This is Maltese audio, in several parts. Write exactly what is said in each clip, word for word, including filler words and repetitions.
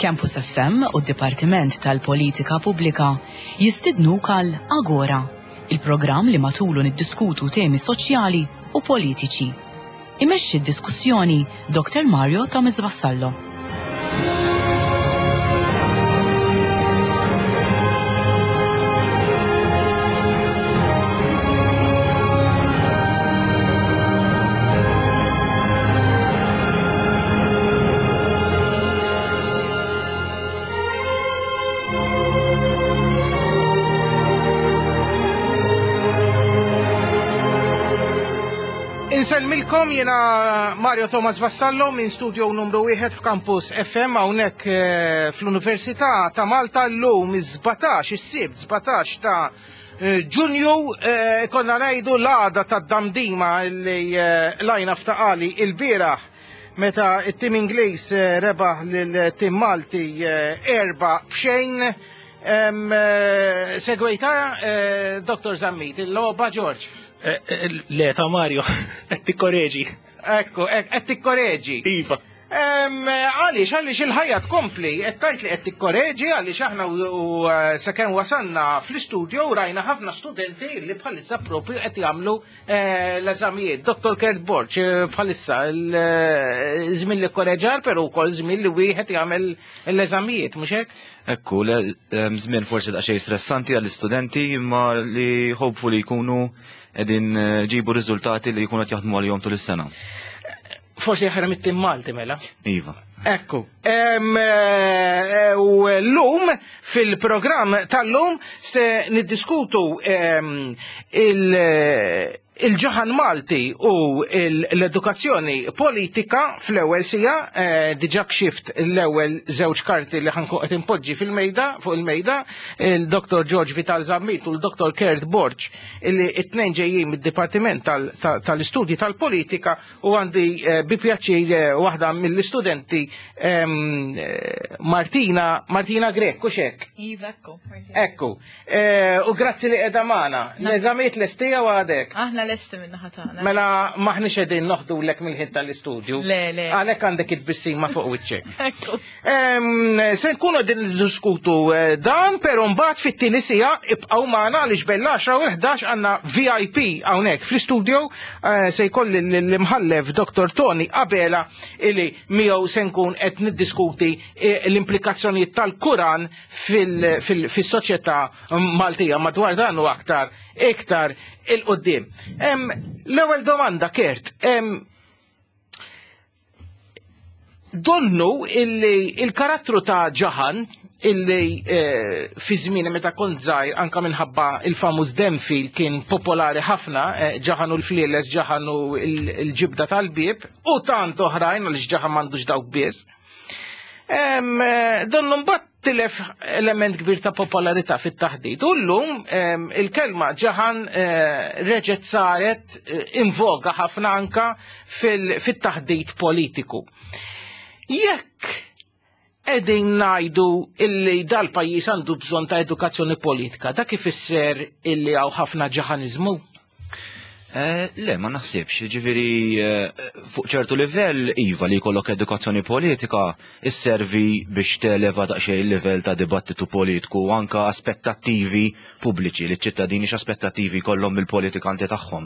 Campus F M u d-Dipartiment tal-Politika Pubblika jistidnuk għal Agora, il-programm li matulu niddiskutu temi soċjali u politiċi. Imexxi d-diskussjoni Doktor Mario Thomas Vassallo. Insellmilkom, jena Mario Thomas Vassallo minn studio numru wieħed f'Campus F M hawnhekk eh, fl-Università ta' Malta llum is-sbatax, is-Sibt sbatax ta' eh, Ġunju, eh, konna ngħidu l-għada ta' damdima li lajna f'taqali il-bieraħ meta it-tim Ingliż rebaħ lil-tim Malti erba' b'xejn. Segwejta, Doktor Zammit, il-logħba, George? Eh, eh, le, ta' Mario, qed tikkoreġi. Ekku, qed tikkoreġi. Iva. Għaliex, għaliex il-ħajja tkompli, qed tgħid li qed tikkoreġi, għaliex aħna u eh, sakemm wasanna fl-istudio rajna ħafna studenti li bħalissa propju qed jagħmlu l-eżamijiet. Doktor Kurt Borg, bħalissa żmien li korreġar, però wkoll żmien li wieħed jagħmel l-eżamijiet, mhux hekk? Ekku, żmien forsi daqsxejn stressanti għall-istudenti, imma li hopefully jkunu qegħdin ġibu riżultati li jkunu qed jaħdmu għalihom tul is-sena. Forsi aħjar mit-tim Malti mela. Iva. Ekku. U l-lum, fil-programm tal-lum, se niddiskutu il- il-ġaħan Malti u l-edukazzjoni politika fl-ewwel sija, eh, diġà kxift l-ewwel żewġ karti li ħa nkun qed impoġġi fil-mejda, fuq il-mejda, il-Doktor George Vital Zammit u l-Doktor Kurt Borg, illi it-tnejn ġejjin mid-Dipartiment tal-Istudji tal-Politika, u għandi eh, bi pjaċir eh, waħda mill-istudenti, Martina, Martina Grech, hux hekk? Iva, ekku. Ekku. U grazzi li qiegħda magħna. L-eżamijiet lestija u għadek? Aħna lesti minna ħatana. Mela maħniex qegħdin noħdulek mill-ħin tal-istudju. Le, le. Għalhekk għandek it-tbissima fuq wiċċek. Ekku. Se nkunu qegħdin niddiskutu eh, dan, però mbagħad fit-tieni sija ibqgħu magħna għaliex bejn l-għaxra u l-ħdax għandna V I P hawnhekk fl-istudju, eh, se jkolli l-imħallef Doktor Tony Abela, illi miegħu se nkun qed niddiskuti eh, l-implikazzjonijiet tal-Kuran fis-soċjetà Maltija, madwar dan u aktar iktar 'il quddiem. L-ewwel domanda, Kurt. Donnu illi il-karattru ta' Ġaħan illi eh, fi żmien meta kont żgħir, anka minħabba il-famuż Denfil, kien popolari ħafna, eh, Ġaħan u l-flieles, Ġaħan u l-ġibda tal-bib u tant oħrajn, għaliex Ġaħan m'għandux dawk biss. Eh, donnu mbagħad tilef element kbir ta' popolarità fit-taħdit. U llum il-kelma Ġaħan reġgħet saret in voga ħafna anka fil-taħdit politiku. Jekk qegħdin ngħidu illi dal-pajjiż għandu bżonn ta' edukazzjoni politika, dak ifisser illi hawn ħafna ġaħaniżmu? Eh, le, ma naħsibx, ġifiri, eh, fuq ċertu livell, iva, li jkollok edukazzjoni politika isservi biex televa daqsxejn il-livell ta' dibattitu politiku u anka aspettattivi pubbliċi, li ċ-ċittadini x'aspettattivi jkollhom mill-politikanti tagħhom.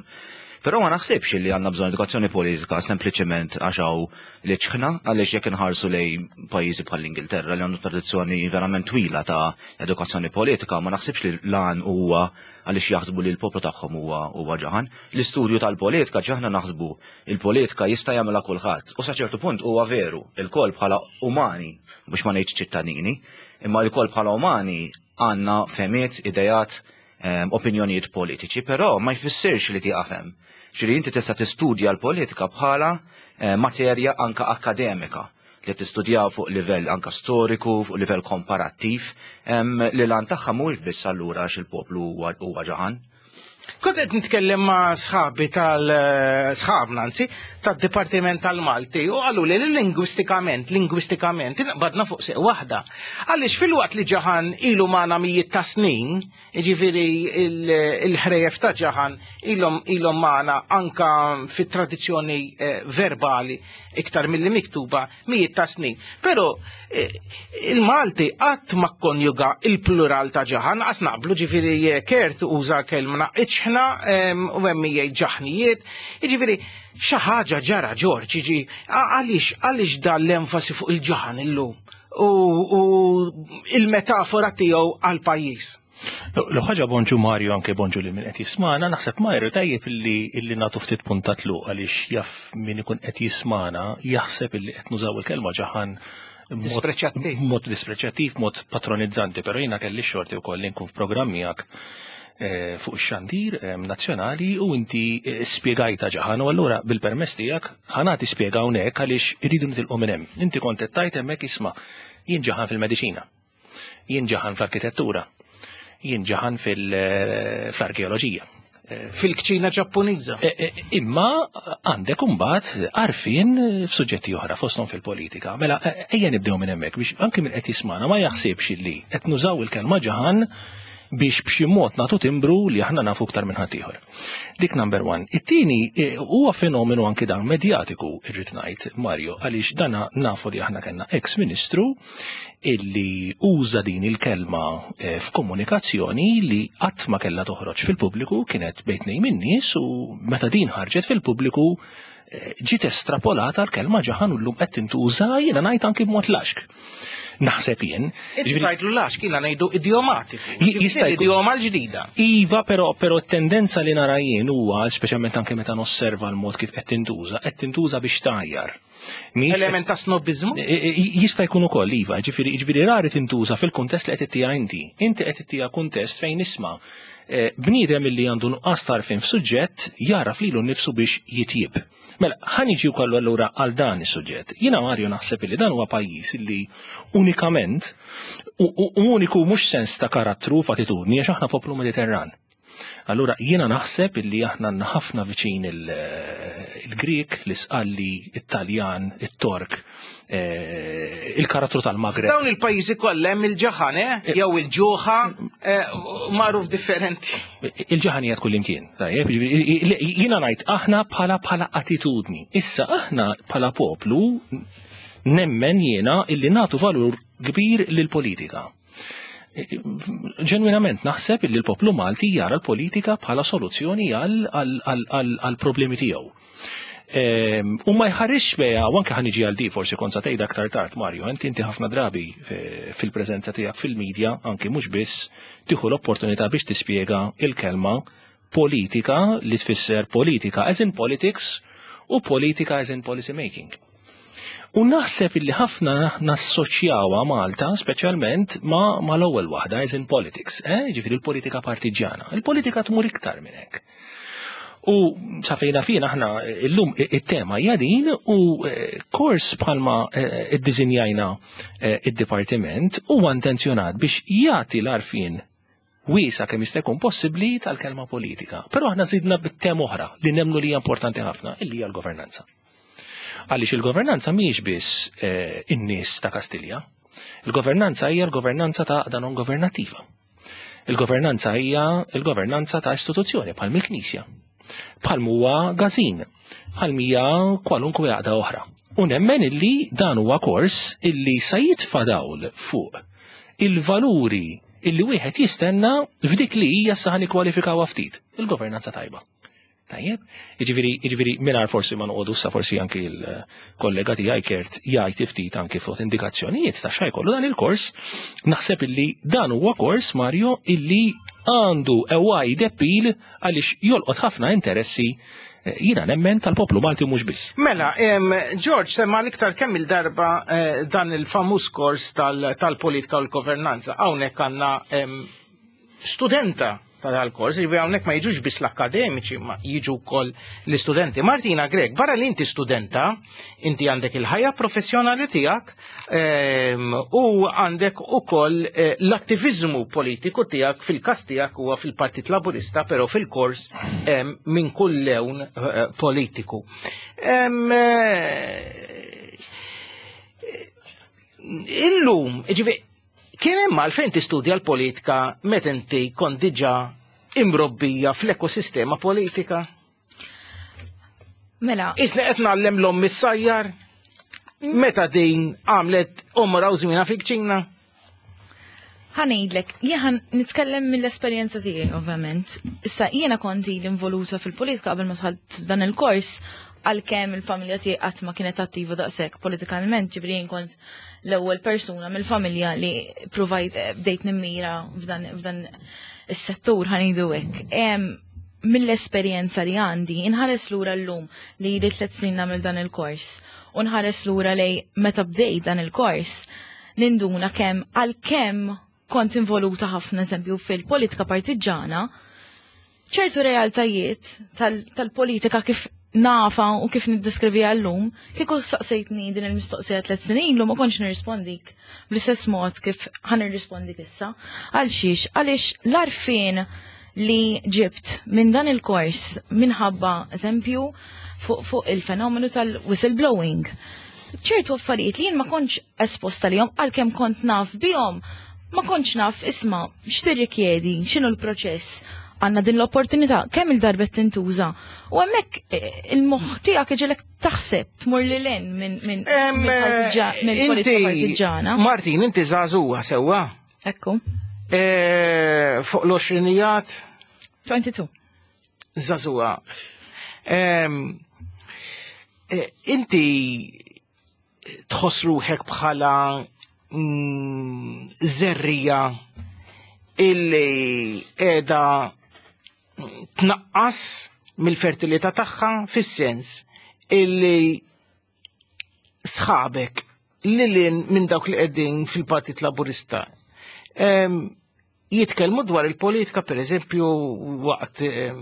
Però ma naħsibx li għandna bżonn edukazzjoni politika sempliċement għax hawn l-iċħna, għaliex jekk inħarsu lej pajjiżi bħall-Ingilterra li għandu tradizzjoni verament twila ta' edukazzjoni politika, ma naħsibx li lan huwa għaliex jaħsbu li l-poplu tagħhom huwa huwa ġaħan. L-istudju tal-politika, ġaħna naħsbu il-politika jista' jagħmilha kulħadd. U sa ċertu punt huwa veru, il-kol bħala umani, biex ma ngħidx ċittadini, imma l-kol bħala umani għandna fehmiet, idejat, em, opinjonijiet politiċi, però ma jfissirx li tieqaf hemm. Ġifieri inti tista' tistudja l-politika bħala eh, materja anka akademika li tistudjaw fuq livell anka storiku, fuq livell komparattiv, em, li lan tagħha mhuwiex biss allura għax il-poplu huwa huwa ġaħan. Kont qed nitkellem ma' sħabi tal-sħabna, anzi, tad-Dipartiment tal-Malti u qalu li lingwistikament, lingwistikament, inqbadna fuq seq waħda. Għaliex filwaqt li ġaħan ilu magħna mijiet ta' snin, jiġifieri il-ħrejjef ta' ġaħan ilhom ilhom magħna anka fit-tradizzjoni verbali iktar milli miktuba mijiet ta' snin. Però il-Malti qatt ma kkonjuga il-plural ta' ġaħan, qas naqblu, ġifieri Kurt uża kelma iċħna u hemm jgħid ġaħnijiet, jiġifieri xi ħaġa ġara Ġorġ, jiġi għaliex għaliex dan l-enfasi fuq il-ġaħan illum u il-metafora tiegħu għall-pajjiż. L ħaġa bonġu Mario, anke bonġu li min qed jismana, naħseb Mario tajjeb illi illi nagħtu ftit punta tluq għaliex jaf min ikun qed jismana jaħseb illi qed nużaw il-kelma ġaħan Dispreċattiv. Mod dispreċattiv, mod patronizzanti, però jiena kelli xorti wkoll li nkun f'programm miegħek fuq ix-xandir nazzjonali u inti spjegajta ġaħan u allura bil-permess tiegħek ħa nagħti spjega hawnhekk għaliex iridu nitilqu minn hemm. Inti kont qed tgħid hemmhekk isma' jien ġaħan fil-mediċina, jien ġaħan fl-arkitettura, jien ġaħan fil-arkeoloġija. Fil-kċina Ġappuniża. Imma għandek imbagħad għarfien f'suġġetti oħra fosthom fil-politika. Mela ejja nibdew minn hemmhekk biex anke min qed jismana ma jaħsibx li qed nużaw il-kelma ġaħan biex b'xi mod nagħtu timbru li aħna nafu aktar minn ħaddieħor. Dik number one. It-tieni huwa fenomenu anki dan medjatiku irrid ngħid, Mario, għaliex dana nafu li aħna kellna ex-ministru illi uża din il-kelma f'komunikazzjoni li qatt ma kellha toħroġ fil-pubbliku, kienet bejn tnejn min-nies u meta din ħarġet fil-pubbliku ġiet estrapolata l-kelma ġaħan u llum qed tintuża jiena ngħid anki b'mod laxk. Naħseb jien. Inti tgħidlu laxk, jiena ngħidu idiomatiku. Jista' jkun. Idioma l-ġdida. Iva, però però t-tendenza li nara jien huwa, speċjalment anke meta nosserva l-mod kif qed tintuża, qed tintuża biex tgħajjar. Element ta' snobizmu? Jista' jkun ukoll, iva, ġifieri ġifieri rari tintuża fil-kuntest li qed ittija inti. Inti qed ittija kuntest fejn isma' bniedem illi għandu nuqqas tarfin f'suġġett jaraf lilu nnifsu biex jitjib. Mela, ħa niġi wkoll allura għal dan is-suġġett. Jiena Mario naħseb li dan huwa pajjiż illi unikament u uniku mhux sens ta' karattru f'attitudni għax aħna poplu Mediterran. Allura jiena naħseb illi aħna għandna ħafna viċin il-Grek, l-Isqalli, it-Taljan, it-Tork, il-karattru tal-Maghreb. Dawn il-pajjiżi kollha hemm il-ġaħan, eh? Jew il-ġuħa, magħruf differenti. Il-ġaħan hija tkun imkien. Jiena ngħid aħna bħala bħala attitudni. Issa aħna bħala poplu nemmen jiena illi nagħtu valur kbir lill-politika. Ġenwinament naħseb illi l-poplu Malti jara l-politika bħala soluzzjoni għal problemi tiegħu. U ma jħarrix beja, u anke ħa niġi għal di forsi kont sa tgħid aktar tard Mario, inti inti ħafna drabi fil-preżenza tiegħek fil-medja, anke mhux biss tieħu l-opportunità biex tispjega il-kelma politika li tfisser politika as in politics u politika as in policy making. U naħseb illi ħafna nassoċjawha Malta, speċjalment ma, ma l-ewwel waħda, as in politics, eh? Ġifieri l-politika partiġjana. Il-politika tmur iktar minn hekk. U sa fejna fina aħna illum it-tema hija din u kors bħalma iddiżinjajna id-dipartiment huwa intenzjonat biex jagħti l-għarfien wiesa kemm jista' jkun possibbli tal-kelma politika. Però aħna żidna bit-tema oħra li nemmnu li hija importanti ħafna, illi hija l-governanza. Għaliex il-governanza mhijiex biss in-nies ta' Kastilja. Il-governanza hija l-governanza ta' għaqda non governattiva. Il-governanza hija l-governanza ta' istituzzjoni bħal mill-Knisja, bħal huwa gazin, bħal mija kwalunkwe għaqda oħra. U nemmen illi dan huwa kors illi sa jitfa' dawl fuq il-valuri illi wieħed jistenna f'dik li hija sa ħanikwalifikawha ftit, il-governanza tajba. Tajjeb, jiġifieri jiġifieri mingħajr forsi ma noqogħdu sa forsi anki l-kollega tiegħi Kurt jgħid ftit anki fuq indikazzjonijiet ta' x'ħajkollu dan il-kors, naħseb illi dan huwa kors Mario illi għandu a wide appeal għaliex jolqot ħafna interessi jiena nemmen tal-poplu Malti mhux biss. Mela, George, semma l-iktar kemm il-darba dan il-famuż kors tal-politika u l-governanza. Hawnhekk għandna studenta ta' dal-kors, jiġifieri hawnhekk ma jiġux biss l-akademiċi, ma jiġu wkoll l-istudenti. Martina Grech, barra li inti studenta, inti għandek il-ħajja professjonali tiegħek ehm, u għandek ukoll eh, l-attivizmu politiku tiegħek fil-każ tiegħek huwa fil-Partit Laburista, però fil-kors ehm, minn kull lewn eh, politiku. Ehm, eh, Illum, ġifieri, kien hemm għalfejn tistudja l-politika meta inti kont diġà imrobbija fl-ekosistema politika? Mela, Isni qed ngħallem l-omm issajjar? Meta din għamlet għomorha u żmienha fil-kċina? Ħa ngħidlek, jien nitkellem mill-esperjenza tiegħi ovvjament. Issa jiena kont ili involuta fil-politika qabel ma dħalt f'dan il-kors għalkemm il-familja tiegħi qatt ma kienet attiva daqshekk politikalment, ġifieri jien kont l-ewwel persuna mill-familja li provajt eh, bdejt nimmira f'dan f'dan is-settur ħa ngħidu hekk. Em, Mill-esperjenza li għandi, inħares lura llum li ili tliet snin nagħmel dan il-kors u nħares lura lej meta bdejt dan il-kors, ninduna kemm għalkemm kont involuta ħafna eżempju fil-politika partiġana, ċertu realtajiet tal- tal-politika kif nafa u kif niddiskrivi għallum, kieku saqsejtni din il-mistoqsija tliet snin ilu ma kontx nirrispondik bl-istess mod kif ħa nirrispondik issa. Għal xiex, għaliex l-għarfien li ġibt minn dan il-kors minħabba eżempju fuq fu il-fenomenu tal-whistleblowing. ċertu affarijiet li jien ma kontx esposta lihom għalkemm kont naf bihom, ma kontx naf isma' x'tirrikjedi, x'inhu l-proċess. Għandna din l-opportunità kemm il-darba tintuża. U hemmhekk eh, il-moħħ tiegħek iġegħlek taħseb tmur lil hinn minn minn Em, mill-partiġa- mill-politika Inti, partiġana. Martin, inti żagħżugħa sewwa. Ekku, Eh, Fuq l-għoxrinijat, tnejn u għoxrin. Żagħżugħa. Em, eh, Inti tħoss ruħek bħala mm, żerriegħa illi qiegħda tnaqqas mill-fertilità tagħha fis-sens illi sħabek li minn dawk li qegħdin fil-Partit Laburista em, jitkellmu dwar il-politika per eżempju waqt em,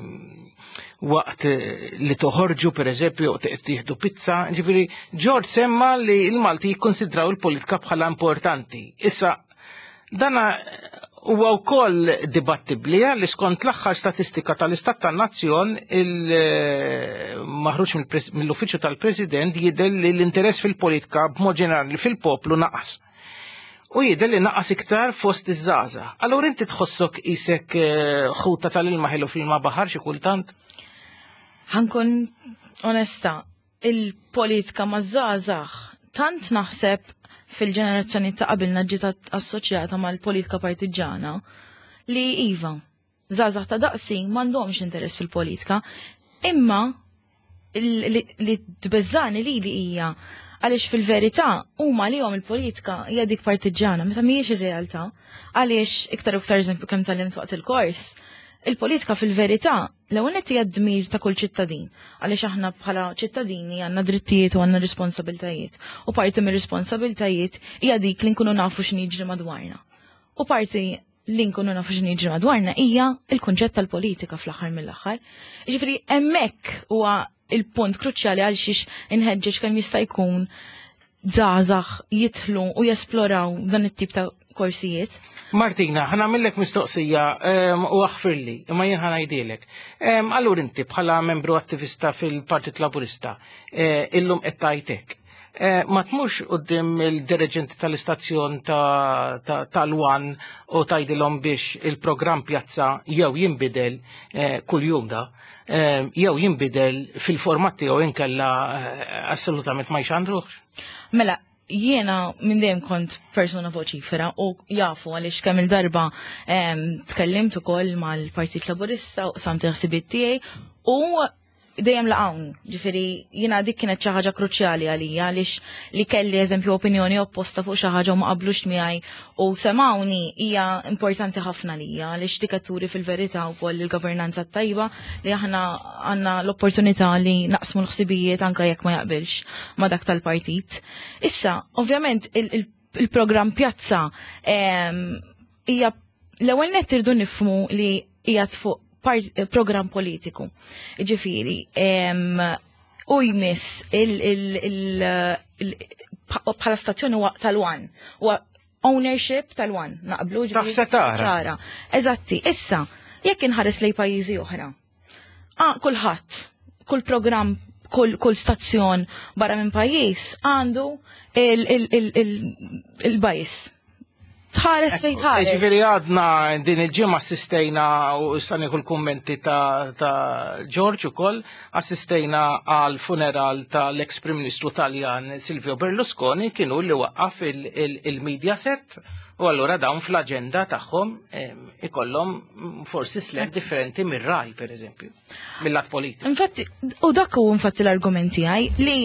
waqt eh, li toħorġu per eżempju tieħdu pizza, ġifieri George semma li l-Malti jikkonsidraw il-politika bħala importanti. Issa dana huwa wkoll dibattibbli li skont l-aħħar statistika tal-Istat tan-Nazzjon il-maħruġ mill-Uffiċċju tal-President jidher li l-interess fil-politika b'mod ġenerali fil-poplu naqas. U jidher li naqas iktar fost iż-żgħażagħ. Allura inti tħossok isek eh, ħuta tal-ilma ħelu fil-ma baħar xi kultant? Ħa nkun onesta, il-politika maż-żgħażagħ tant naħseb fil-ġenerazzjoni ta' qabilna ġiet assoċjata mal-politika partiġana li iva, żgħażagħ ta' daqsi m'għandhomx interess fil-politika, imma li, li tbeżżani li li hija għaliex fil-verità huma li il-politika hija dik partiġana, meta mhijiex ir-realtà, għaliex iktar u iktar eżempju kemm tgħallimt waqt il-kors, il-politika fil-verità l-ewwel nett hija dmir ta' kull ċittadin, għaliex aħna bħala ċittadini għandna drittijiet u għandna responsabiltajiet. U parti mir-responsabiltajiet hija dik li nkunu nafu x'inhi jiġri madwarna. U parti li nkunu nafu x'inhi jiġri madwarna hija il-kunċett tal-politika fl-aħħar mill-aħħar. Jiġifieri hemmhekk huwa il-punt kruċjali għal xiex inħeġġeġ kemm jista' jkun żgħażagħ jidħlu u jesploraw dan it-tip ta' korsijiet. Martina, ħa nagħmillek mistoqsija em, u aħfirli, imma jien ħa ngħidhielek. Em, Allura inti bħala membru attivista fil-Partit Laburista, eh, illum qed tajtek. Eh, Ma tmurx quddiem il-dirigenti tal-istazzjon ta- ta- tal-One u tgħidilhom biex il-programm pjazza jew jinbidel eh, kuljum da, eh, jew jinbidel fil-format tiegħu inkella eh, assolutament ma jxandruhx. Mela, jiena minn dejjem kont persona voċifera u jafu għaliex kemm il-darba em, tkellimt ukoll mal-Partit Laburista u qsamt il-ħsibiet tiegħi u dejjem laqgħuni. Ġifieri jiena dik kienet xi ħaġa kruċjali għalija għaliex li kelli eżempju opinjoni opposta fuq xi ħaġa u ma qablux miegħi u semawni hija importanti ħafna lija għaliex dik qed turi fil-verità wkoll il-governanza tajba li aħna għandna l-opportunità li naqsmu l-ħsibijiet anke jekk ma jaqbilx ma dak tal-partit. Issa, ovvjament il-programm Pjazza hija l-ewwel nett irdu nifhmu li qiegħed fuq part- program politiku. Ġifieri, em, u jmiss il- il- il- il- bħala stazzjoni huwa tal-One. Huwa ownership tal-One, naqblu. Taf Ġifieri se tara. ċara. Eżatti, issa, jekk inħares lej pajjiżi oħra. Ah, kulħadd, kull program, kull, kull stazzjon barra minn pajjiż għandu il-bias. Tħares fejn tħares. Ġifieri għadna din il-ġimgħa assistejna u issa nieħu l-kummenti ta', ta George ukoll, assistejna għal funeral tal-ex Prim Ministru Taljan Silvio Berlusconi, kienu li waqqaf il-Mediaset u allura dawn fl-aġenda tagħhom em, ikollhom forsi slant differenti mir-Rai, per eżempju, mill-lat politiku. Infatti, u dak hu infatti l-argumenti għaj li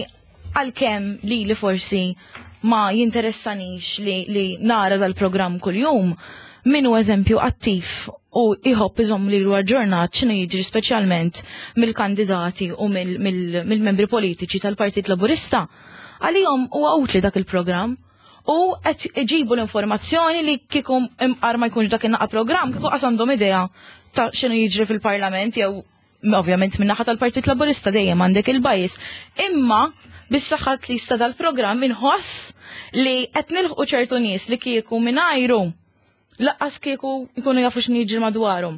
għalkemm li li forsi ma jinteressanix li, li nara dal-programm kull-jum, minu eżempju attiv u iħobb iżomm li l-aġġornat x'inhu jiġri, speċjalment mill-kandidati u mill-membri politiċi tal-Partit Laburista, għalihom huwa utli dak il-programm u qed iġibu l-informazzjoni li kieku imqar ma jkunx dak in-naqa programm, kieku qas għandhom idea ta' x'inhu jiġri fil-Parlament jew ovvjament min-naħa tal-Partit Laburista dejjem għandek il-bias. Imma bis-saħħa li sta dal-programm inħoss li qed nilħqu ċertu nies li kieku mingħajru lanqas kieku jkunu jafu x'inhu jiġri madwarhom.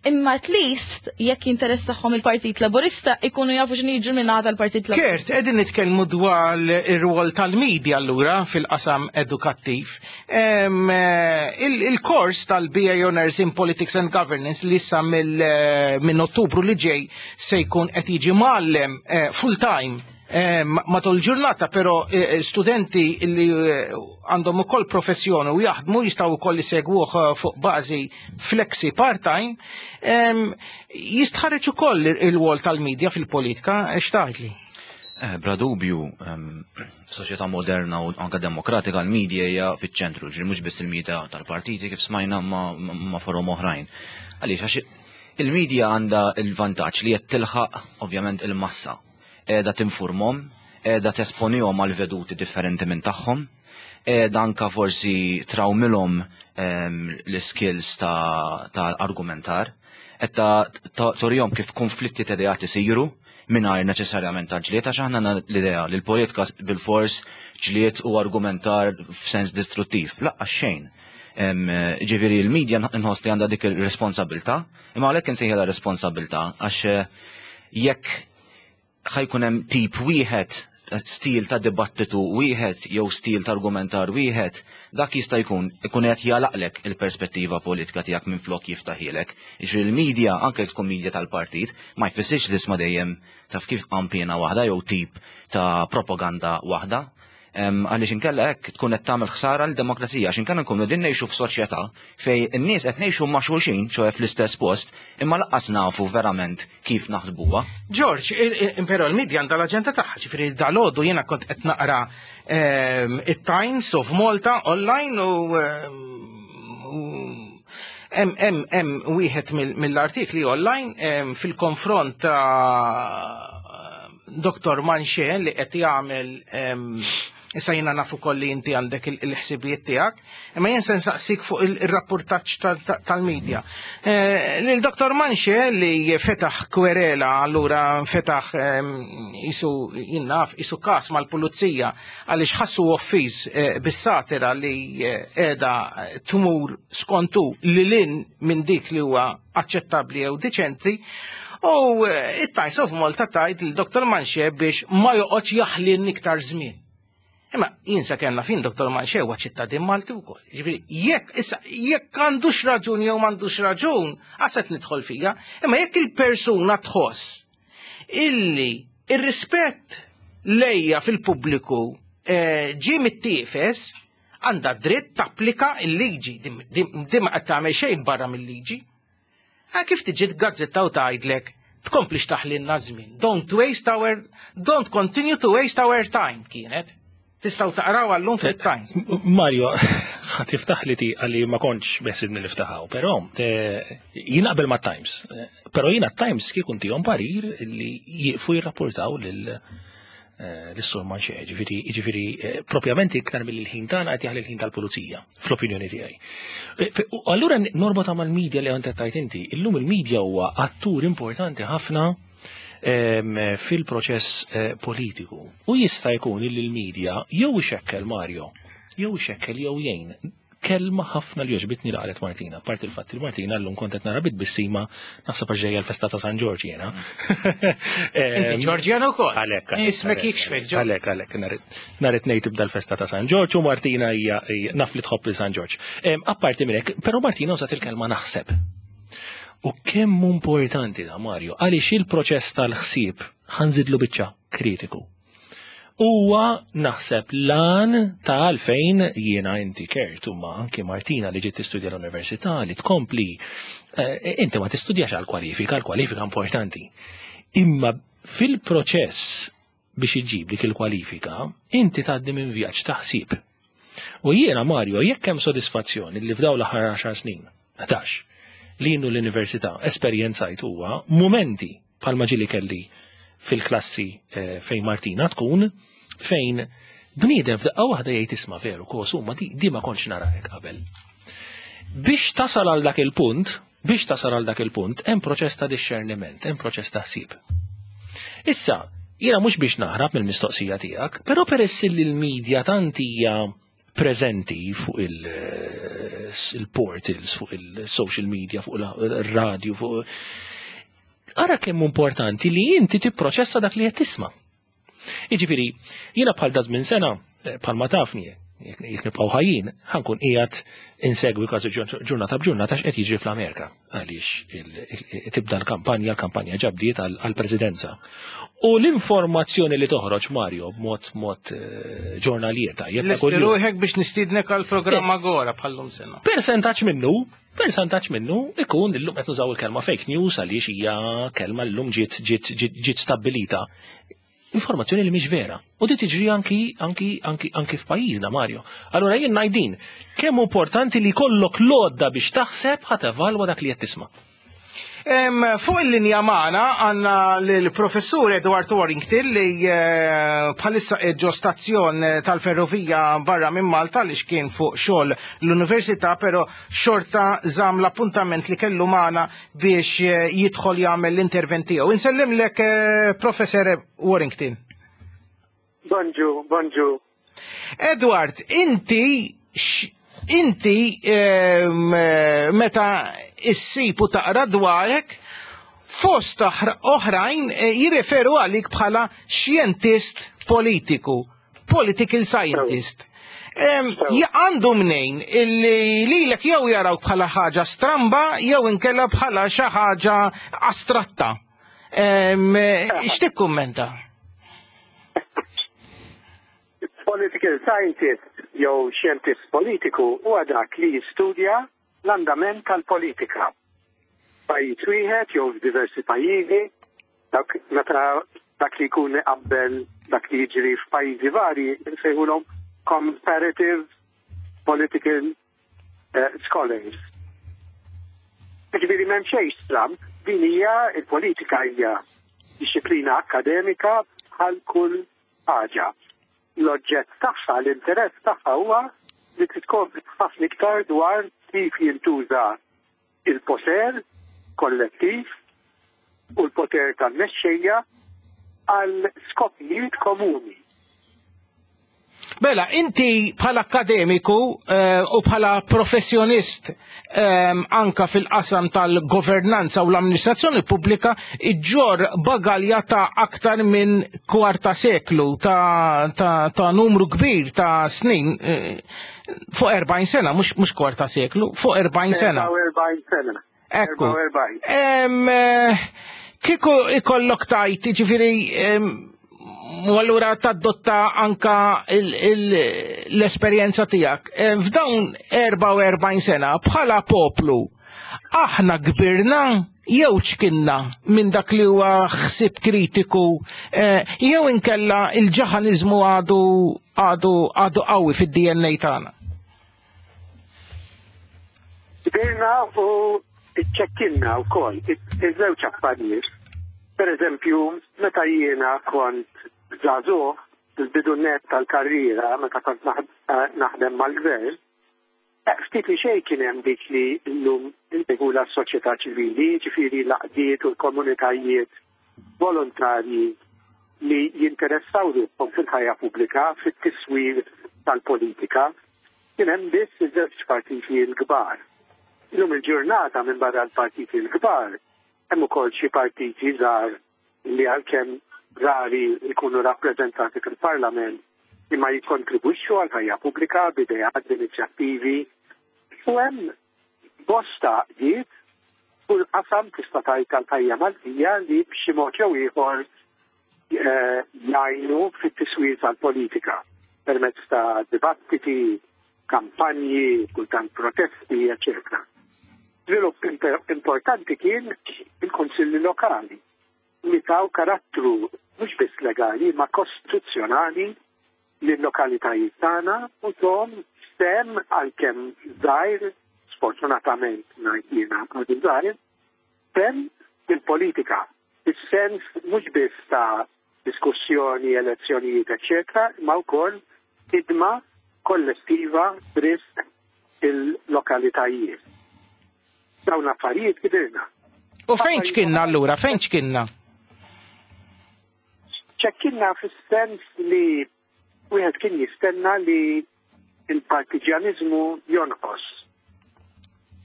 Imma at least jekk jinteressahom il-Partit Laburista, ikunu jafu x'inhu jiġri min-naħa tal-Partit Laburista. Kert, qegħdin nitkellmu dwar ir-rwol tal-media allura fil-qasam edukattiv. Em, eh, il- Il-kors tal-B A Honors in Politics and Governance li issa mill- eh, minn Ottubru li ġej se jkun qed jiġi mgħallem eh, full time eh, matul ġurnata, però eh, studenti li eh, għandhom ukoll professjoni u jaħdmu jistgħu wkoll isegwuh eh, fuq bażi flexi part-time, em, jistħarreġ ukoll il-rwol tal-media fil-politika, x'tgħidli? Eh, Bla dubju, em, f'soċjetà moderna u anka demokratika l-media hija fiċ-ċentru, ġifieri mhux biss il-media tal-partiti kif smajna ma, ma forom oħrajn. Għaliex? Għax il-media għandha il-vantaġġ li qed tilħaq ovvjament il-massa. Qiegħda tinformahom, qiegħda tesponihom għal veduti differenti minn tagħhom, qiegħda anka forsi trawmilhom em, l-skills ta', ta' argumentar, qed ta' ta' turihom kif konflitti ta' ideat isiru mingħajr neċessarjament ta' ġlied, għax aħna għandna l-idea li l-politika bil-fors ġlied u argumentar f'sens distruttiv. Laqqa xejn. Em, Ġifieri l-media nħoss li għandha dik il-responsabilità, imma għalhekk insejħilha responsabilità, għax eh, jekk ħa jkun hemm tip wieħed, stil ta' dibattitu wieħed jew stil ta' argumentar wieħed, dak jista' jkun ikun qed jagħlaqlek il-perspettiva politika tiegħek minn flok jiftaħilek. Jiġifieri l-media, anke jekk tkun media tal-partit, ma jfissirx li isma' dejjem taf kif qampina waħda jew tip ta' propaganda waħda. Em, Għaliex inkella hekk tkun qed tagħmel ħsara l-demokrazija, għax inkella nkunu din ngħixu f'soċjetà fejn in-nies qed ngħixu ma' xulxin, ċoè fl-istess post, imma lanqas nafu verament kif naħsbuha. George, il- il- però l-media għandha l-aġenda tagħha, ġifieri dalgħodu jiena kont qed naqra ehm, it-Times of Malta online u ehm, u hemm hemm hemm wieħed mill- mill-artikli online ehm, fil-konfront ta' Doktor Manche li qed jagħmel ehm, issa jiena naf ukoll li inti għandek il- il-ħsibijiet tiegħek, imma jien se nsaqsik fuq il- il-rapportaġġ tal- tal- tal-medja. Eh, Lil Doktor Manche li fetaħ kwerela, allura fetaħ ehm, isu jinnaf, isu kas mal-pulizija għaliex ħassu offiż eh, bis-satira li eh, qiegħda tmur skontu li lin minn dik li huwa aċċettabbli jew diċenti. U eh, it-Times of Malta tgħid lil Doktor Manche biex ma joqgħodx jaħlin iktar żmien. Imma jien sa kellna fin Doktor Manche huwa ċittadin Malti wkoll. Ġifieri jekk issa jekk għandux raġun jew m'għandux raġun, għaset nidħol fija, imma jekk il-persuna tħoss illi ir-rispett lejja fil-pubbliku eh, ġie mittiefes, għandha dritt tapplika il-liġi, di ma qed tagħmel xejn barra mill-liġi. Ah, kif tiġi gazzetta u tgħidlek tkomplix taħlinna żmien? Don't waste our, don't continue to waste our time kienet. Tistgħu taqraw għallum fil-Times. Mario, ħa tiftaħ li ti għalli ma kontx beħsibni niftaħaw, pero eh, jien qabel ma Times. Eh, Pero jiena Times kieku ntihom parir li jieqfu jirrapportaw lil eh, l-sur Manché, ġifieri, ġifieri eh, propjament iktar mill-ħin tagħna qed jaħli l-ħin tal-pulizija, fl-opinjoni tiegħi. Eh, fe- u Allura norbota mal-medja li għandek tajt inti, illum il-medja huwa attur importanti ħafna em, fil-proċess eh, politiku. U jista' jkun li l-medja jew ixekkel Mario, jew ixekkel jew jgħin. Kelma ħafna li għoġbitni li qalet Martina, apart il-fatt li Martina llum kont qed nara bit-tbissima naħseb għax ġejja l-festa ta' San Ġorġ jiena. Inti Ġorġjan ukoll. Għalhekk. għalhekk, Ismek għalhekk, jikxfek, Ġorġ. Għalhekk, għalhekk, nhar it-Tnejn tibda l-festa ta' San Ġorġ u Martina hija hija- naf li tħobb li San Ġorġ. Em, Apparti minn hekk, però Martina użat il-kelma naħseb. U kemm importanti da Mario, għaliex il-proċess tal-ħsieb ħa nżidlu biċċa kritiku. Huwa naħseb lan ta' għalfejn jiena inti Kurt ma anki Martina li ġiet tistudja l-università li tkompli eh, inti ma tistudjax għal kwalifika, l-kwalifika importanti. Imma fil-proċess biex iġib dik il-kwalifika, inti tgħaddi minn vjaġġ ta' ħsieb. U jiena Mario, jekk hemm sodisfazzjoni li f'dawn l-aħħar għaxar snin, ħdax, li jien l-università esperjenzajt huwa momenti bħalma ġieli kelli fil-klassi eh, fejn Martina tkun, fejn bniedem f'daqqa waħda jgħid isma' veru kos huma di, di ma kontx nara hekk qabel. Biex tasal għal dak il-punt, biex tasal għal dak il-punt, hemm proċess ta' discerniment, hemm proċess ta' ħsieb. Issa, jiena mhux biex naħrab mill-mistoqsija tiegħek, però peress li l-medja tant hija preżenti fuq il- il-portals, fuq il-social media, fuq il-radio, fuq Ara kemm importanti li inti tipproċessa dak li qed tisma'. Jiġifieri, jiena bħal da żmien sena, eh, bħal ma tafni, jekk jekk nibqgħu ħajjin, ħa nkun qiegħed insegwi kważi ġurnata b'ġurnata x'qed jiġri fl-Amerika għaliex il- il- tibda l-kampanja, l-kampanja ġa bdiet għall-presidenza. U l-informazzjoni li toħroġ Mario b'mod mod eh, ġurnalier tajjeb ta' Lesti kuljum. ruħek biex nistiednek għal programm Agora bħallum sena. Percentaġġ minnu, percentaġġ minnu ikun illum qed nużaw il-kelma fake news għaliex hija kelma llum ġiet ġiet ġiet ġiet stabbilita. Informazzjoni li mhix vera. U di tiġri anki anki anki anki f'pajjiżna Mario. Allura jien ngħidin kemm importanti li jkollok l-għodda biex taħseb ħa tevalwa dak li qed tisma'. Em, Fuq il-linja magħna għandna l-professur Edward Warrington li eh, bħalissa ġo stazzjon tal-ferrovija barra minn Malta li xkien fuq xogħol l-università, però xorta żamm l-appuntament li kellu magħna biex eh, jidħol jagħmel l-intervent tiegħu. Insellimlek eh, Professor Warrington. Bonġu, bonġu. Edward, inti x- inti ehm, eh, meta issib u taqra dwarek fost oħra- oħrajn eh, jirreferu għalik bħala xjentist politiku, political scientist. Em, ja- Għandu mnejn illi lilek jew jaraw bħala ħaġa stramba jew inkella bħala xi ħaġa astratta. Em, eh, X'tikkummenta? Political scientist jew xjentist politiku huwa dak li jistudja l-andament tal-politika. Pajjiż wieħed jew f'diversi pajjiżi, dak meta dak li jkun iqabbel dak li jiġri f'pajjiżi varji nsejħulhom comparative political uh, scholars. Ġifieri m'hemm xejn stramb, din hija il-politika hija disciplina akkademika bħal kull ħaġa. L-oġġett tagħha, l-interess tagħha huwa li tiskopri ħafna iktar dwar kif jintuża il-poter kollettiv u l-poter tal-mexxejja għal skopijiet komuni. Bela, inti bħala akademiku eh, u bħala professjonist eh, anka fil-qasam tal-governanza u l-amministrazzjoni pubblika iġġor bagalja ta' aktar minn kwarta seklu ta', ta, ta' numru kbir ta' snin eh, fuq erbgħin sena, mhux mhux kwarta seklu, fuq erbgħin sena. erbgħa u erbgħin sena. Ekku. erbgħa u erbgħin. Em, eh, Kieku ikollok tajt, ġifiri, em, u allura tadotta anka il- il- l-esperjenza tiegħek. Eh, F'dawn erbgħa u erbgħin sena, bħala poplu, aħna kbirna jew ċkinna minn dak li huwa ħsib kritiku, eh, jew inkella il-ġaħaniżmu għadu għadu għadu qawwi fid-D N A tagħna. Kbirna u iċċekkinna wkoll iż-żewġ affarijiet. Per eżempju, meta jiena kont żagħżugħ, fil-bidu net tal-karriera, meta kont naħdem mal-gvern, ftit li xejn kien hemm dik li llum insejħulha s-soċjetà ċivili, ġifieri l-għaqdiet u l-komunitajiet volontarji li jinteressaw ruħhom fil-ħajja pubblika, fit-tiswir tal-politika. Kien hemm biss iż-żewġ partiti l-kbar. Illum il-ġurnata, minn barra l-partiti l-kbar, hemm ukoll xi partiti żgħar li għalkemm rari jkunu rappreżentati fil-Parlament, imma jikkontribwixxu għal ħajja pubblika b'ideat, b'inizjattivi, u hemm bosta għaqdiet kull qasam tista' tgħid tal-ħajja Maltija li b'xi mod jew ieħor eh, jgħinu fit-tiswir tal-politika permezz ta' dibattiti, kampanji, kultant protesti, eċċetera. Żvilupp importanti kien il-konsilli lokali li taw karattru mhux biss legali ma kostituzzjonali lill-lokalitajiet tagħna u tawhom sehem, għalkemm żgħir, sfortunatament ngħid jiena għadu żgħir, sehem fil-politika. Is-sens mhux biss ta' diskussjoni, elezzjonijiet, eċċetera, ma wkoll ħidma kollettiva b'risq il-lokalitajiet. Dawn affarijiet kibirna. U fejn ċkinna allura, fejn ċkinna? Ċekkinna fis-sens li wieħed kien jistenna li il-partiġjanizmu jonqos.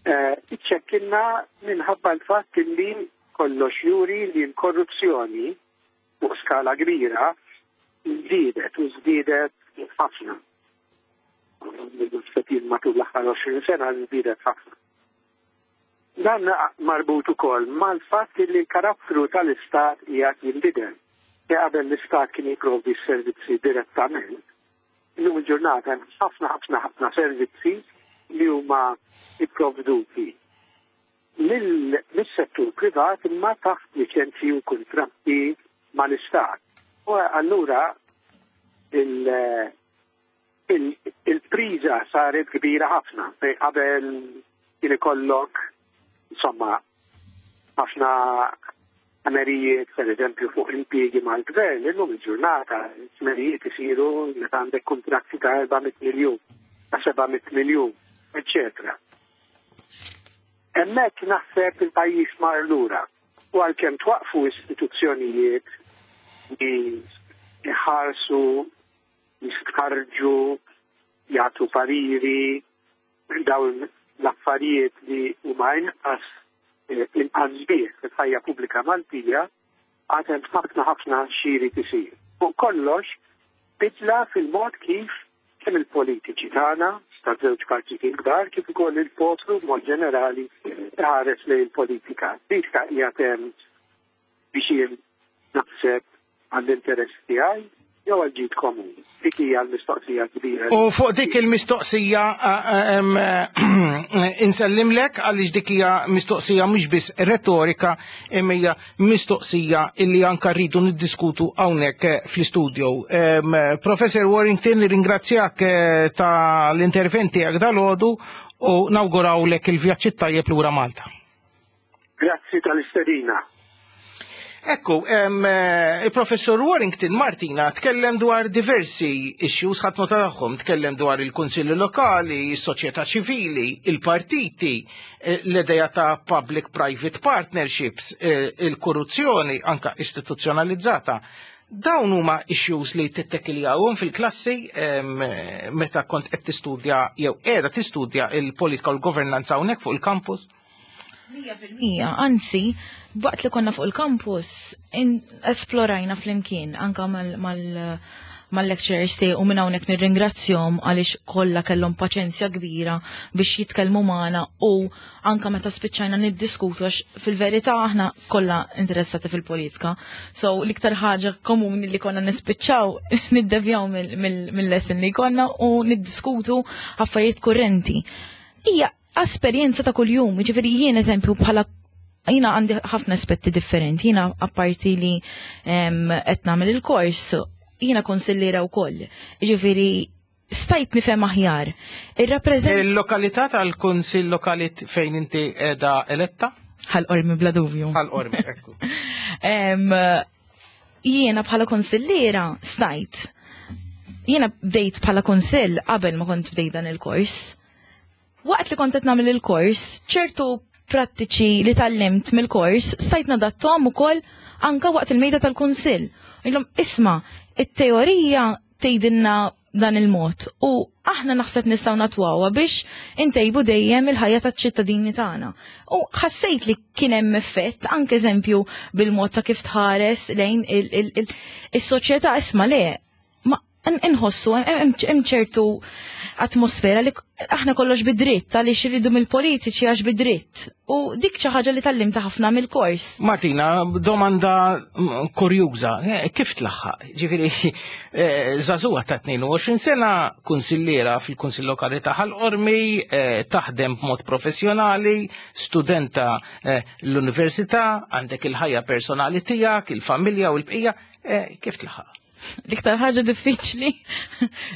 Eh, iċċekkinna minħabba l-fatt li kollox juri li l-korruzzjoni fuq skala kbira żdiedet u żdiedet ħafna. Matul l-aħħar għoxrin sena żdiedet ħafna. Dan marbut ukoll mal-fatt li l-karattru tal-Istat qiegħed jinbidel. Qabel l-Istat kien jipprovdi s-servizzi direttament, illum il-ġurnata hemm ħafna ħafna ħafna servizzi li huma ipprovduti mill-settur privat imma taħt liċenzji u kuntratti mal-Istat. U allura il-priża saret kbira ħafna. Qabel kien ikollok insomma ħafna ħmerijiet, per eżempju, fuq impjiegi mal-gvern, illum il-ġurnata ħmerijiet isiru meta għandek kuntratti ta' erba' mitt miljun, ta' seba' mitt miljun, eċċetera. Hemmhekk naħseb il-pajjiż mar lura u għalkemm twaqfu istituzzjonijiet li jħarsu, jistħarrġu, jagħtu pariri, dawn l-affarijiet li huma inqas inqas sbieħ fil-ħajja pubblika Maltija, għad hemm ħafna ħafna x'jrid isir. Fuq kollox, bidla fil-mod kif kemm il-politiċi tagħna ta' żewġ partiti kbar kif ukoll il-poplu b'mod ġenerali ħares lejn il-politika. Politika hija hemm biex jien naħseb għall-interess tiegħi jew għal ġid komuni. Dik hija l-mistoqsija kbira. U fuq dik il-mistoqsija insellimlek, għaliex dik hija mistoqsija mhux biss retorika, imma hija mistoqsija illi anka rridu niddiskutu hawnhekk fl-istudio. Professor Warrington, ringrazzjak eh, ta' l-interventi tiegħek dalgħodu u nawgurawlek il-vjaġġ tajjeb lura Malta. Grazzi tal-istedina. Ekku, eh, il-professor Warrington, Martina, tkellem dwar diversi issues, ħadt nota tagħhom, tkellem dwar il-kunsilli lokali, is-soċjetà ċivili, il-partiti, eh, l-idea ta' public-private partnerships, eh, il-korruzzjoni anka istituzzjonalizzata. Dawn huma issues li tittekiljawhom fil-klassi meta kont qed tistudja jew qiegħda tistudja il-politika u l-governanza hawnhekk fuq il-campus? Mija fil-mija, anzi, waqt li konna fuq il-campus, esplorajna flimkien, anka mal-lecturers tiegħi, u minn hawnhekk nirringrazzjahom għaliex kollha kellhom paċenzja kbira biex jitkellmu magħna u anka meta spiċċajna niddiskutu, għax fil-verità aħna kollha interessati fil-politika. So l-iktar ħaġa komuni li konna nispiċċaw niddevjaw mill-lesson li konna u niddiskutu affarijiet kurrenti. Hija esperjenza ta' kuljum, ġifieri jien eżempju bħala jiena għandi ħafna aspetti differenti, jiena apparti li qed nagħmel il-kors, jiena konsillera wkoll. Ġifieri stajt nifhem aħjar. Il-lokalità tal-kunsill lokali fejn inti qiegħda eletta? Ħal Qormi, bla dubju. Ħal Qormi, ekku. Jiena bħala konsilliera stajt. Jiena bdejt bħala konsill qabel ma kont bdejt dan il-kors. Waqt li kont qed nagħmel il-kors, ċertu prattiċi li tgħallimt mill-kors stajt nadattom ukoll anka waqt il-mejda tal-kunsill. Illum isma', it-teorija tgħidilna dan il-mod u aħna naħseb nistgħu natwawha biex intejbu dejjem il-ħajja taċ-ċittadini tagħna. U ħassejt li kien hemm effett anke eżempju bil-mod ta' kif tħares lejn is-soċjetà. Isma', le, ma inħossu hemm ċertu atmosfera li aħna kollox bidritt, għaliex iridu mill-politiċi għax bidritt. U dik xi ħaġa li tgħallimta ħafna mill-kors. Martina, domanda kurjuża, eh, kif tlaħħaq? Ġifieri, eh, żagħżugħa ta' tnejn u għoxrin sena, kunsilliera fil-Kunsill Lokali ta' Ħal Qormi, eh, taħdem b'mod professjonali, studenta l-università, għandek il-ħajja personali tiegħek, il-familja u l-bqija, kif tlaħħaq? L-iktar ħaġa diffiċli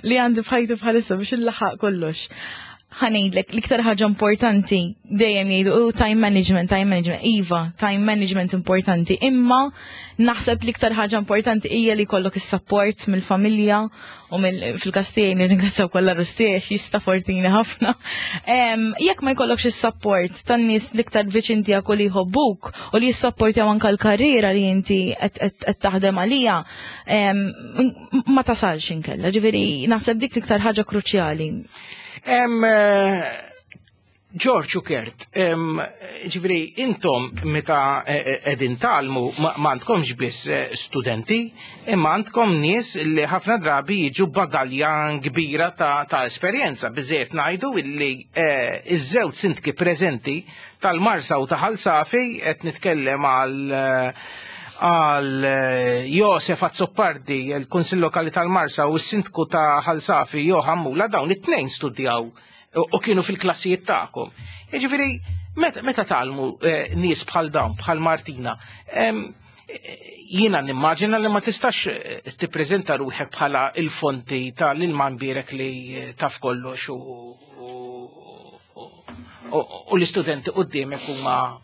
li għandi f'ħajti bħalissa biex illaħaq kollox. Ħa ngħidlek, l-iktar ħaġa importanti, dejjem jgħidu, "Oh, time management, time management." Iva, time management importanti, imma naħseb l-iktar ħaġa importanti hija li jkollok is-support mill-familja u fil-każ tiegħi nirringrazzjaw kollha rustiex jissapportjawni ħafna. Jekk ma jkollokx is-support tan-nies l-iktar viċin tiegħek u li jħobbuk u li jissapportjaw anke l-karriera li inti qed taħdem għalija, ma tasalx inkella. Ġifieri naħseb dik l-iktar ħaġa kruċjali. Eh, George u Kurt, ġifieri, intom meta eh, eh, qegħdin tgħallmu ma għandkomx biss studenti, imma għandkom nies li ħafna drabi jiġu bagalja kbira ta', ta esperjenza. Biżejjed ngħidu illi iż-żewġ sindki preżenti tal-Marsa u ta' Ħal Safi, qed nitkellem għal għal Josef Azzopardi, il-Kunsill Lokali tal-Marsa, u s-sindku ta' Ħal Safi Johan Mula, dawn it-tnejn studjaw u kienu fil-klassijiet tagħkom. Jiġifieri, meta tgħallmu eh, nies bħal dawn, bħal Martina, jiena nimmaġina li ma tistax eh, tippreżenta ruħek bħala il-fonti tal-ilma mbierek li eh, taf kollox u u l-istudenti qudiemek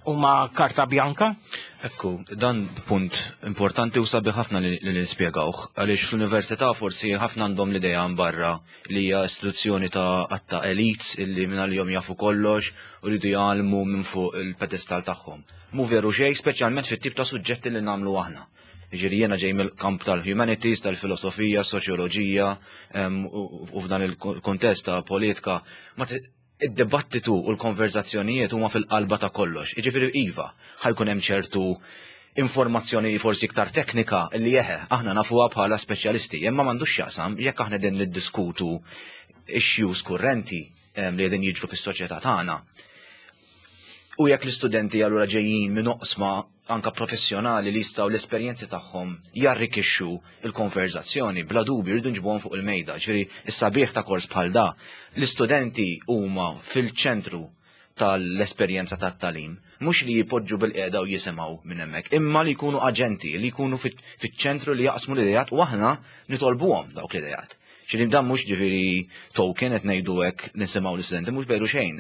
huma karta bjanka? Ekku, dan punt importanti u sabiħ ħafna li nispjegawh, għaliex fl-università forsi ħafna għandhom l-idea barra li hija istituzzjoni ta' għatta elites illi minn għalihom jafu kollox u rridu jgħallmu minn fuq il-pedestal tagħhom. Mhu veru xejn, speċjalment fit-tip ta' suġġetti li nagħmlu aħna. Ġifieri jiena ġej mill-kamp tal-humanities, tal-filosofija, soċjoloġija, u f'dan il-kontest ta' politika, ma id-dibattitu u l-konverzazzjonijiet huma fil-qalba ta' kollox. Jiġifieri iva, ħa jkun hemm ċertu informazzjoni forsi iktar teknika li jeħe aħna nafuha bħala speċjalisti, imma m'għandux x'jaqsam jekk aħna din niddiskutu issues kurrenti li qegħdin jiġru fis-soċjetà tagħna. U jekk l-istudenti allura ġejjin minn oqsma anka professjonali li jistgħu l-esperjenzi tagħhom jarrikixxu il-konverzazzjoni, bla dubju rridu nġibuhom fuq il-mejda. Ġifieri is-sabiħ ta' kors bħal da, l-istudenti huma fil-ċentru tal-esperjenza tat-tagħlim, mhux li jipoġġu bil-qiegħda u jisimgħu minn hemmhekk, imma li jkunu aġenti, li jkunu fiċ-ċentru, li jaqsmu l-idejat u aħna nitolbuhom dawk l-idejat. Ġifieri dan mhux ġifieri token qed ngħidu hekk, nisimgħu l-istudenti, mhux veru xejn.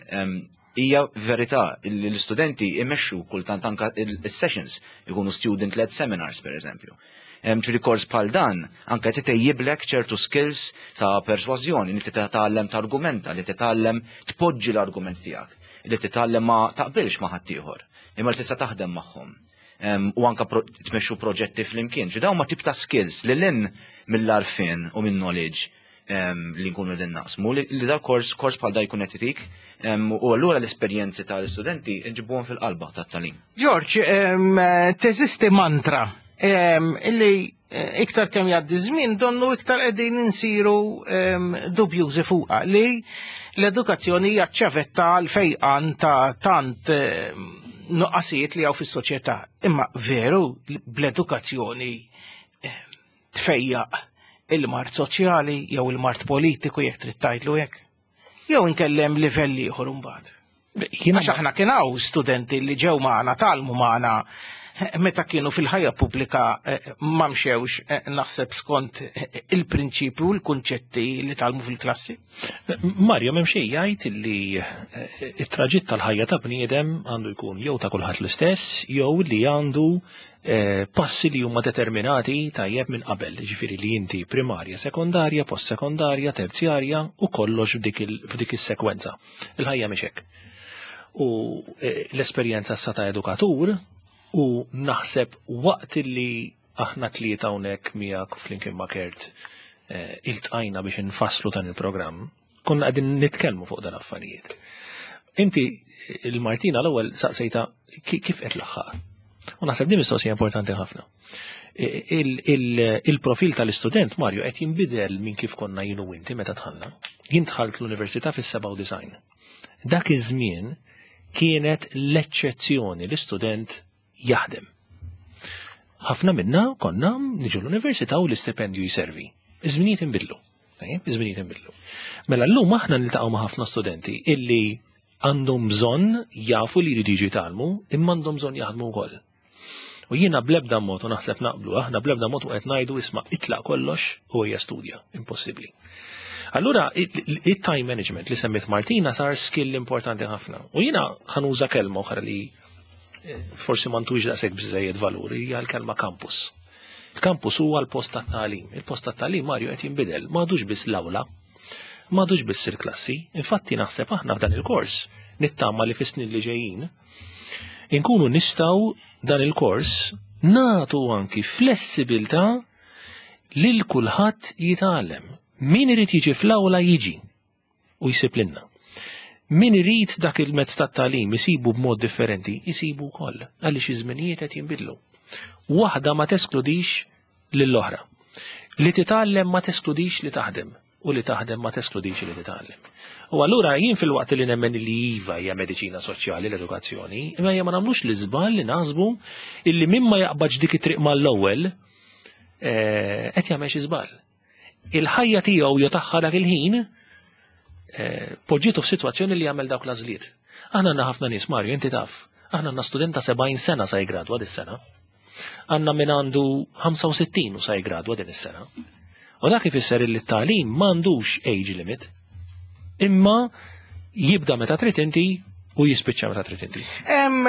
Hija verità li l-istudenti imexxu kultant anka il-sessions, ikunu student-led seminars, per eżempju. Ġifieri kors bħal dan anka titejjiblek ċertu skills ta' persważjoni, li titgħallem ta' argumenta, li titgħallem tpoġġi l-argument tiegħek, li titgħallem ma taqbilx ma' ħaddieħor, imma li tista' taħdem magħhom. U anka tmexxu proġetti flimkien. Ġi dawn ma tip ta' skills li lin mill-għarfien u minn knowledge li nkunu din naqsmu li da kors kors bħal da jkun qed itik u allura l-esperjenzi tal-istudenti nġibuhom fil-qalba tat-tagħlim. George, teżisti mantra illi eh, iktar kemm jgħaddi żmien donnu iktar qegħdin insiru dubjużi fuqha, li l-edukazzjoni hija ċavetta għal fejqan ta' tant nuqqasijiet li hawn fis-soċjetà. Imma veru bl-edukazzjoni tfejjaq il-mard soċjali jew il-mard politiku, jekk trid tgħidlu hekk? Jew inkellem livell ieħor imbagħad. Għax aħna kien hawn studenti li ġew magħna, tgħallmu magħna. meta kienu fil-ħajja pubblika ma mxewx naħseb skont il-prinċipju u l-kunċetti li tgħallmu fil-klassi. Mario, m'hemm xejn jgħid li it-traġitt tal-ħajja ta' bniedem għandu jkun jew ta' kulħadd l-istess jew li għandu passi li huma determinati tajjeb minn qabel, ġifieri li inti primarja, sekondarja, post-sekondarja, terzjarja u kollox f'dik is-sekwenza. Il-ħajja mhix hekk. U l-esperjenza sa ta' edukatur u naħseb waqt li aħna tlieta hawnhekk miegħek flimkien ma' Kurt iltqajna biex infasslu dan il-programm, konna qegħdin nitkellmu fuq dan affarijiet. Inti il-Martina l-ewwel saqsejta kif qed laħħaq. U naħseb din mistoqsija importanti ħafna. Il-profil tal-istudent, Mario, qed jinbidel minn kif konna jien u inti meta dħalna. Jien dħalt l-università fis-sebgħa u disgħin. Dak iż-żmien kienet l-eċċezzjoni l-istudent jaħdem. Ħafna minna konna niġu l-università u l-istipendju jiservi. Iż-żminijiet inbidlu. Iż-żminijiet inbidlu. Mela llum aħna niltaqgħu ma' ħafna studenti illi għandhom bżonn jafu li jridu jiġu jitgħallmu, imma għandhom bżonn jaħdmu wkoll. U jiena blebda mod, u naħseb naqblu, aħna blebda mod u qed ngħidu isma' itlaq kollox u hija studja, impossibbli. Allura, it-time management li semmit Martina sar skill importanti ħafna. U jiena ħa nuża kelma oħra li forsi ma ntux daqshekk biżejjed valuri, hija l-kelma campus. Il-campus huwa l-post tat-tagħlim. Il-post tat-tagħlim, Mario, qed jinbidel, m'għadux biss l-awla, m'għadux biss il-klassi. Infatti naħseb aħna f'dan il-kors nittama li fis-snin li ġejjin inkunu nistgħu dan il-kors nagħtu anki flessibilità lil kulħadd jitgħallem. Min irid jiġi fl-awla jiġi u jsib lilna. Min irid dak il-mezz tat-tagħlim isibu b'mod differenti, isibu wkoll, għaliex iż-żminijiet qed jinbidlu. Waħda ma teskludix lill-oħra. Li titgħallem ma teskludix li taħdem, u li taħdem ma teskludix li titgħallem. U allura jien fil-waqt li nemmen li iva hija mediċina soċjali l-edukazzjoni, imma hija ma nagħmlux l-iżball li naħsbu illi min ma jaqbadx dik it-triq mal-ewwel qed jagħmel xi żball. Il-ħajja tiegħu jew tagħha dak il-ħin poġġietu f'sitwazzjoni li jagħmel dawk l-għażliet. Aħna għandna ħafna nies, Mario, inti taf. Aħna għandna student ta' sebgħin sena sa jgradwa dis-sena. Għandna min għandu ħamsa u sittin u sa jgradwa din is-sena. U dak ifisser li t-tagħlim m'għandux age limit, imma jibda meta trid inti u jispiċċa meta trid inti. Em,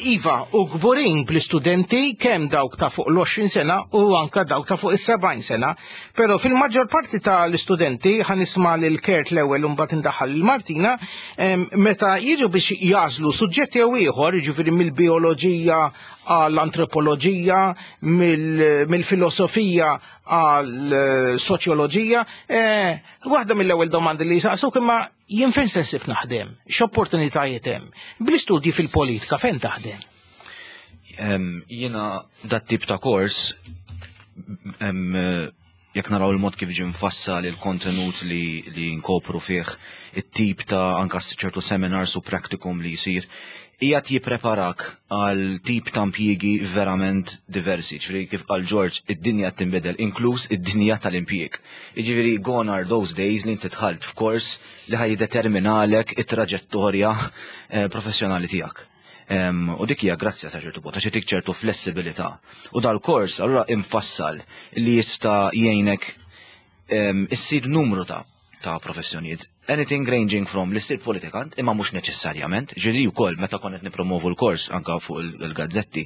Iva, u kburin bl-istudenti kemm dawk ta' fuq l-għoxrin sena u anka dawk ta' fuq is-sebgħin sena, però fil-maġġor parti tal-istudenti ħa nisma' lil Kurt l-ewwel u mbagħad indaħħal lil Martina, meta jiġu biex jażlu suġġetti jew ieħor, jiġifieri mill-bioloġija għall-antropoloġija, mill-filosofija għall-soċjoloġija, waħda mill-ewwel domandi li jsaqsuk imma jien fejn se nsib naħdem, x'opportunitajiet hemm? Bl-istudji fil-politika fejn taħdem? Jiena dat tip ta' kors, jekk naraw il-mod kif ġie mfassal il-kontenut li, li nkopru fih, it-tip ta' anka ċertu seminars u practicum li jsir, qiegħed jippreparak għal tip ta' impjiegi verament diversi. Ġifieri kif qal George, id-dinja tinbidel, inkluż id-dinja tal-impjieg. Ġifieri gone are those days li inti dħalt f'kors li ħa jiddeterminalek it-traġettorja eh, professjonali tiegħek. U dik hija grazzja sa ċertu punt, għax itik ċertu flessibilità. U dal-kors allura infassal li jista' jgħinek issir numru ta' ta' professjonijiet. Anything ranging from li ssir politikant, imma mhux neċessarjament, ġieli wkoll meta konna qed nipromovu l-kors anka fuq il-gazzetti.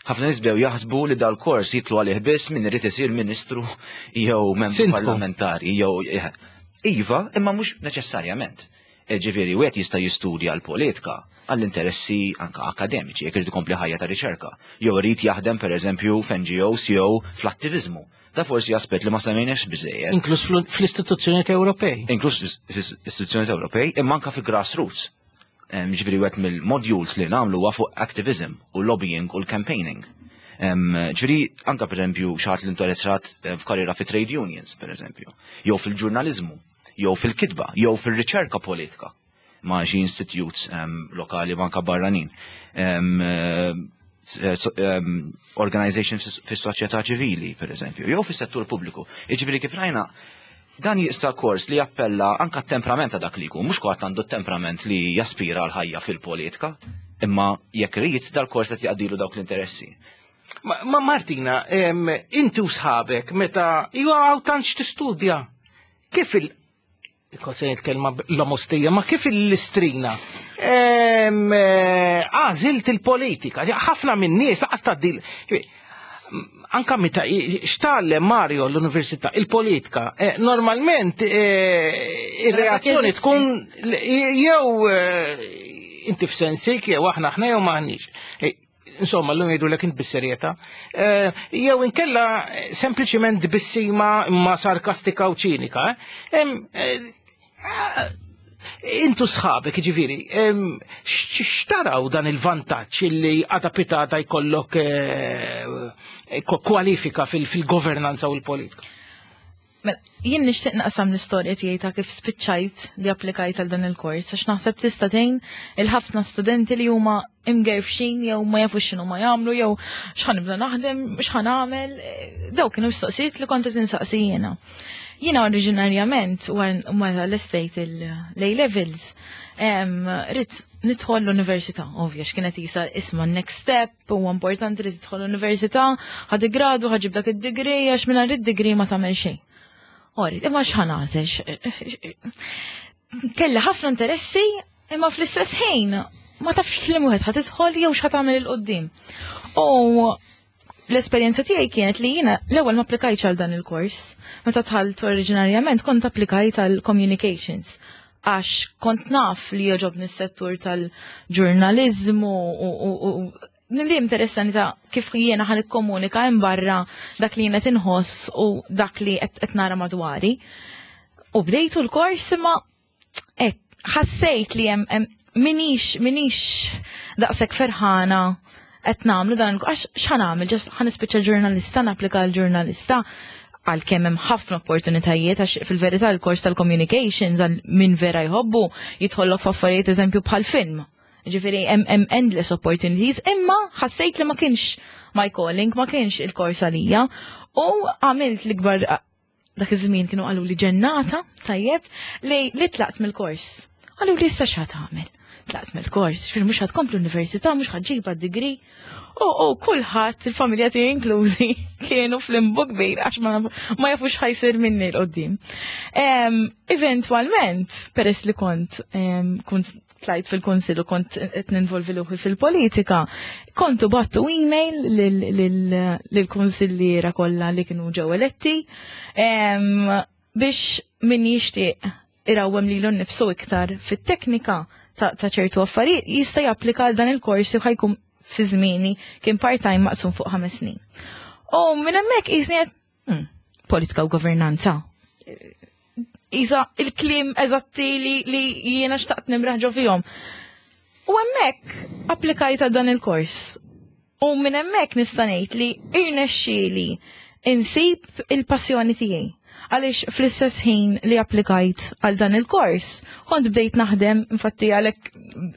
Ħafna nies bdew jaħsbu li dal-kors jidħlu għalih biss min irid isir ministru jew membru Sindku. parlamentari jew iva, imma mhux neċessarjament. Ġifieri, wieħed jista' jistudja l-politika għall-interessi anka akademiċi, jekk irid ikompli ħajja ta' riċerka, jew irid jaħdem pereżempju f'N G Os jew fl-attiviżmu. Da forsi aspett li ma semmejniex biżejjed. Inkluż fl-, fl-istituzzjonijiet Ewropej. Inkluż fl-istituzzjonijiet Ewropej, imma anka fi grassroots. Em, ġifieri wieħed mill-modules li nagħmlu huwa fuq activism u lobbying u l-campaigning. Em, ġifieri anka pereżempju xi ħadd li interessat, eh, f'karriera fi trade unions pereżempju, jew fil-ġurnaliżmu, jew fil-kitba, jew fil-riċerka politika ma' xi institutes, em, lokali u anka barranin. Em, eh, eh, em, organizations fis-soċjetà ċivili, per eżempju, jew fis-settur pubbliku. Jiġifieri kif rajna, dan jista' kors li jappella anka t-temperament ta' dak li jkun, mhux kulħadd għandu t-temperament li jaspira għal ħajja fil-politika, Imma jekk rrid, dal-kors qed jaqdilu dawk l-interessi. Ma, ma Martina, em, inti u sħabek, meta ju għaw tantx tistudja, kif il- Kont se nitkellma l-omostija, ma kif il-istrina? Em, eh, Għażilt il-politika, ħafna minn nies laqas tgħaddil. Anka meta xtgħallem Mario l-università, il-politika, eh, normalment eh, ir-reazzjoni tkun jew eh, inti f'sensik, jew aħna aħna jew maħniex. Eh, Insomma, l-lum jgħidu l int bis-serjetà. Eh, Jew inkella eh, sempliċiment bissima imma sarkastika u ċinika. eh. Em, eh, eh, Intu sħabek, ġifiri, em, x- x'taraw dan il-vantaġġ illi għada pitgħada jkollok eh, kwalifika fil- fil-governanza u l-politika? Mela, jien nixtieq naqsam l-istorja tiegħi ta' kif spiċċajt li applikajt għal dan il-kors, għax naħseb tista' tgħin il-ħafna studenti li huma imgerfxin jew ma jafux x'inhu ma jagħmlu jew x'ħa nibda naħdem, x'ħa nagħmel. Daw kienu mistoqsijiet li kont qed insaqsi jiena. Jiena oriġinarjament wara l-estate l-A levels, ridt nidħol l-università, ovvja, x'kienet jisa isma next step, u importanti li tidħol l-università, ħa gradu, ħa ġġib dak id-degree, għax minn id-degree ma tagħmel xejn. Ori, imma x'ħa nagħżel? Kelli ħafna interessi, imma fl-istess ħin ma tafx f'liema wieħed ħa tidħol jew x'ħa tagħmel 'il quddiem. U l-esperjenza tiegħi kienet li jiena l-ewwel ma applikajtx għal dan il-kors. Meta dħalt oriġinarjament kont applikajt għal communications, għax kont naf li jogħġobni s-settur tal-ġurnalizmu u li interessani ta' kif jiena ħa nikkomunika hemm barra dak li jiena tinħoss u dak li qed nara madwari. U bdejtu l-kors, imma ħassejt li hemm minix minix daqshekk ferħana qed nagħmlu dan, għax x'ħa nagħmel, just ħa nispiċċa ġurnalista, napplika l-ġurnalista, għal kemm hemm ħafna opportunitajiet, għax fil-verità l-kors tal-communications, għal min vera jħobbu, jidħollok f'affarijiet eżempju bħal film. Ġifieri hemm endless opportunities, imma ħassejt li ma kienx my calling, ma kienx il-kors għalija. U għamilt l-ikbar, dak iż-żmien kienu qalu li ġennata, tajjeb, li li tlaqt mill-kors. Qalu li issa x'ħa tagħmel? Tlaqt mill-kors, fil mhux ħa tkompli l-università, mhux ħa ġġib degree. U u kulħadd, il-familja tiegħi inklużi, kienu fl-limbu kbir għax ma, ma jafux x'ħa jsir minni 'l quddiem. Eventualment, peress li kont kont tlajt fil-konsil u kont qed ninvolvi ruħi fil-politika, kontu bgħattu email lill-kunsilliera kollha li kienu ġew eletti biex min jixtieq irawwem lilu nnifsu iktar fit-teknika ta' ċertu affarijiet jista' japplika għal dan il-kors u ħa jkun, fi żmieni kien part-time maqsum fuq ħames snin. U minn hemmhekk qisni hmm, politika u governanza. Isa il-kliem eżatti li, li jiena xtaqt nimraħ ġo fihom. U hemmhekk applikajt għal dan il-kors. U minn hemmhekk nista' ngħid li irnexxieli insib il-passjoni tiegħi. Għaliex fl-istess ħin li applikajt għal dan il-kors, kont bdejt naħdem, infatti għalhekk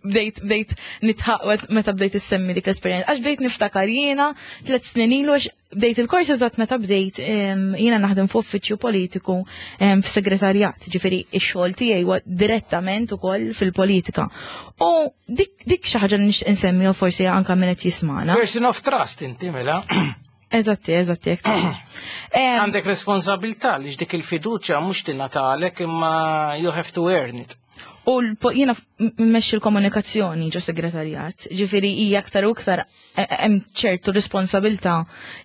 bdejt bdejt nidħaq meta bdejt issemmi dik l-esperjenza, għax bdejt niftakar jiena tliet snin ilu, għax bdejt il-kors eżatt meta bdejt jiena naħdem f'uffiċċju politiku f'segretarjat, ġifieri ix-xogħol tiegħi huwa direttament ukoll fil-politika. U dik dik xi ħaġa li nixtieq insemmi u forsi anke min qed jismana. Person of trust inti mela. Eżatti, eżatti. Għandek responsabilità li dik il-fiduċja mhux tingħatalek, imma you have to earn it. U jiena mmexxi l-komunikazzjoni ġo segretarjat, ġifieri hija aktar u aktar hemm ċertu responsabilità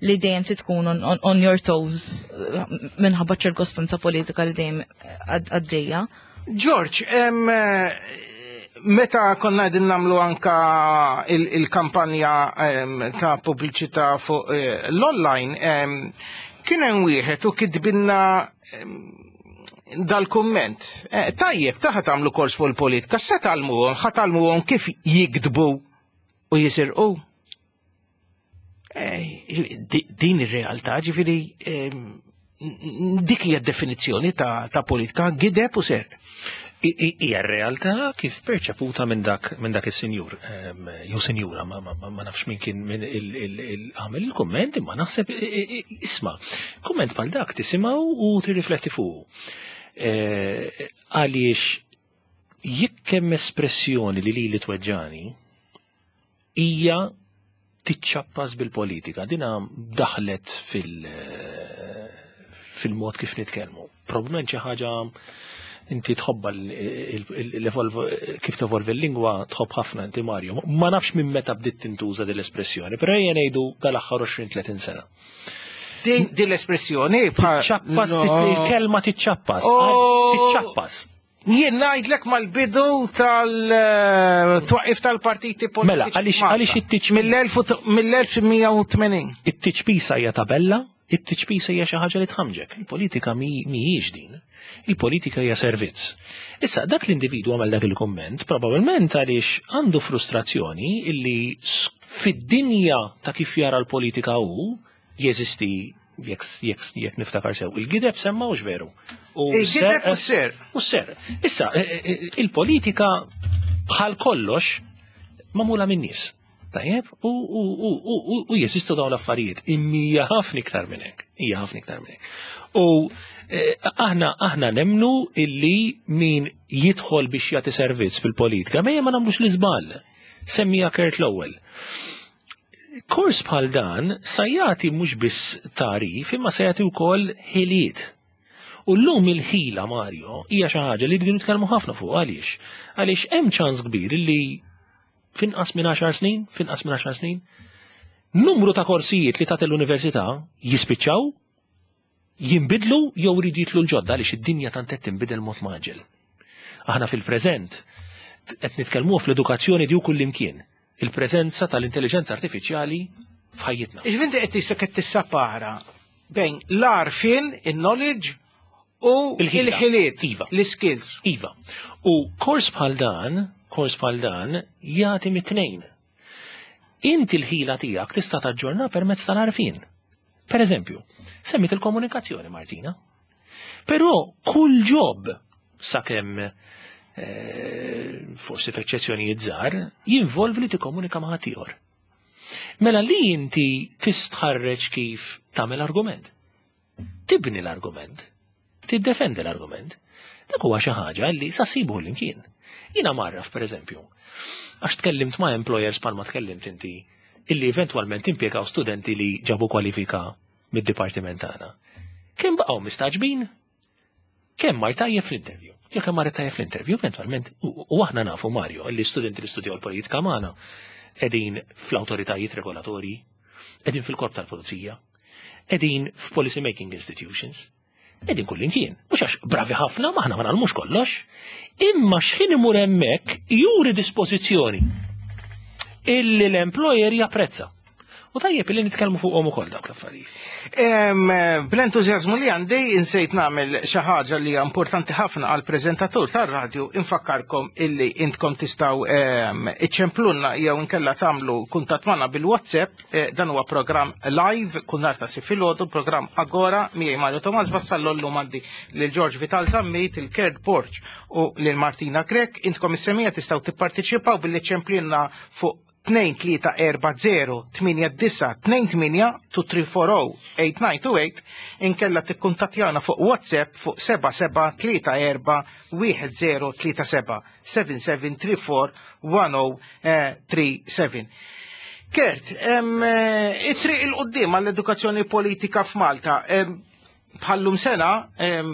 li dejjem tkun on, on, on your toes minħabba ċirkostanza politika li dejjem għaddejja. George, em, meta konna qegħdin nagħmlu anka il-kampanja ta' pubbliċità fuq eh, l-online, kien hemm wieħed u kitbinna dal-kumment. Eh, tajjeb, ta' ħa tagħmlu kors fuq il-politika, se tgħallmuhom, ħa tgħallmuhom kif jikdbu u jisirqu. Eh, din ir-realtà, ġifieri, dik hija definizzjoni ta', ta politika, gideb u serq. Hija realtà kif perċeputa minn dak minn dak is-sinjur jew sinjura, ma, ma, ma nafx min kien min għamel il-kumment, imma naħseb, isma', kumment bħal dak tisimgħu u tirrifletti fuq. E, għaliex jekk hemm espressjoni li li li tweġġani Hija tiċċappas bil-politika. Dina daħlet fil- fil-mod kif nitkellmu. Probabbilment xi ħaġa inti tħobba kif tevolvi l-lingwa, tħobb ħafna inti, Mario. Ma nafx minn meta bdiet tintuża din l-espressjoni, però ejja ngħidu dal-aħħar għoxrin tletin sena. Din din l-espressjoni Tiċċappas, il-kelma tiċċappas. Oh. Tiċċappas. Jien ngħidlek mal-bidu tal-twaqif tal-partiti politiċi. Mela, għaliex għaliex it-tiċ mill-elf mija u tmenin. It-tiċpisa hija tabella, it-tiċpisa hija xi ħaġa li tħamġek. Il-politika mhijiex din. Il-politika hija servizz. Issa, dak l-individwu għamel dak il-komment probabbilment għaliex għandu frustrazzjoni illi fid-dinja ta' kif jara l-politika hu jeżisti, jekk jekk jekk niftakar sew. Il-gideb semma, hux veru? U il-gideb u s-serq. U s-serq. Issa, eh, eh, il-politika bħal kollox magħmula minn nies. Tajjeb, u, u, u, u, u, u jeżistu dawn l-affarijiet. Imma hija ħafna iktar minn hekk. Hija ħafna iktar minn hekk. U eh, aħna aħna nemnu illi min jidħol biex jagħti servizz fil-politika, mejja ma nagħmlux l-iżball. Semmija Kurt l-ewwel. Kors bħal dan sa jagħti mhux biss tagħrif, imma sa jagħti wkoll ħiliet. U llum il-ħila, Mario, hija xi ħaġa li rridu nitkellmu ħafna fuq. Għaliex? Għaliex hemm ċans kbir li finqas minn għaxar snin, finqas minn għaxar snin, numru ta' korsijiet li tagħti l-università jispiċċaw, jinbidlu jew jridu jidħlu l-ġodda, għaliex id-dinja tant qed tinbidel mod mgħaġġel. Aħna fil-preżent qed nitkellmu fl-edukazzjoni di kullimkien. Il-preżenza tal-intelligenza artifiċjali f'ħajjitna. Iġvinti qed tisek qed tissapara bejn l-għarfien, il-knowledge u Il-ħila. il-ħiliet, Iva. l-skills. Iva. U kors bħal dan, kors bħal dan jagħti mit-tnejn. Inti l-ħila tiegħek tista' taġġorna permezz tal-għarfien. Per eżempju, semmit il-komunikazzjoni, Martina. Però kull job, sakemm eh, forsi f'eċċezzjonijiet żgħar, jinvolvi li tikkomunika ma' ħaddieħor. Mela li inti tistħarreġ kif tagħmel argument. Tibni l-argument. Tiddefendi l-argument. Dak huwa xi ħaġa li sa ssibu l-imkien. Jiena marraf, per eżempju, għax tkellimt ma' employers palma tkellimt inti, illi eventwalment impjegaw studenti li ġabu kwalifika mid-dipartiment tagħna. Kemm baqgħu mistagħġbin? Kemm mar tajjeb fl-interview? Jekk kemm mar tajjeb fl-interview, eventwalment, u u aħna nafu, Mario, li studenti li studjaw l-politika magħna qegħdin fl-awtoritajiet regolatorji, qegħdin fil-korp tal-pulizija, qegħdin f'policy making institutions, qegħdin kullimkien. Mhux għax bravi ħafna, m'aħna ma nagħmlux kollox, imma x'ħin imur hemmhekk juri dispożizzjoni illi l-employer japprezza. U tajjeb illi nitkellmu fuqhom ukoll dawk l-affarijiet. Em, Bl-entużjażmu li għandi insejt nagħmel xi ħaġa li hija importanti ħafna għal preżentatur tar-radju: infakkarkom illi intkom tistgħu em, iċċemplunna jew inkella tagħmlu kuntatt magħna bil-WhatsApp. eh, Dan huwa programm live kull nhar ta' Sibt filgħodu, programm Agora, miegħi Mario Tomas Vassallo. Llum għandi lil George Vital Zammit, il Kurt Borg u lil Martina Grech. Intkom is-semmiegħa tistgħu tipparteċipaw billi ċemplunna fuq tnejn tlieta erba' żero tmienja disgħa tnejn tmienja, tnejn tlieta erba' żero tmienja disgħa tnejn tmienja, inkella tikkuntattjana fuq WhatsApp fuq seba' seba' tlieta erba' wieħed żero tlieta seba', seba' seba' tlieta erba' wieħed żero tlieta seba. Kurt, em, eh, it-triq 'il quddiem għall-edukazzjoni politika f'Malta, em, bħallum sena, em,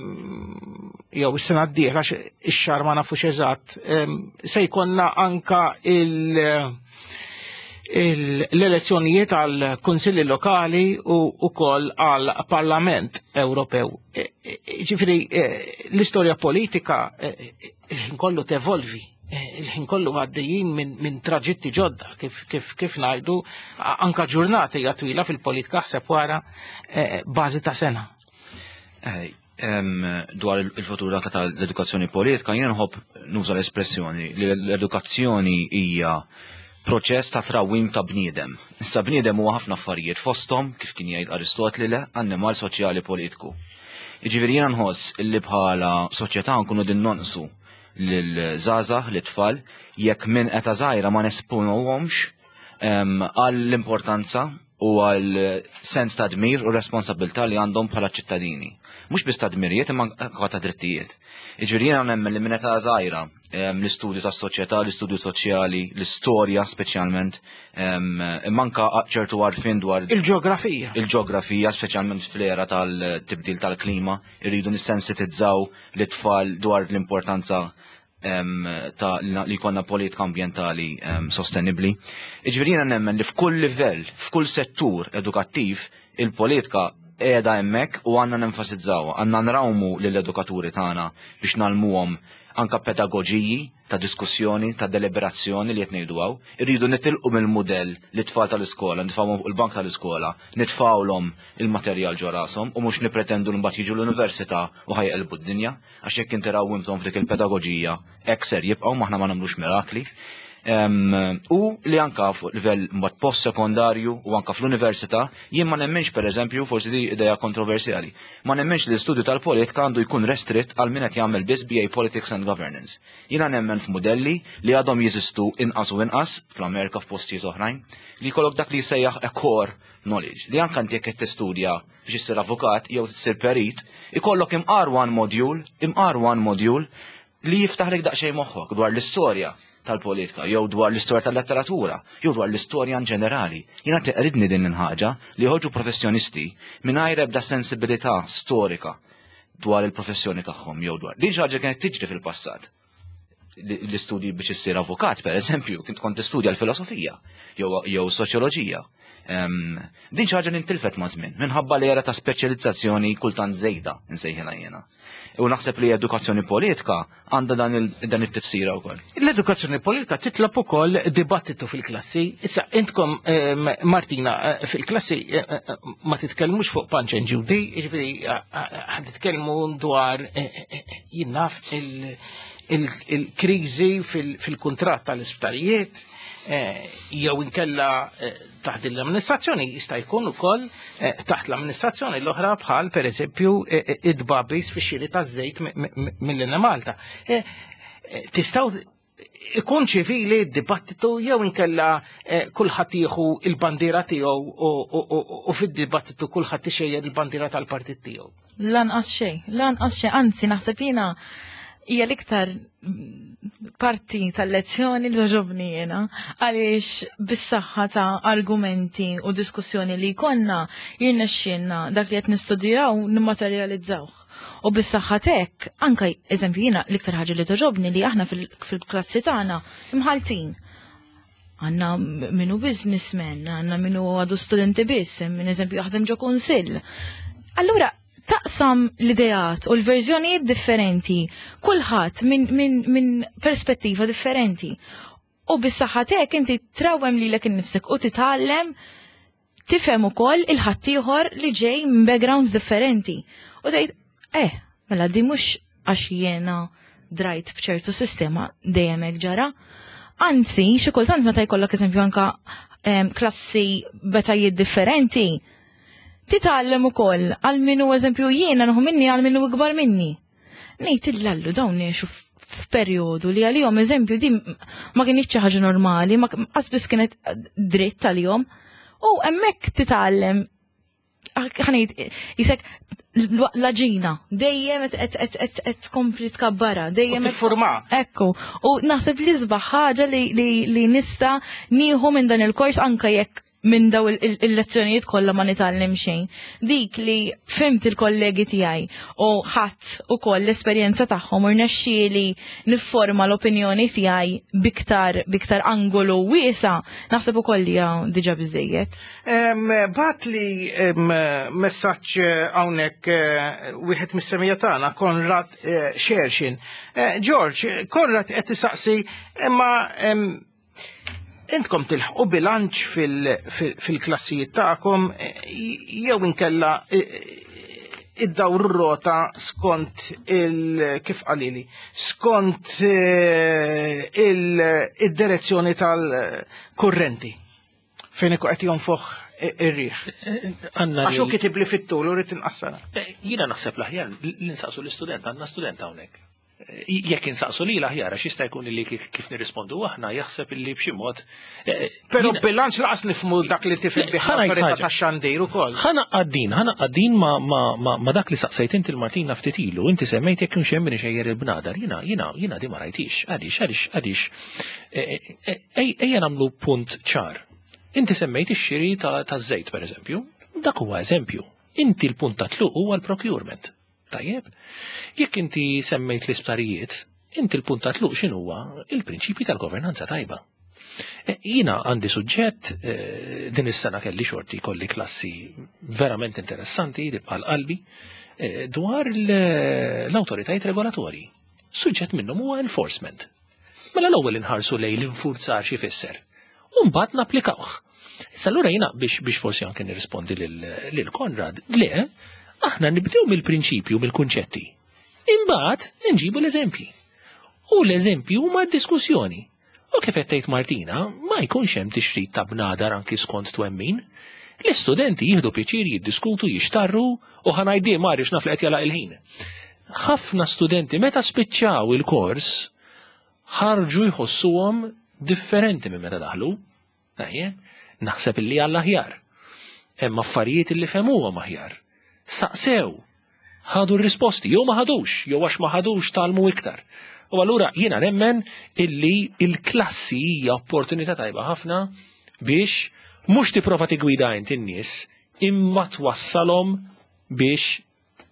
jew is-sena d-dieħla, ix-xahar ma nafux eżatt, em, se jkollna anka il- il- l-elezzjonijiet għal kunsilli lokali u ukoll għal Parlament Ewropew. E, e, Ġifieri, e, l-istorja politika e, e, il-ħin kollu tevolvi. E, Il-ħin kollu għaddejjin minn min traġitti ġodda, kif, kif, kif ngħidu, a- anka ġurnata hija twila fil-politika, ħseb wara e, bażi ta' sena. Eh, em, dwar il- il-futur anka tal-edukazzjoni politika, jien nħobb nuża l-espressjoni li l-edukazzjoni hija proċess ta' trawim ta' bniedem. Issa bniedem huwa ħafna affarijiet, fosthom, kif kien jgħid Aristotli, le, annimal soċjali politiku. Jiġifieri jiena nħoss illi bħala soċjetà nkunu din nonqsu lil-żgħażagħ, lit-tfal, jekk minn età żgħira ma nesponuhomx em, għall-importanza U għal sens ta' dmir u responsabilità li għandhom bħala ċittadini. Mhux biss ta' dmirijiet, imma anke ta' drittijiet. Jiġifieri jiena nemmen li minn età żgħira l-istudju tas-soċjetà, l-istudju soċjali, l-istorja speċjalment, imma anke ċertu għarfien dwar il-ġeografija. Il-ġeografija, speċjalment fl-era tal-tibdil tal-klima, irridu nissensitizzaw l-tfal dwar l-importanza ta' li jkollna politika ambjentali sostenibbli. Jiġifieri jiena nemmen li f'kull livell, f'kull settur edukattiv, il-politika qiegħda hemmhekk u għandna nenfasizzawha, għandna nrawmu lill-edukaturi tagħna biex ngħallmuhom anka pedagoġiji ta' diskussjoni, ta' deliberazzjoni li qed ngħidu hawn. Irridu nitilqu mill-mudell li tfal tal-iskola, nitfgħuhom fuq il-bank tal-iskola, nitfgħulhom il-materjal ġo rashom u mhux nipretendu li mbagħad jiġu l-università u ħa jqelbu d-dinja, għax jekk inti rawwimthom f'dik il-pedagoġija hekk ser jibqgħu, m'aħna ma nagħmlux mirakli. U li anka fuq livell mbagħad post-sekondarju u anka fl-università, jien ma nemminx, pereżempju, forsi di idea kontroversjali, ma nemminx li l-istudju tal-politika għandu jkun restritt għal min qed jagħmel biss B A Politics and Governance. Jiena nemmen f'modelli li għadhom jeżistu inqas u inqas fl-Amerika, f'postijiet oħrajn, li jkollok dak li jsejjaħ a core knowledge, li anka inti jekk qed tistudja biex issir avukat jew tsir perit, ikollok imqar one module, imqar one module li jiftaħlek daqsxejn moħħok dwar l-istorja tal-politika, jew dwar l-istorja tal-letteratura, jew dwar l-istorja in ġenerali. Jiena teqridni din il-ħaġa li joħorġu professjonisti mingħajr ebda sensibilità storika dwar il-professjoni tagħhom jew dwar. Din xi ħaġa kienet tiġri fil-passat. L-istudji biex issir avukat, per eżempju, kint kont tistudja l-filosofija jew soċjoloġija. Din xi ħaġa li ntilfet ma' żmien, minħabba li era ta' speċjalizzazzjoni kultant żejda, nsejħilha jiena. U naħseb li edukazzjoni politika għandha dan it-tifsira wkoll. L-edukazzjoni politika titlob ukoll dibattitu fil-klassi. Issa intkom, Martina, fil-klassi ma titkellmux fuq Punch and Judy, jiġifieri ħad titkellmu dwar, jien naf, il-kriżi fil-kuntratt tal-isptarijiet, jew inkella taħt l-amministrazzjoni, jista' jkun ukoll taħt l-amministrazzjoni l-oħra, bħal pereżempju id-babis fix-xiri taż-żejt mill-Enemalta. Tistgħu ikun ċivili d-dibattitu jew inkella kulħadd jieħu il-bandiera tiegħu u fid-dibattitu kulħadd ixejjer il-bandiera tal-partit tiegħu? Lanqas xejn, lanqas xejn, anzi naħseb jiena hija l-iktar parti tal-lezzjoni li togħġobni jiena, għaliex bis-saħħa ta' argumenti u diskussjoni li jkollna jirnexxielna dak li qed nistudjaw nimmaterjalizzawh. U bis-saħħa t'hekk, anke eżempju jiena l-iktar ħaġa li togħġobni li aħna fil-klassi tagħna imħaltin. Għandna minnu businessman, għandna minnu għadu studenti biss, minn eżempju jaħdem ġo kunsill. Allura taqsam l-ideat u l-verżjonijiet differenti, kulħadd minn min, min perspettiva differenti. U bis-saħħa t'hekk inti trawwem lilek innifsek u titgħallem tifhem ukoll il-ħaddieħor li ġej minn backgrounds differenti. U tgħid, eh, mela di mhux għax jiena drajt b'ċertu sistema dejjem hekk ġara. Anzi, xi kultant meta jkollok eżempju anka klassi b'etajiet differenti, titgħallem ukoll għal minnu, eżempju jiena nieħu minni għal minnu ikbar minni. Ngħid illallu dawn ngħixu f'perjodu li għalihom eżempju di ma kienx xi ħaġa normali, ma qas biss kienet dritt għalihom. U hemmhekk titgħallem, ħa ngħid jisek l-ġina, dejjem qed tkompli tkabbara, dejjem tiffurma. Ekku, u naħseb li sbaħ ħaġa li nista' nieħu minn dan il-kors, anke jekk minn daw il-lezzjonijiet kollha ma nitgħallem xejn. Dik li fhimt il-kollegi tiegħi u ħadd ukoll l-esperjenza tagħhom u rnexxieli nifforma l-opinjoni tiegħi biktar biktar angolu wiesa', naħseb ukoll li hija diġà biżejjed. Bagħat li messaġġ hawnhekk wieħed mis-semija tagħna, Konrad Xerxin. George, Konrad qed isaqsi, imma intkom tilħqu bilanċ fil-klassijiet tagħkom jew inkella id-dawr rota skont il kif qalili, skont il-direzzjoni tal-kurrenti fejn ikun qed jonfoħ ir-riħ? Għax hu kitib li fit-tul u rrid inqassara. Jiena naħseb l-aħjar li nsaqsu l-istudent, għandna student hawnhekk. Jekk insaqsu li l-aħjar, għax jista' jkun li kif nirrispondu aħna jaħseb illi b'xi mod. Però bilanċ laqas nifhmu dak li tifhem bih l-awtorità tax-xandir ukoll. Ħa naqaddin, ħa naqaddin ma dak li saqsejt inti l-Martina ftit ilu, inti semmejt jekk kienx hemm min ixejjer il-bnadar, jiena jiena jiena di ma rajtix, għaliex għaliex għaliex. Ejja nagħmlu punt ċar. Inti semmejt ix-xiri taż-żejt pereżempju, dak huwa eżempju. Inti l-punt ta' tluq huwa l-procurement. Tajjeb, jekk inti semmejt l-isptarijiet, inti l-punt ta' tluq x'inhuwa il-prinċipji tal-governanza tajba. Jiena għandi suġġett, din is-sena kelli xorti kolli klassi verament interessanti li bħal qalbi dwar l-awtoritajiet regolatorji. Suġġett minnhom huwa enforcement. Mela l-ewwel inħarsu lejn l-infurzar xi fisser. U mbagħad napplikawh. Issa allura jiena biex biex forsi anke nirrispondi lil Konrad, le, aħna nibdew mill-prinċipju, mill-kunċetti. Imbagħad nġibu l-eżempji. U l-eżempji huma d-diskussjoni. U kif qed tgħid Martina, ma jkunx hemm tixrid ta' bnadar anki skont twemmin. L-istudenti jieħdu pjaċir jiddiskutu, jixtarru u ħa ngħidih Marius naf li qed jalaq il-ħin. Ħafna studenti meta spiċċaw il-kors ħarġu jħossuhom differenti minn meta daħlu. Naħseb illi għall aħjar. Hemm affarijiet illi fehmuhom aħjar. Saqsew, ħadu r-risposti, jew ma ħadux, jew għax ma ħadux talmu iktar. U allura jiena nemmen illi il-klassi hija opportunità tajba ħafna biex mhux tipprova tigwida int in-nies imma twassalhom biex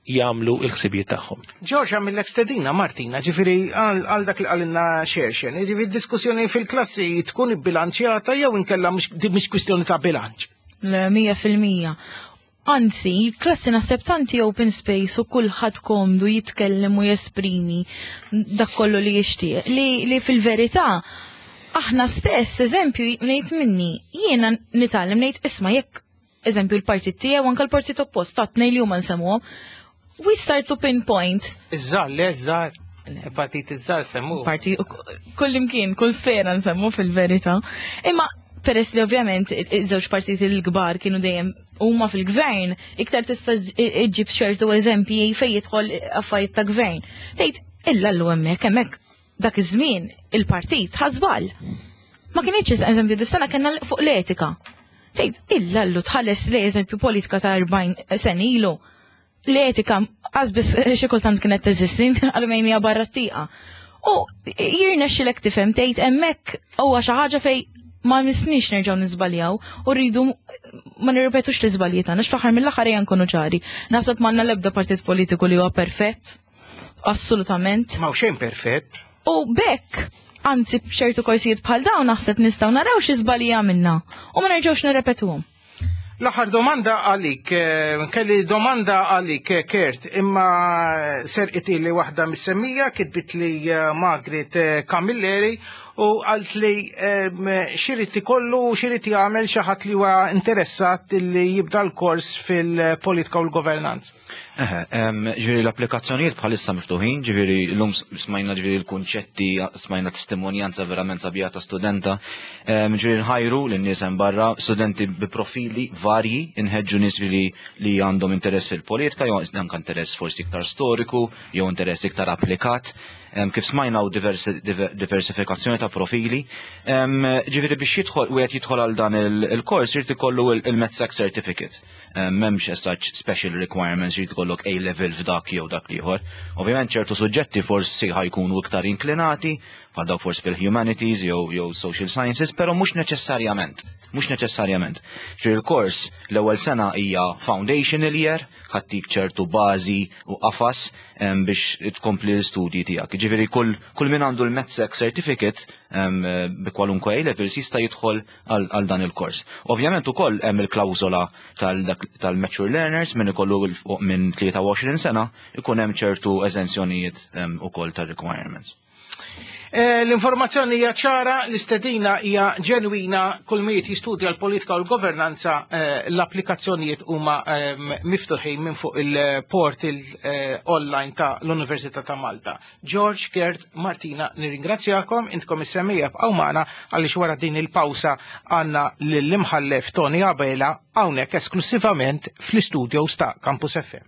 jagħmlu l-ħsibijiet tagħhom. Ġorġ għamillek stedina Martina, ġifieri għal dak li qalilna Xerxen, ġifieri d-diskussjoni fil-klassi tkun ibbilanċjata jew inkella mhix kwistjoni ta' bilanċ. Le, mija fil-mija. Anzi, klassi naħseb tanti open space u kulħadd komdu jitkellem u jesprimi dak kollu li jixtieq. Li, li fil-verità aħna stess, eżempju, ngħid minni, jiena nitgħallem ngħid isma' jekk eżempju l-partit tiegħu anke l-partit oppost ta' tnejn li huma nsemmuhom, we start to pinpoint. Iż-żgħar, le żgħar. Il-partit iż-żgħar semmu. Partit kull imkien, kull sfera nsemmu fil-verità. Imma peress li ovvjament iż-żewġ partiti l-kbar kienu dejjem huma fil-gvern, iktar tista' iġġib ċertu eżempji fejn jidħol affarijiet ta' gvern. Tgħid illa llu hemmhekk hemmhekk dak iż-żmien il-partit ħażbal. Ma kienx eżempju dis-sena kellna fuq l-etika. Tgħid illa llu tħalles li eżempju politika ta' erbgħin sen ilu. L-etika qasbis xi kultant kienet teżisti għal hija barra t-tieqa. U jirnexxilek tifhem tgħid hemmhekk huwa xi ħaġa fejn ma nisnix nerġgħu niżbaljaw u rridu ma nirrepetux l-iżbalji tagħna x'fl-aħħar mill-aħħar ejja nkunu ċari. Naħseb m'għandna l-ebda partit politiku li huwa perfett. Assolutament. Ma xejn perfett. U bekk, anzi b'ċertu korsijiet bħal dawn naħseb nistgħu naraw xi żbalji għamilna u ma nerġgħux nirrepetuhom. L-aħħar domanda għalik, kelli domanda għalik, Kurt, imma serqit li waħda mis-semmija, kitbit li Margaret Camilleri u għalt li x'irid ikollu, x'irid jagħmel xi ħadd li huwa interessat li jibda l-kors fil-politika u l-governanza. Eħe, ġifieri l-applikazzjonijiet bħalissa miftuħin, ġifieri llum smajna ġifieri l-kunċetti, smajna testimonjanza verament sabiħa ta' studenta, ġifieri nħajru lin-nies hemm barra, studenti bi profili varji, inħeġġu nies li li għandhom interess fil-politika, jew anke interess forsi iktar storiku, jew interess iktar applikat. Kif smajna u diversifikazzjoni ta' profili. Ġifieri biex jidħol wieħed jidħol għal dan il-kors irid ikollu il-MedSec Certificate. M'hemmx as such special requirements, irid ikollok A level f'dak jew dak l-ieħor. Ovvjament ċertu suġġetti forsi ħajkunu iktar inklinati, bħal dawk forsi fil-humanities jew jew social sciences, però mhux neċessarjament. Mhux neċessarjament. Ġifieri il-kors l-ewwel sena hija foundational year, ħattik ċertu bażi u qafas biex tkompli l-istudji tiegħek. Ġifieri kull kull min għandu l-MedSec Certificate bi kwalunkwe A levels jista' jidħol għal dan il-kors. Ovvjament ukoll hemm il-klawżola tal-mature learners min ikollu minn tlieta u għoxrin sena ikun hemm ċertu eżenzjonijiet ukoll tar-requirements. L-informazzjoni hija ċara, l-istedina hija ġenwina, kull min jistudja l-politika u l-governanza, l-applikazzjonijiet huma miftuħin minn fuq il-portal online ta' l-Università ta' Malta. George, Gerd, Martina, nirringrazzjakom, intkom is-semmija bqgħu magħna għaliex wara din il-pawsa għandna lill-imħallef Tony Abela hawnhekk esklusivament fl-istudios ta' Campus F M.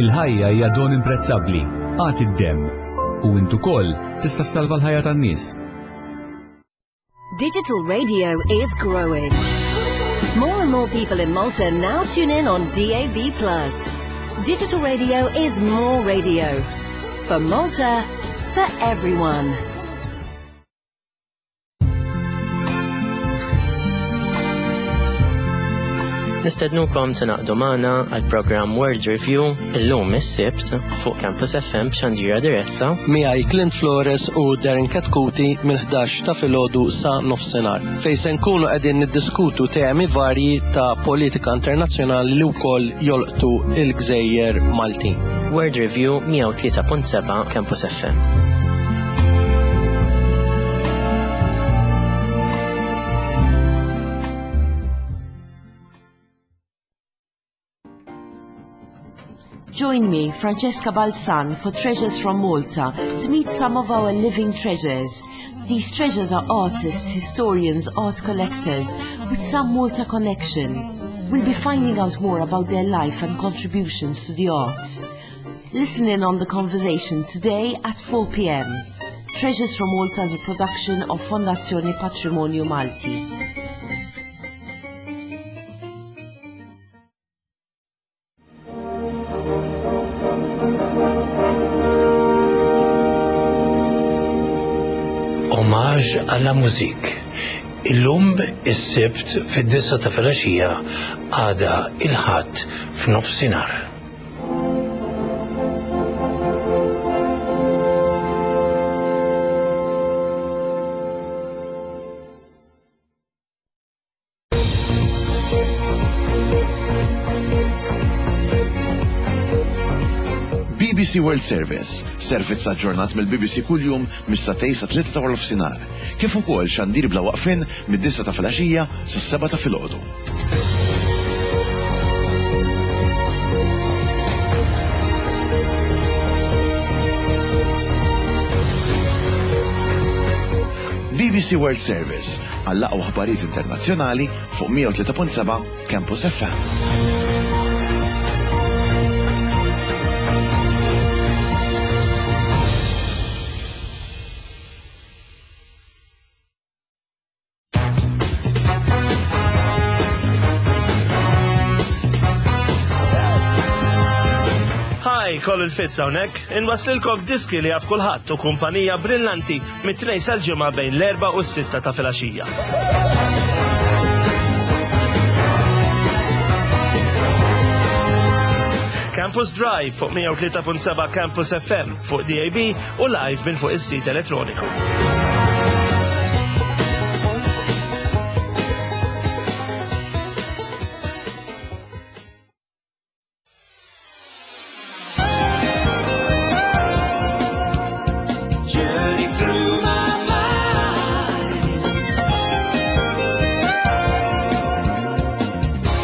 Il-ħajja hija don imprezzabbli, agħti d-demm. U int ukoll tista' ssalva l-ħajja tan-nies. Digital radio is growing. More and more people in Malta now tune in on D A B plus. Digital radio is more radio. For Malta, for everyone. Nistednukom tingħaqdu magħna għal programm World Review illum is-Sibt fuq Campus F M b'xandira diretta. Miegħi Clint Flores u Darren Katkuti mill-ħdax ta' filgħodu sa nofsinhar, fejn se nkunu qegħdin niddiskutu temi varji ta' politika internazzjonali li wkoll jolqtu il-gżejjer Maltin. World Review, mija u tlieta punt seba' Campus F M. Join me, Francesca Balzan, for Treasures from Malta to meet some of our living treasures. These treasures are artists, historians, art collectors with some Malta connection. We'll be finding out more about their life and contributions to the arts. Listen in on the conversation today at four p m. Treasures from Malta is a production of Fondazione Patrimonio Malti. Hommage à la musique. Illum is-Sibt fid-disgħa ta' filgħaxija, għada il-Ħadd f'nofsinhar. B B C World Service, servizz aġġornat mill-B B C kuljum mis-sagħtejn sa tlieta ta' nofsinhar, kif ukoll xandir bla waqfin mid-disgħa ta' filgħaxija sas-sebgħa ta' filgħodu. B B C World Service għall-aqwa aħbarijiet internazzjonali fuq mija u tlieta punt seba' Campus F M. Hi, Colin Fitz hawnhekk, inwaslilkom diski li jaf kulħadd u kumpanija brillanti mit-Tnejn sal-Ġimgħa bejn l-erba' u s-sitta ta' filgħaxija. Campus Drive fuq mija u tlieta punt seba' Campus F M, fuq D A B u live minn fuq is-sit elettroniku. Journey through my mind.